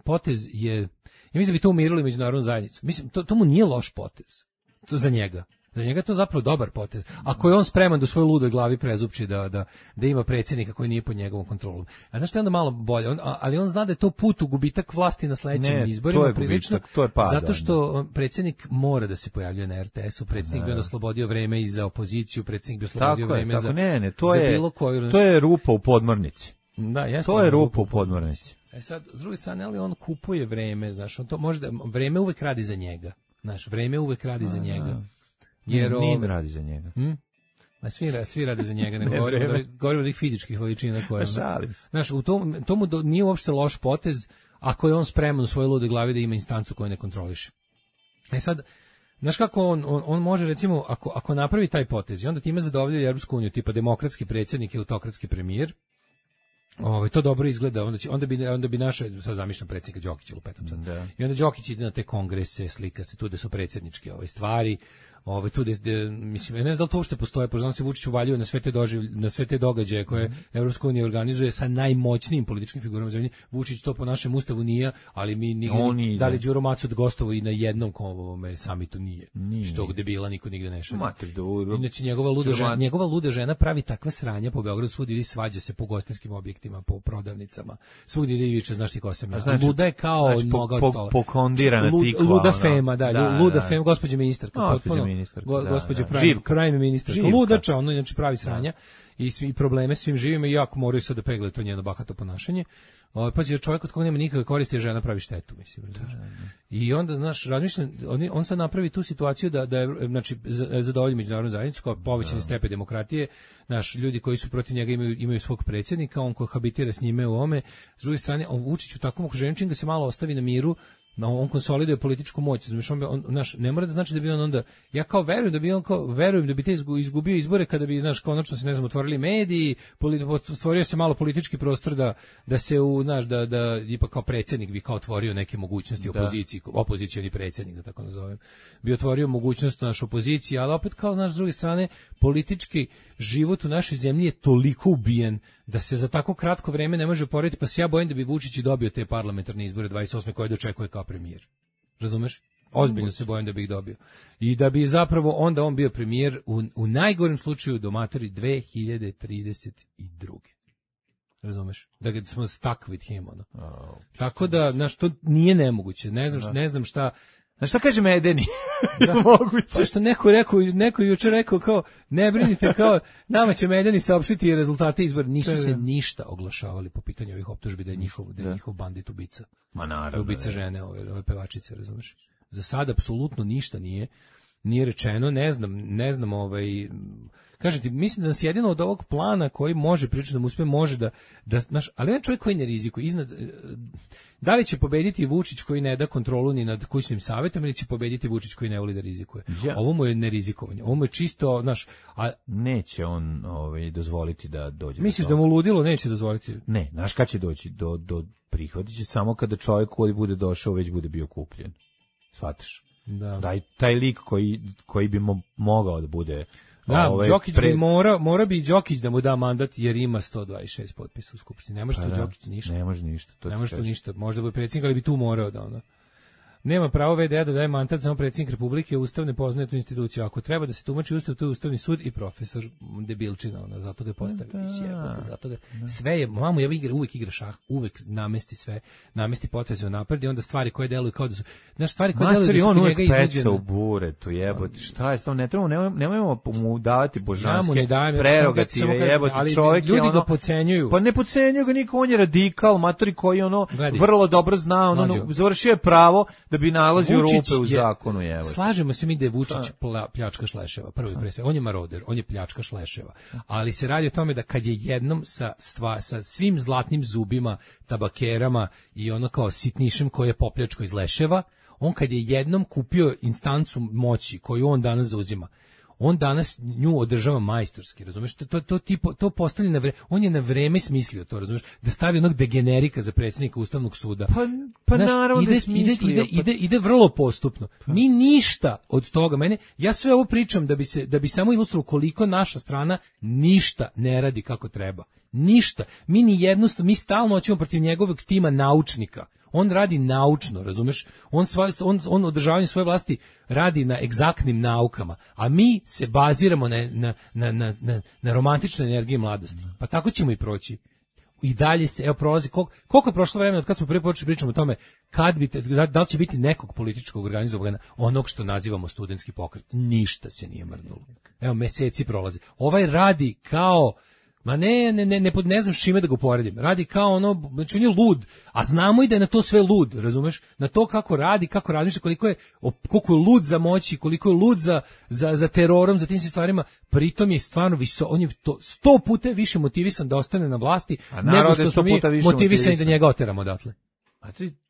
potez je, ja mislim da bi to umirili međunarodnu zajednicu. Mislim, to mu nije loš potez. To za njega. Za njega je to zapravo dobar potez. Ako je on spreman da u svojoj ludoj glavi prezupči da ima predsjednika koji nije pod njegovom kontrolom. A znaš što je onda malo bolje? Ali on zna da je to put u gubitak vlasti na sledećim izborima. To je gubitak, to je pada. Zato što predsjednik mora da se pojavljuje na RTS-u, predsjednik bi onda slobodio vreme i za opoziciju, predsjednik bi oslobodio vreme za bilo koju. To je rupa u podmornici. Da, to je rupa u podmornici. Sad, s druge strane, ali on kupuje vreme, znaš, on to može da, vreme uvek radi za njega. Znaš, vreme uvek radi za njega. Jer nije radi za njega. Svi rade za njega, nego govorimo od tih fizičkih veličina koje. Znaš, tomu nije uopšte loš potez ako je on spreman u svojoj lude glavi da ima instancu koju ne kontroliše. Sad, znaš kako on može, recimo, ako napravi taj potez i onda time zadovoljuje Evropsku uniju, tipa demokratski predsjednik i autokratski premijer, to dobro izgleda, onda bi naše, sad zamišljam predsjednika Đokića, lupetam sad. I onda Đokić ide na te kongrese, slika se tu da su predsjedničke stvari. Tu mislim, ne znam da li to uopšte postoje, pošto se Vučić uvaljuje na sve te događaje koje Evropska unija organizuje sa najmoćnijim političkim figurama zemlje. Vučić to po našem ustavu nije, ali mi nigdje, da li Đuro Macud gostovo i na jednom samitu nije. Što debila niko nigde ne šalje. Inače njegova luda žena pravi takva sranja po Beogradu, svugdje ide, svađa se po gostinskim objektima, po prodavnicama, svugdje ide i viče, znaš ti ko sam ja. Luda je kao noga od stola. Pokondirana tikva. Luda Fema, luda Fema, gospođa ministarka, potpuno. Gospođa pravi ministar. Ludača, ono znači pravi sranja i probleme svim živima i jako moraju sad da peglaju to njeno bahato ponašanje. Pa će čovjek od koga nema nikakve koristi, žena pravi štetu, mislim. I onda, znaš, razmišljam, on sad napravi tu situaciju da je, znači, zadovolji međunarodnu zajednicu kao povećani stepen demokratije, naš ljudi koji su protiv njega imaju svog predsjednika, on kohabitira s njime u ome. S druge strane, on Vučić u takvom okruženju čim ga se malo ostavi na miru, on konsoliduje političku moć, znači ne mora da znači da bi on onda, ja kao verujem da bi te izgubio izbore kada bi, znaš, konačno se, ne znam, otvorili mediji, stvorio se malo politički prostor da se da ipak kao predsjednik bi kao otvorio neke mogućnosti opozicioni predsjednik, da tako nazovem, bi otvorio mogućnost naš opoziciji, ali opet kao, znaš, s druge strane, politički život u našoj zemlji je toliko ubijen da se za tako kratko vreme ne može porediti, pa se ja bojim da bi Vučić dobio te parlamentarne izbore 28. koje dočekuje kao premijer. Razumeš? Ozbiljno se bojim da bi ih dobio. I da bi zapravo onda on bio premijer u najgorem slučaju do matori 2032. Razumeš? Da smo stuck with him, ono. Tako da, znaš, to nije nemoguće. Ne znam šta. Znaš šta kaže Medeni? Moguće. Pa što neko juče rekao kao, ne brinite, kao, nama će Medeni saopštiti rezultate izbora. Nisu se ništa oglašavali po pitanju ovih optužbi da je njihov bandit ubica. Ma naravno. Ubica žene, ove pevačice, razumeš? Za sad apsolutno ništa nije. nije rečeno, ne znam kažete, mislim da nas jedino od ovog plana koji može pričati da mu uspe, može da znaš, ali ne čovjek koji ne rizikuje. Da li će pobediti Vučić koji ne da kontrolu ni nad kućnim savjetom ili će pobediti Vučić koji ne voli da rizikuje? Ovo mu je nerizikovanje. Ovo mu je čisto, znaš, neće on dozvoliti da dođe. Misliš da mu ludilo neće dozvoliti? Ne, znaš kad će doći? Do prihvatit će samo kada čovjek koji bude došao već bude bio kupljen. Shvataš? Da. Taj lik koji bi mogao da bude. Đokić bi mora bi Đokić da mu da mandat jer ima 126 potpisa u skupštini. Ne može to Đokić ništa. Ne može ništa. Ne može to ništa. Možda bi predsjednik, ali bi tu morao da ono. Nema pravo VDA da daje mandat samo predsjednik Republike, Ustav ne poznaje tu instituciju. Ako treba da se tumači Ustav, to je Ustavni sud i profesor debilčina, zato ga postavi. Zato ga sve je, mamu ja uvijek igra šah, uvijek namesti poteze napred i onda stvari koje deluju kao da su, znaš, stvari koje deluju da su kod njega iznuđene. Peca u buretu, jebote, šta je s tom, nemojmo mu davati božanske prerogative, jebote, čovjek je ono. Ljudi ga podcenjuju. Pa ne podcenjuju ga niko, on je radikal, matori koji vrlo dobro zna, završio je pravo da bi nalazio rupe u zakonu, evo. Slažemo se mi da je Vučić pljačkaš leševa, prvi pre svega. On je maroder, on je pljačkaš leševa. Ali se radi o tome da kad je jednom sa svim zlatnim zubima, tabakerama i ono kao sitnišem koji je popljačko iz leševa, on kad je jednom kupio instancu moći koju on danas zauzima, on danas nju održava majstorski, razumeš? To postavlja na vreme, on je na vreme smislio to, razumeš? Da stavi onog degenerika za predsjednika Ustavnog suda. Pa naravno da je smislio. Ide vrlo postupno. Mi ništa od toga, ja sve ovo pričam da bi samo ilustrovao koliko naša strana ništa ne radi kako treba. Ništa. Mi stalno hoćemo protiv njegovog tima naučnika. On radi naučno, razumeš? On održavanje svoje vlasti radi na egzaktnim naukama, a mi se baziramo na romantičnoj energiji mladosti. Pa tako ćemo i proći. I dalje se, prolazi, koliko je prošlo vremena od kad smo prvi počeli pričamo o tome da li će biti nekog političkog organizovanja onog što nazivamo studentski pokret. Ništa se nije mrnulo. Meseci prolazi. Ovaj radi kao ne znam s čime da ga uporedim. Radi kao znači on je lud, a znamo i da je na to sve lud, razumeš? Na to kako radi, kako razmišlja, koliko je lud za moći, koliko je lud za terorom, za tim stvarima. Pritom je stvarno on je to 100 puta više motivisan da ostane na vlasti nego što smo mi motivisani da njega oteramo odatle.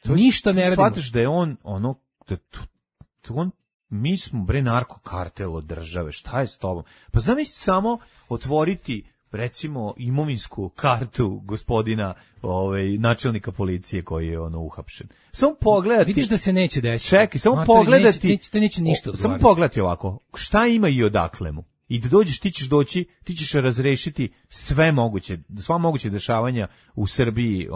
Ništa ne radimo. Shvataš da je on mi smo narkokartel od države, šta je s tobom? Pa zamisli samo otvoriti recimo imovinsku kartu gospodina načelnika policije koji je uhapšen. Samo pogledati. Vidiš da se neće desiti. Čekaj, samo pogledati. Neće ništa odgovarati. Samo pogledati ovako. Šta ima i odakle mu? I da dođeš, ti ćeš razrešiti sva moguće dešavanja u Srbiji,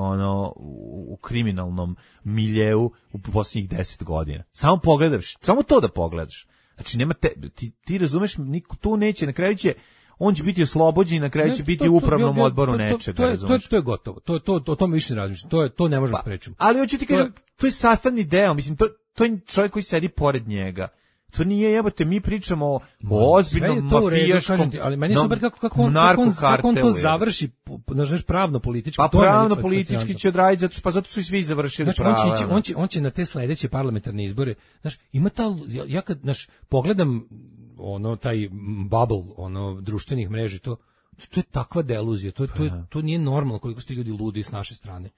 u kriminalnom miljeu u posljednjih 10 godina. Samo pogledaš, samo to da pogledaš. Znači nema ti razumeš, niko tu neće, na kraju će on će biti oslobođen i na kraju će biti u upravnom odboru nečega. To je gotovo. O tome više ne razmišljam. To ne možemo sprečiti. Ali hoću ti kažem, to je sastavni deo, mislim, to je čovjek koji sedi pored njega. To nije, jebote, mi pričamo o ozbiljnom mafijaškom ali meni je super kako on to završi, znaš, pravno politički. Pa pravno politički će odraditi, zato su i svi završili prava. On će na te sledeće parlamentarne izbore, znaš, ima ja kad, znaš, pogledam taj bubble, društvenih mreži, to je takva deluzija, to nije normalno koliko su ti ljudi ludi s naše strane.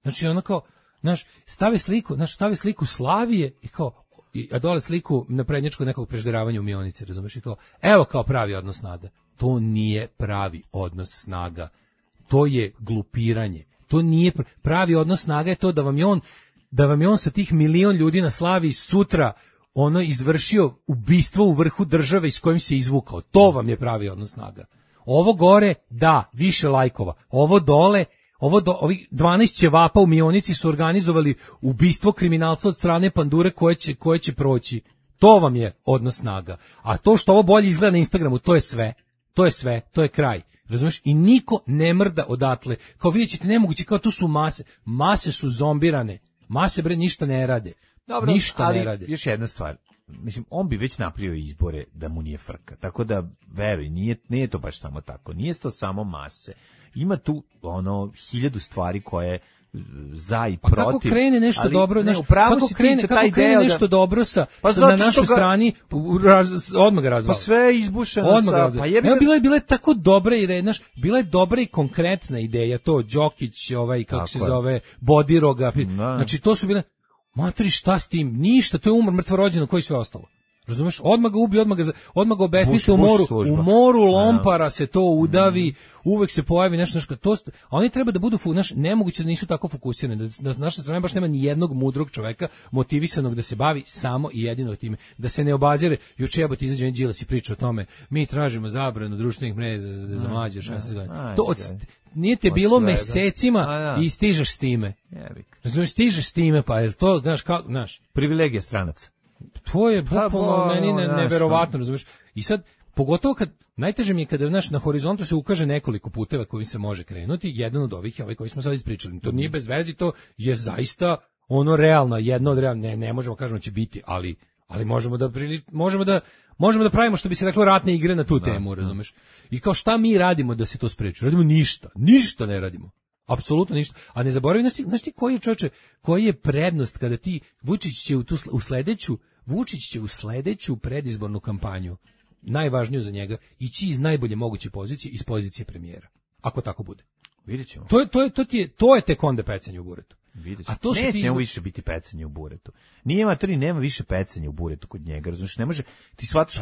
Znači, kao, znaš, stave sliku Slavije i kao, a dole sliku naprednjačkog nekog prežderavanja u Mionici, razumeš, i kao, evo kao pravi odnos snaga. To nije pravi odnos snaga. To je glupiranje. To nije pravi odnos snaga, je to da vam je on sa tih milion ljudi na Slaviji sutra izvršio ubistvo u vrhu države s kojim se izvukao. To vam je pravi odnos snaga. Ovo gore, da, više lajkova. Ovo dole, ovih 12 ćevapa u Mionici su organizovali ubistvo kriminalca od strane pandure koje će proći. To vam je odnos snaga. A to što ovo bolje izgleda na Instagramu, to je sve. To je kraj. Razumiješ? I niko ne mrda odatle. Kao vidjet ćete, nemoguće, kao tu su mase. Mase su zombirane. Mase, ništa ne rade. Dobro, ništa ne rade. Još jedna stvar. Mislim, on bi već napravio izbore da mu nije frka. Tako da, veruj, nije to baš samo tako. Nije to samo mase. Ima tu 1000 stvari koje za i pa protiv. Kako krene nešto ali, dobro, ne, kako krene nešto dobro sa na našoj strani, odmah ga razvala. Pa sve je izbušeno sa... Pa bila je tako dobra i bila je dobra i konkretna ideja, to Đokić, kako se zove, Bodiroga, znači to su bile, matri šta s tim, ništa, to je umor mrtvorođeno, koji sve ostalo. Razumeš? Odmah ga ubi, odmah ga obesmisli u moru lompara se to udavi, uvek se pojavi nešto to, a oni treba da budu nemoguće da nisu tako fokusirani, da naša strana baš nema ni jednog mudrog čoveka motivisanog da se bavi samo i jedino time, da se ne obazire, juče jebote izađe Đilas i priča o tome, mi tražimo zabranu društvenih mreža za mlađe 16 godina. To nije te bilo mesecima i stižeš s time. Razumeš, stižeš s time, pa je to, znaš, privilegija stranaca. To je bukvalno meni neverovatno, razumiješ? I sad, pogotovo kad, najteže mi je kada na horizontu se ukaže nekoliko puteva kojim se može krenuti, jedan od ovih je ovaj koji smo sad ispričali. To nije bez veze, to je zaista realno, jedno od realno, ne možemo kažemo će biti, ali možemo da pravimo, što bi se reklo, ratne igre na tu temu, razumiješ? I kao šta mi radimo da se to spreči? Radimo ništa ne radimo. Apsolutno ništa. A ne zaboravi, znaš ti koji je prednost kada ti, Vučić će u sledeću predizbornu kampanju, najvažniju za njega, ići iz najbolje moguće pozicije, iz pozicije premijera. Ako tako bude. Vidjet ćemo. To je tek onda pecanje u buretu. A to neće više biti pecanje u buretu. Nema više pecanja u buretu kod njega. Razumiješ, ne može, ti shvataš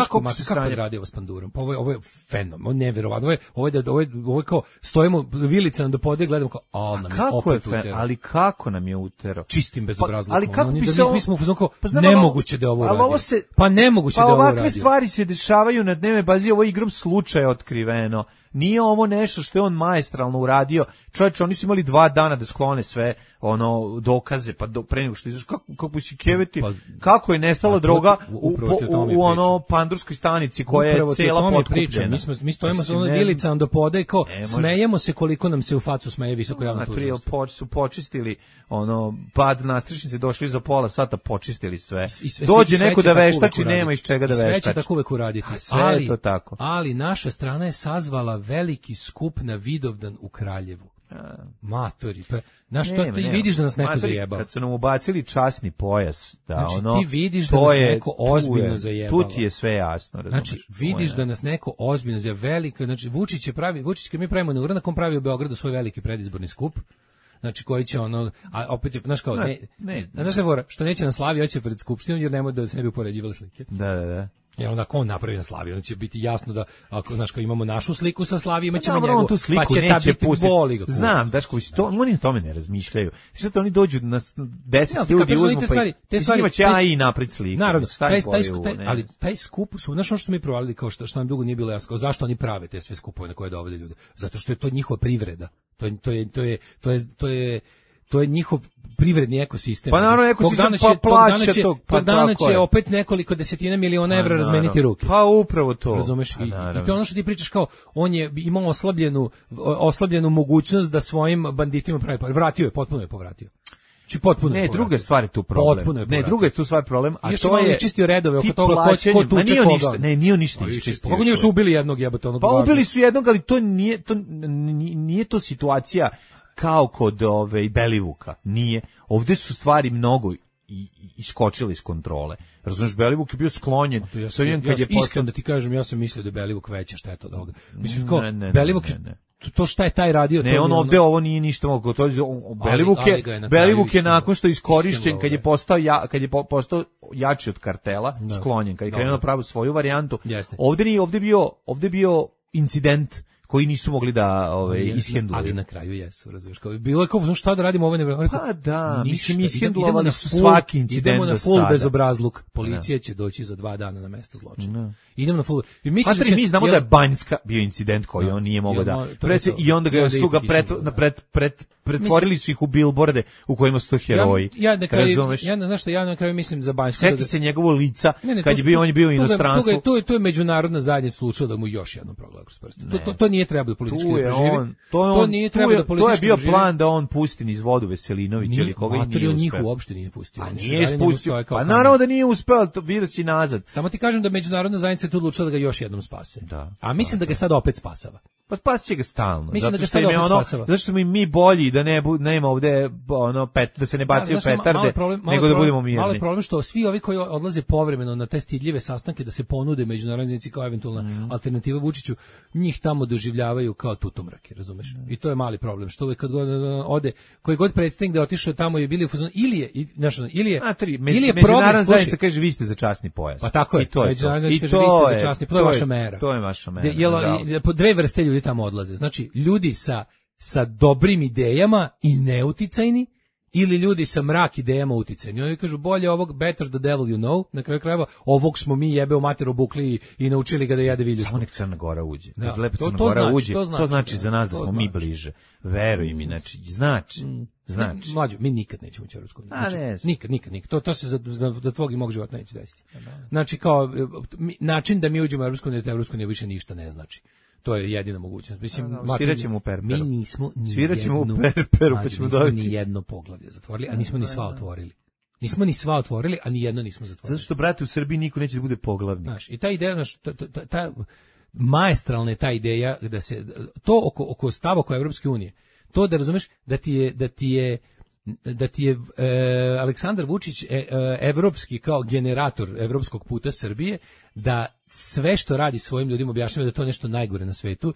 kako je radio s Pandurom. Pa ovo je fenomen, ovo je neverovatno. Ovo je kao, stojimo vilica do pode, gledamo kao, ali kako nam je utero? Čistim bezobrazlukom. Ali kako bi se mi smo kao, nemoguće da ovo radi. Pa nemoguće da ovo radi. Pa ovakve stvari se dešavaju na dnevnoj bazi, ovo je igrom slučaja otkriveno. Nije ovo nešto što je on maestralno uradio. Čovječe, oni su imali 2 dana da sklone sve dokaze, pa pre nego što izaš, kako si keveti, kako je nestala droga u pandurskoj stanici koja je cela potkupljena. Mi stojimo sa vilicama do poda i kao, smejemo se koliko nam se u facu smeje visoko javno tužilaštvo. Su počistili pad nastrešnice, došli za pola sata, počistili sve. Dođe neko da veštači, nema iz čega da veštači. Sve će tako uvek uraditi. Ali naša strana je sazvala veliki skup na Vidovdan u Kraljevu. Matori, pa ti vidiš da nas neko zajebao. Kad su nam ubacili časni pojas, ti vidiš da nas neko ozbiljno zajebao. Tu ti je sve jasno, razumiješ. Znači, vidiš da nas neko ozbiljno zajebao, veliko, znači Vučić kad mi pravimo neuranak, on pravi u Beogradu svoj veliki predizborni skup. Znači koji će a opet je, znaš kao, znaš što neće na Slavi, hoće pred skupštinom, jer nemoj da se ne bi upoređivali slike. Da. Jer onda ako on napravi na Slavi, onda će biti jasno da, ako znaš, kao imamo našu sliku sa Slavi, imaćemo njegovu, pa će ta biti boli ga. Znam, Daško, oni o tome ne razmišljaju. Sad oni dođu na 10 ljudi uzmu, pa njima će i napred sliku. Naravno, ali taj skup su, znaš ono što smo mi provalili, kao što nam dugo nije bilo jasno, zašto oni prave te sve skupove na koje dovode ljude? Zato što je to njihova privreda. To je njihov privredni ekosistem. Pa naravno ekosistem plaća tog. Tog dana će opet nekoliko desetina miliona evra razmeniti ruke. Pa upravo to. Razumeš? I to je ono što ti pričaš, kao, on je imao oslabljenu mogućnost da svojim banditima pravi. Vratio je, potpuno je povratio. Druga stvar je tu problem. Druga je tu stvar problem, a to je čistio redove oko toga ko tuče koga. Nije ništa iščistio. Kako nije su ubili jednog jebote onog. Pa ubili su jednog, ali to nije to situacija kao kod Belivuka. Nije. Ovde su stvari mnogo iskočile iz kontrole. Razumiješ, Belivuk je bio sklonjen. Iskreno da ti kažem, ja sam mislio da je Belivuk veća šteta od ovoga. Mislim, kao, Belivuk to šta je taj radio? Ne, on ovde ovo nije ništa mogo. Belivuk je nakon što je iskorišćen, kad je postao jači od kartela, sklonjen, kad je krenuo da pravi svoju varijantu. Ovde bio incident koji nisu mogli da ishendluju. Ali na kraju jesu, razumiješ. Bilo je kao, šta da radimo ovo ne... Pa da, mislim, ishendlovali su svaki incident do sada. Idemo na full bezobrazluk. Policija će doći za 2 dana na mesto zločina. Idemo na full... Mi znamo da je Banjska bio incident koji on nije mogao da... I onda su ga pretvorili su ih u bilborde u kojima su to heroji. Ja na kraju mislim za Banjsku... Seti se njegovo lica, kad je bio, on je bio u inostranstvu. To je međunarodna zajednica slučila da mu još jednom progleda kroz prste. To nije trebalo politički da preživi. To je bio plan da on pusti niz vodu Veselinović ili koga i nije uspeo. Njih uopšte nije pustio. Nije ispustio. Pa naravno da nije uspeo, vidio si nazad. Samo ti kažem da međunarodna zajednica tu odlučila da ga još jednom spase. A mislim da ga sad opet spasava. Pa spasit će ga stalno. Mislim zato što im je zato što smo i mi bolji da nema ovde da se ne bacaju petarde, nego da budemo mirni. Malo je problem što svi ovi koji odlaze povremeno na te stidljive sastanke da se ponude međunarodnoj zajednici kao eventualna alternativa Vučiću, njih tamo doživljavaju kao tutomrake, razumeš? I to je mali problem, što uvek kad ode, koji god predstavnik da je otišao tamo je bili u fazonu, ili je međunarodna zajednica kaže vi ste za časni pojas. Pa tako je. Međunarodna zajednica kaže vi ste za časni, to je vaša mera. To je vaša mera. Po dve vrste ljudi tamo odlaze. Znači, ljudi sa dobrim idejama i neuticajni, ili ljudi sa mrak idejama uticajni. Oni kažu, bolje ovog, better the devil you know, na kraju krajeva, ovog smo mi jebe u mater obukli i naučili ga da jede viljušku. Samo nek Crna Gora uđe. Kad lepo Crna Gora uđe, to znači za nas da smo mi bliže. Veruj mi, znači. Mlađo, mi nikad nećemo ući u Evropsku uniju. Znači, nikad. To se za tvog i mog života neće desiti. Znači, kao, način da mi uđemo u Evropsku uniju više ništa ne znači. To je jedina mogućnost. Mislim, sviraćemo u Perperu. Mi nismo ni jedno poglavlje zatvorili, a nismo ni sva otvorili. Nismo ni sva otvorili, a ni jedno nismo zatvorili. Zato što, brate, u Srbiji niko neće da bude poglavnik. Znaš, i ta ideja, ta maestralna je ta ideja da se, to oko stava oko Evropske unije, to da razumeš da ti je Aleksandar Vučić evropski kao generator evropskog puta Srbije, da sve što radi svojim ljudima objašnjava da je to nešto najgore na svetu,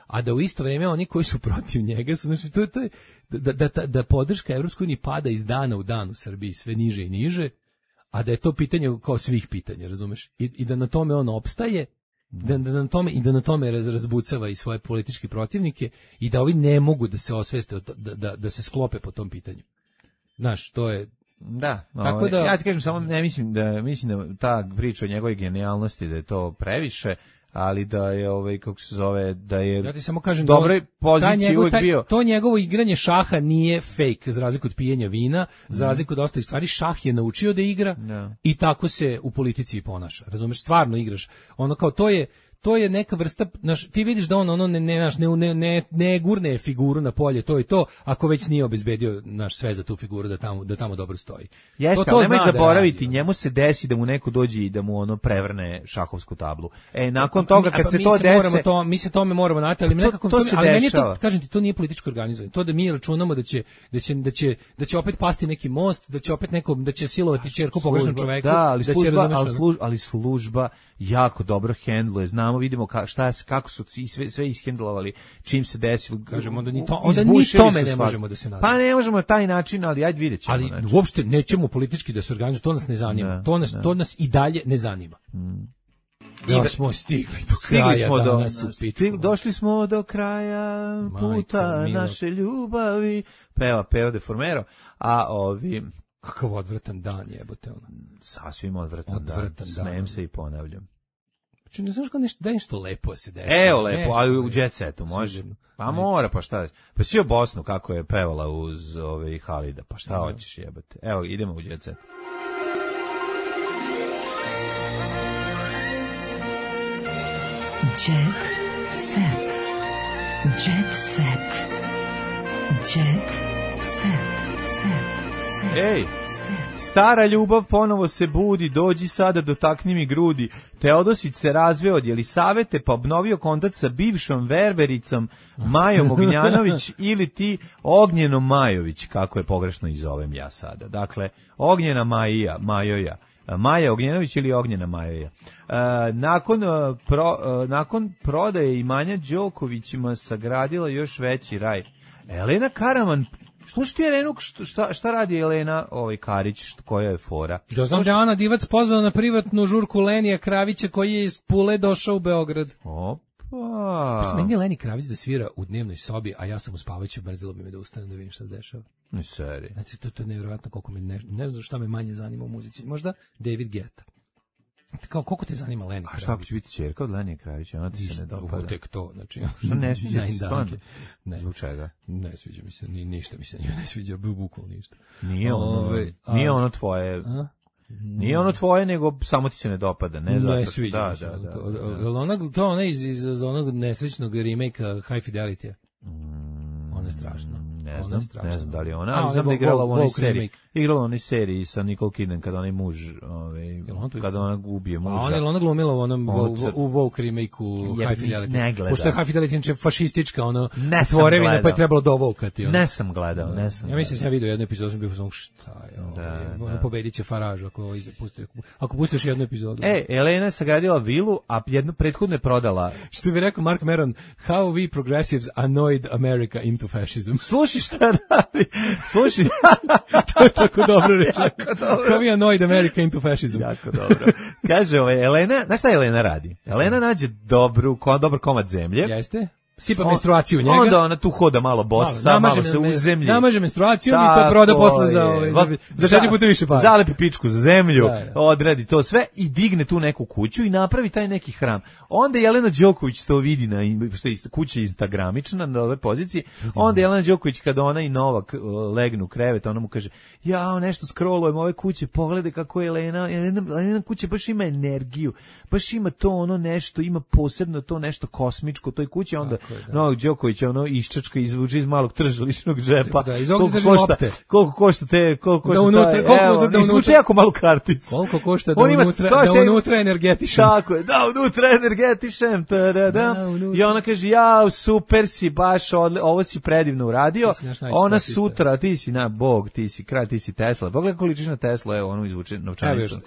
a da u isto vrijeme oni koji su protiv njega su, znači, to je da podrška Evropskoj uniji pada iz dana u dan u Srbiji sve niže i niže, a da je to pitanje kao svih pitanja, razumeš? I da na tome on opstaje, da na tome razbucava i svoje političke protivnike i da ovi ne mogu da se osveste, da se sklope po tom pitanju. Znaš, to je... Da, tako da, ja ti kažem, samo ne mislim da ta priča o njegovoj genijalnosti da je to previše, ali da je kako se zove, da je ja ti samo kažem dobroj poziciji uvijek bio. To njegovo igranje šaha nije fake, za razliku od pijenja vina, za razliku od ostalih stvari, šah je naučio da igra i tako se u politici ponaša. Razumeš, stvarno igraš. Ono kao to je neka vrsta, ti vidiš da on ne gurne figuru na polje, to i to, ako već nije obezbedio sve za tu figuru da tamo dobro stoji. Jeste, ali nemoj zaboraviti, njemu se desi da mu neko dođe i da mu prevrne šahovsku tablu. Nakon toga kad se to desi, mi se tome moramo nadati, ali nekako ali meni to, kažem ti, to nije političko organizovanje. To da mi računamo da će opet pasti neki most, da će opet da će silovati ćerku pogrešnog čoveka, ali služba jako dobro hendluje, vidimo kako su sve ishendlovali čim se desilo. Kažemo onda ni tome ne možemo da se nadamo. Pa ne možemo na taj način, ali ajde vidjet ćemo. Ali uopšte nećemo politički da se organizujemo, to nas ne zanima. To nas i dalje ne zanima. Da smo stigli do kraja danas u Pittsburghu. Došli smo do kraja puta naše ljubavi. Peva Deformero, a kakav odvratan dan jebote ono. Sasvim odvratan dan. Smejem se i ponavljam. Ne znaš kao nešto lepo se desi. Evo lepo, ali u jet setu može. Pa mora, pa šta? Pa si u Bosnu kako je pevala uz Halida, pa šta hoćeš jebate. Evo, idemo u jet set. Jet set. Jet set. Jet set. Ej! Stara ljubav ponovo se budi, dođi sada, dotakni mi grudi. Teodosić se razveo od Jelisavete pa obnovio kontakt sa bivšom ververicom Majom Ognjanović ili ti Ognjenom Majović, kako je pogrešno i zovem ja sada. Dakle, Ognjena Majoja. Maja Ognjanović ili Ognjena Majoja. Nakon prodaje imanja Đokovićima sagradila još veći raj. Elena Karaman, slušaj ti Elenu, šta radi Elena Karić, koja je fora? Ja znam da je Ana Divac pozvala na privatnu žurku Lenija Kravića koji je iz Pule došao u Beograd. Opa! Meni je Leni Kravić da svira u dnevnoj sobi, a ja sam u spavaću, mrzelo bi me da ustanem da vidim šta se dešava. Seri. Znači, to je nevjerojatno koliko me ne znam šta me manje zanima u muzici. Možda David Guetta. Kao, koliko te zanima Leni Kravić? A šta ako će biti ćerka od Lenije Kravića? Ona ti se ne dopada. Tek to, znači... Što ne sviđa ti stvarno? Zbog čega? Ne sviđa mi se, ništa mi se ne sviđa, bukvalno ništa. Nije ono tvoje... Nije ono tvoje, nego samo ti se ne dopada. Ne sviđa mi se. To ona iz onog nesrećnog remake-a High Fidelity-a. Ona je strašna. Ne znam da li je ona, ali znam da je igrala u onoj seriji. Igrala u onoj seriji sa Nicole Kidman kada onaj muž, kada ona ubije muža. A ona glumila u onom u Vogue remake-u High Fidelity. Pošto je High Fidelity fašistička, tvorevina, pa je trebalo dovokati. Ne sam gledao. Ja mislim sam vidio jednu epizodu, sam bio sam šta je ovo, pobedit će Faraž ako pustiš jednu epizodu. Elena je sagradila vilu, a jednu prethodno je prodala. Što bi rekao Mark Maron, how we progressives annoyed America into fascism. Slušaj šta radi. Slušaj. To je tako dobro reći. How we annoyed America into fascism. Jako dobro. Kaže Elena, znaš šta Elena radi? Elena nađe dobar komad zemlje. Jeste? Sipa menstruaciju u njega. Onda ona tu hoda malo bosa, malo se uzemlji. Namaže menstruaciju i to proda posle za 4 puta više para. Zalepi pičku za zemlju, odradi to sve i digne tu neku kuću i napravi taj neki hram. Onda Jelena Đoković to vidi, što je kuća instagramična na ove pozicije. Onda Jelena Đoković kada ona i Novak legnu u krevet, ona mu kaže, ja nešto scrollujem ove kuće, pogledaj kako je Elena kuća baš ima energiju, baš ima to ono nešto, ima posebno to nešto kosmičko u toj kući. Onda Novak Đoković iščačka izvuče iz malog tržaličnog džepa. Koliko košta izvuče jako malu karticu. Koliko košta da unutra energetišem. Tako je, da unutra energetišem. I ona kaže, ja, super si, baš ovo si predivno uradio. Ona sutra, ti si bog, ti si kralj, ti si Tesla. Pogledaj koliko ličiš na Tesla, evo ono izvuče novčanicu.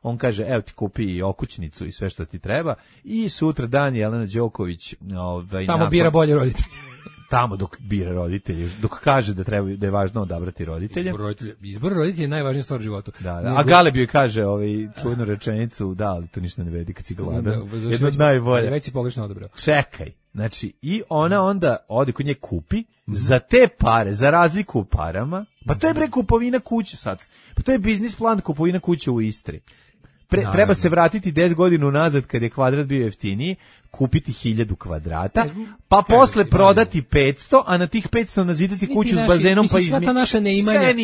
On kaže, evo ti kupi i okućnicu i sve što ti treba. I sutra dan Jelena Đoković tamo bira bolje roditelje. Tamo dok bira roditelje, dok kaže da je važno odabrati roditelje. Izbor roditelja je najvažnija stvar u životu. Da. A Galeb joj kaže čuvenu rečenicu, da, ali to ništa ne vedi kad si gladan. Jedno od najbolje. Već si pogrešno odabrao. Čekaj. Znači, i ona onda ode kod nje kupi, za te pare, za razliku u parama, pa to je kupovina kuće sad. Pa to je biznis plan kupovina kuće u Istri. Treba se vratiti 10 godina unazad kad je kvadrat bio jeftiniji, kupiti 1000 kvadrata, pa posle prodati 500, a na tih 500 nazidati kuću s bazenom, pa izmijeti.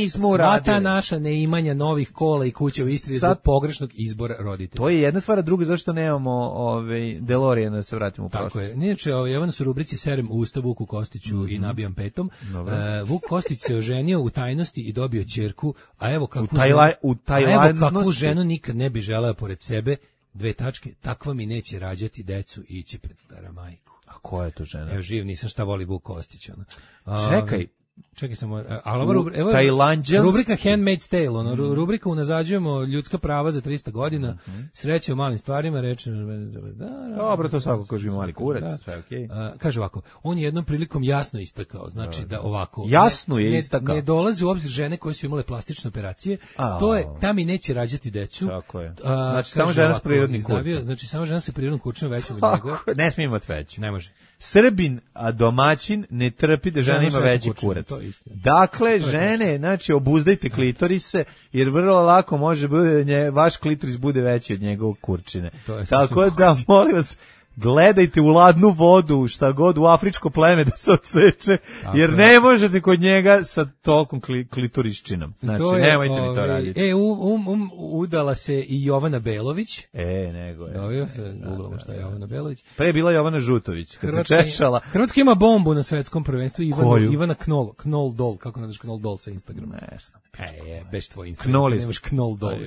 Sva ta naša neimanja novih kola i kuće u Istri zbog pogrešnog izbora roditelja. To je jedna stvar, a druga zašto nemamo DeLorean da se vratimo u prošlost. Tako je. Inače, Jovana su rubrici Serem usta Vuku Kostiću i nabijam petom. Vuk Kostić se oženio u tajnosti i dobio ćerku, a evo kakvu ženu nikad ne bi želeo pored sebe, takva mi neće rađati decu i ići pred stara majku. A koja je to žena? Evo živ nisam, šta voli Vuk Kostić. Čekaj samo, rubrika Handmaid's Tale, rubrika unazađujemo ljudska prava za 300 godina, sreće u malim stvarima, reče... Dobro, to svako ko živi mali kurac, sve okej. Kaže ovako, on je jednom prilikom jasno istakao, znači da ovako... Jasno je istakao. Ne dolazi u obzir žene koje su imale plastične operacije, to je, ta mi neće rađati decu. Tako je. Znači, samo žena s prirodnim kurcem. Znači, samo žena sa prirodnim kurčem veću od njega. Ne smije imati veću. Ne može. Srbin, a domaćin ne trpi da žena ima veći kurac. Dakle, žene, znači, obuzdajte klitorise, jer vrlo lako može bude vaš klitoris bude veći od njegovog kurčine. Tako da, molim vas, gledajte u ladnu vodu, šta god u afričko pleme da se odseče, jer ne možete kod njega sa tolkom klitoriščinom. Znači, nemojte mi to raditi. Udala se i Jovana Belović. Nego je. Dobio se, googlamo šta je Jovana Belović. Pre je bila Jovana Žutović, kad se češala. Hrvatska ima bombu na svetskom prvenstvu. Ivana Knoll Doll, kako naziš Knoll Doll sa Instagrama? Ne znam. Beš tvoj Instagram, nemaš Knoll Doll.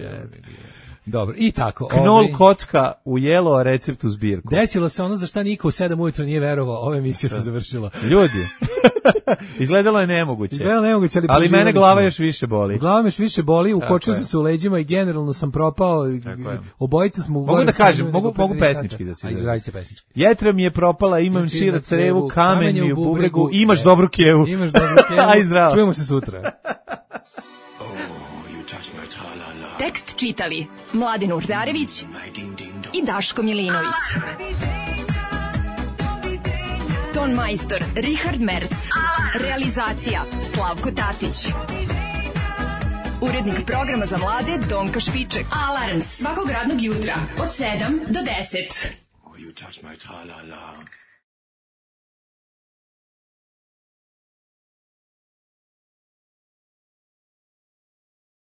Dobro, i tako. Knol kocka u jelo, a recept u zbirku. Desilo se ono za šta niko u 7 ujutro nije verovao, ova emisija se završila. Ljudi, izgledalo je nemoguće. Ali mene glava još više boli. Glava me još više boli, ukočio sam se u leđima i generalno sam propao. Obojica smo... Mogu da kažem, mogu pesnički da se izrazi. Izrazi se pesnički. Jetra mi je propala, imam čira crevu, kamen mi u bubregu, imaš dobru kevu. Imaš dobru kevu. Aj zdravo. Čujemo se sutra. Tekst čitali Mladen Urdarević i Daško Milinović. Ton majstor Richard Merc. Realizacija Slavko Tatić. Urednik programa za mlade Donka Špiček. Alarms svakog radnog jutra od 7 do 10.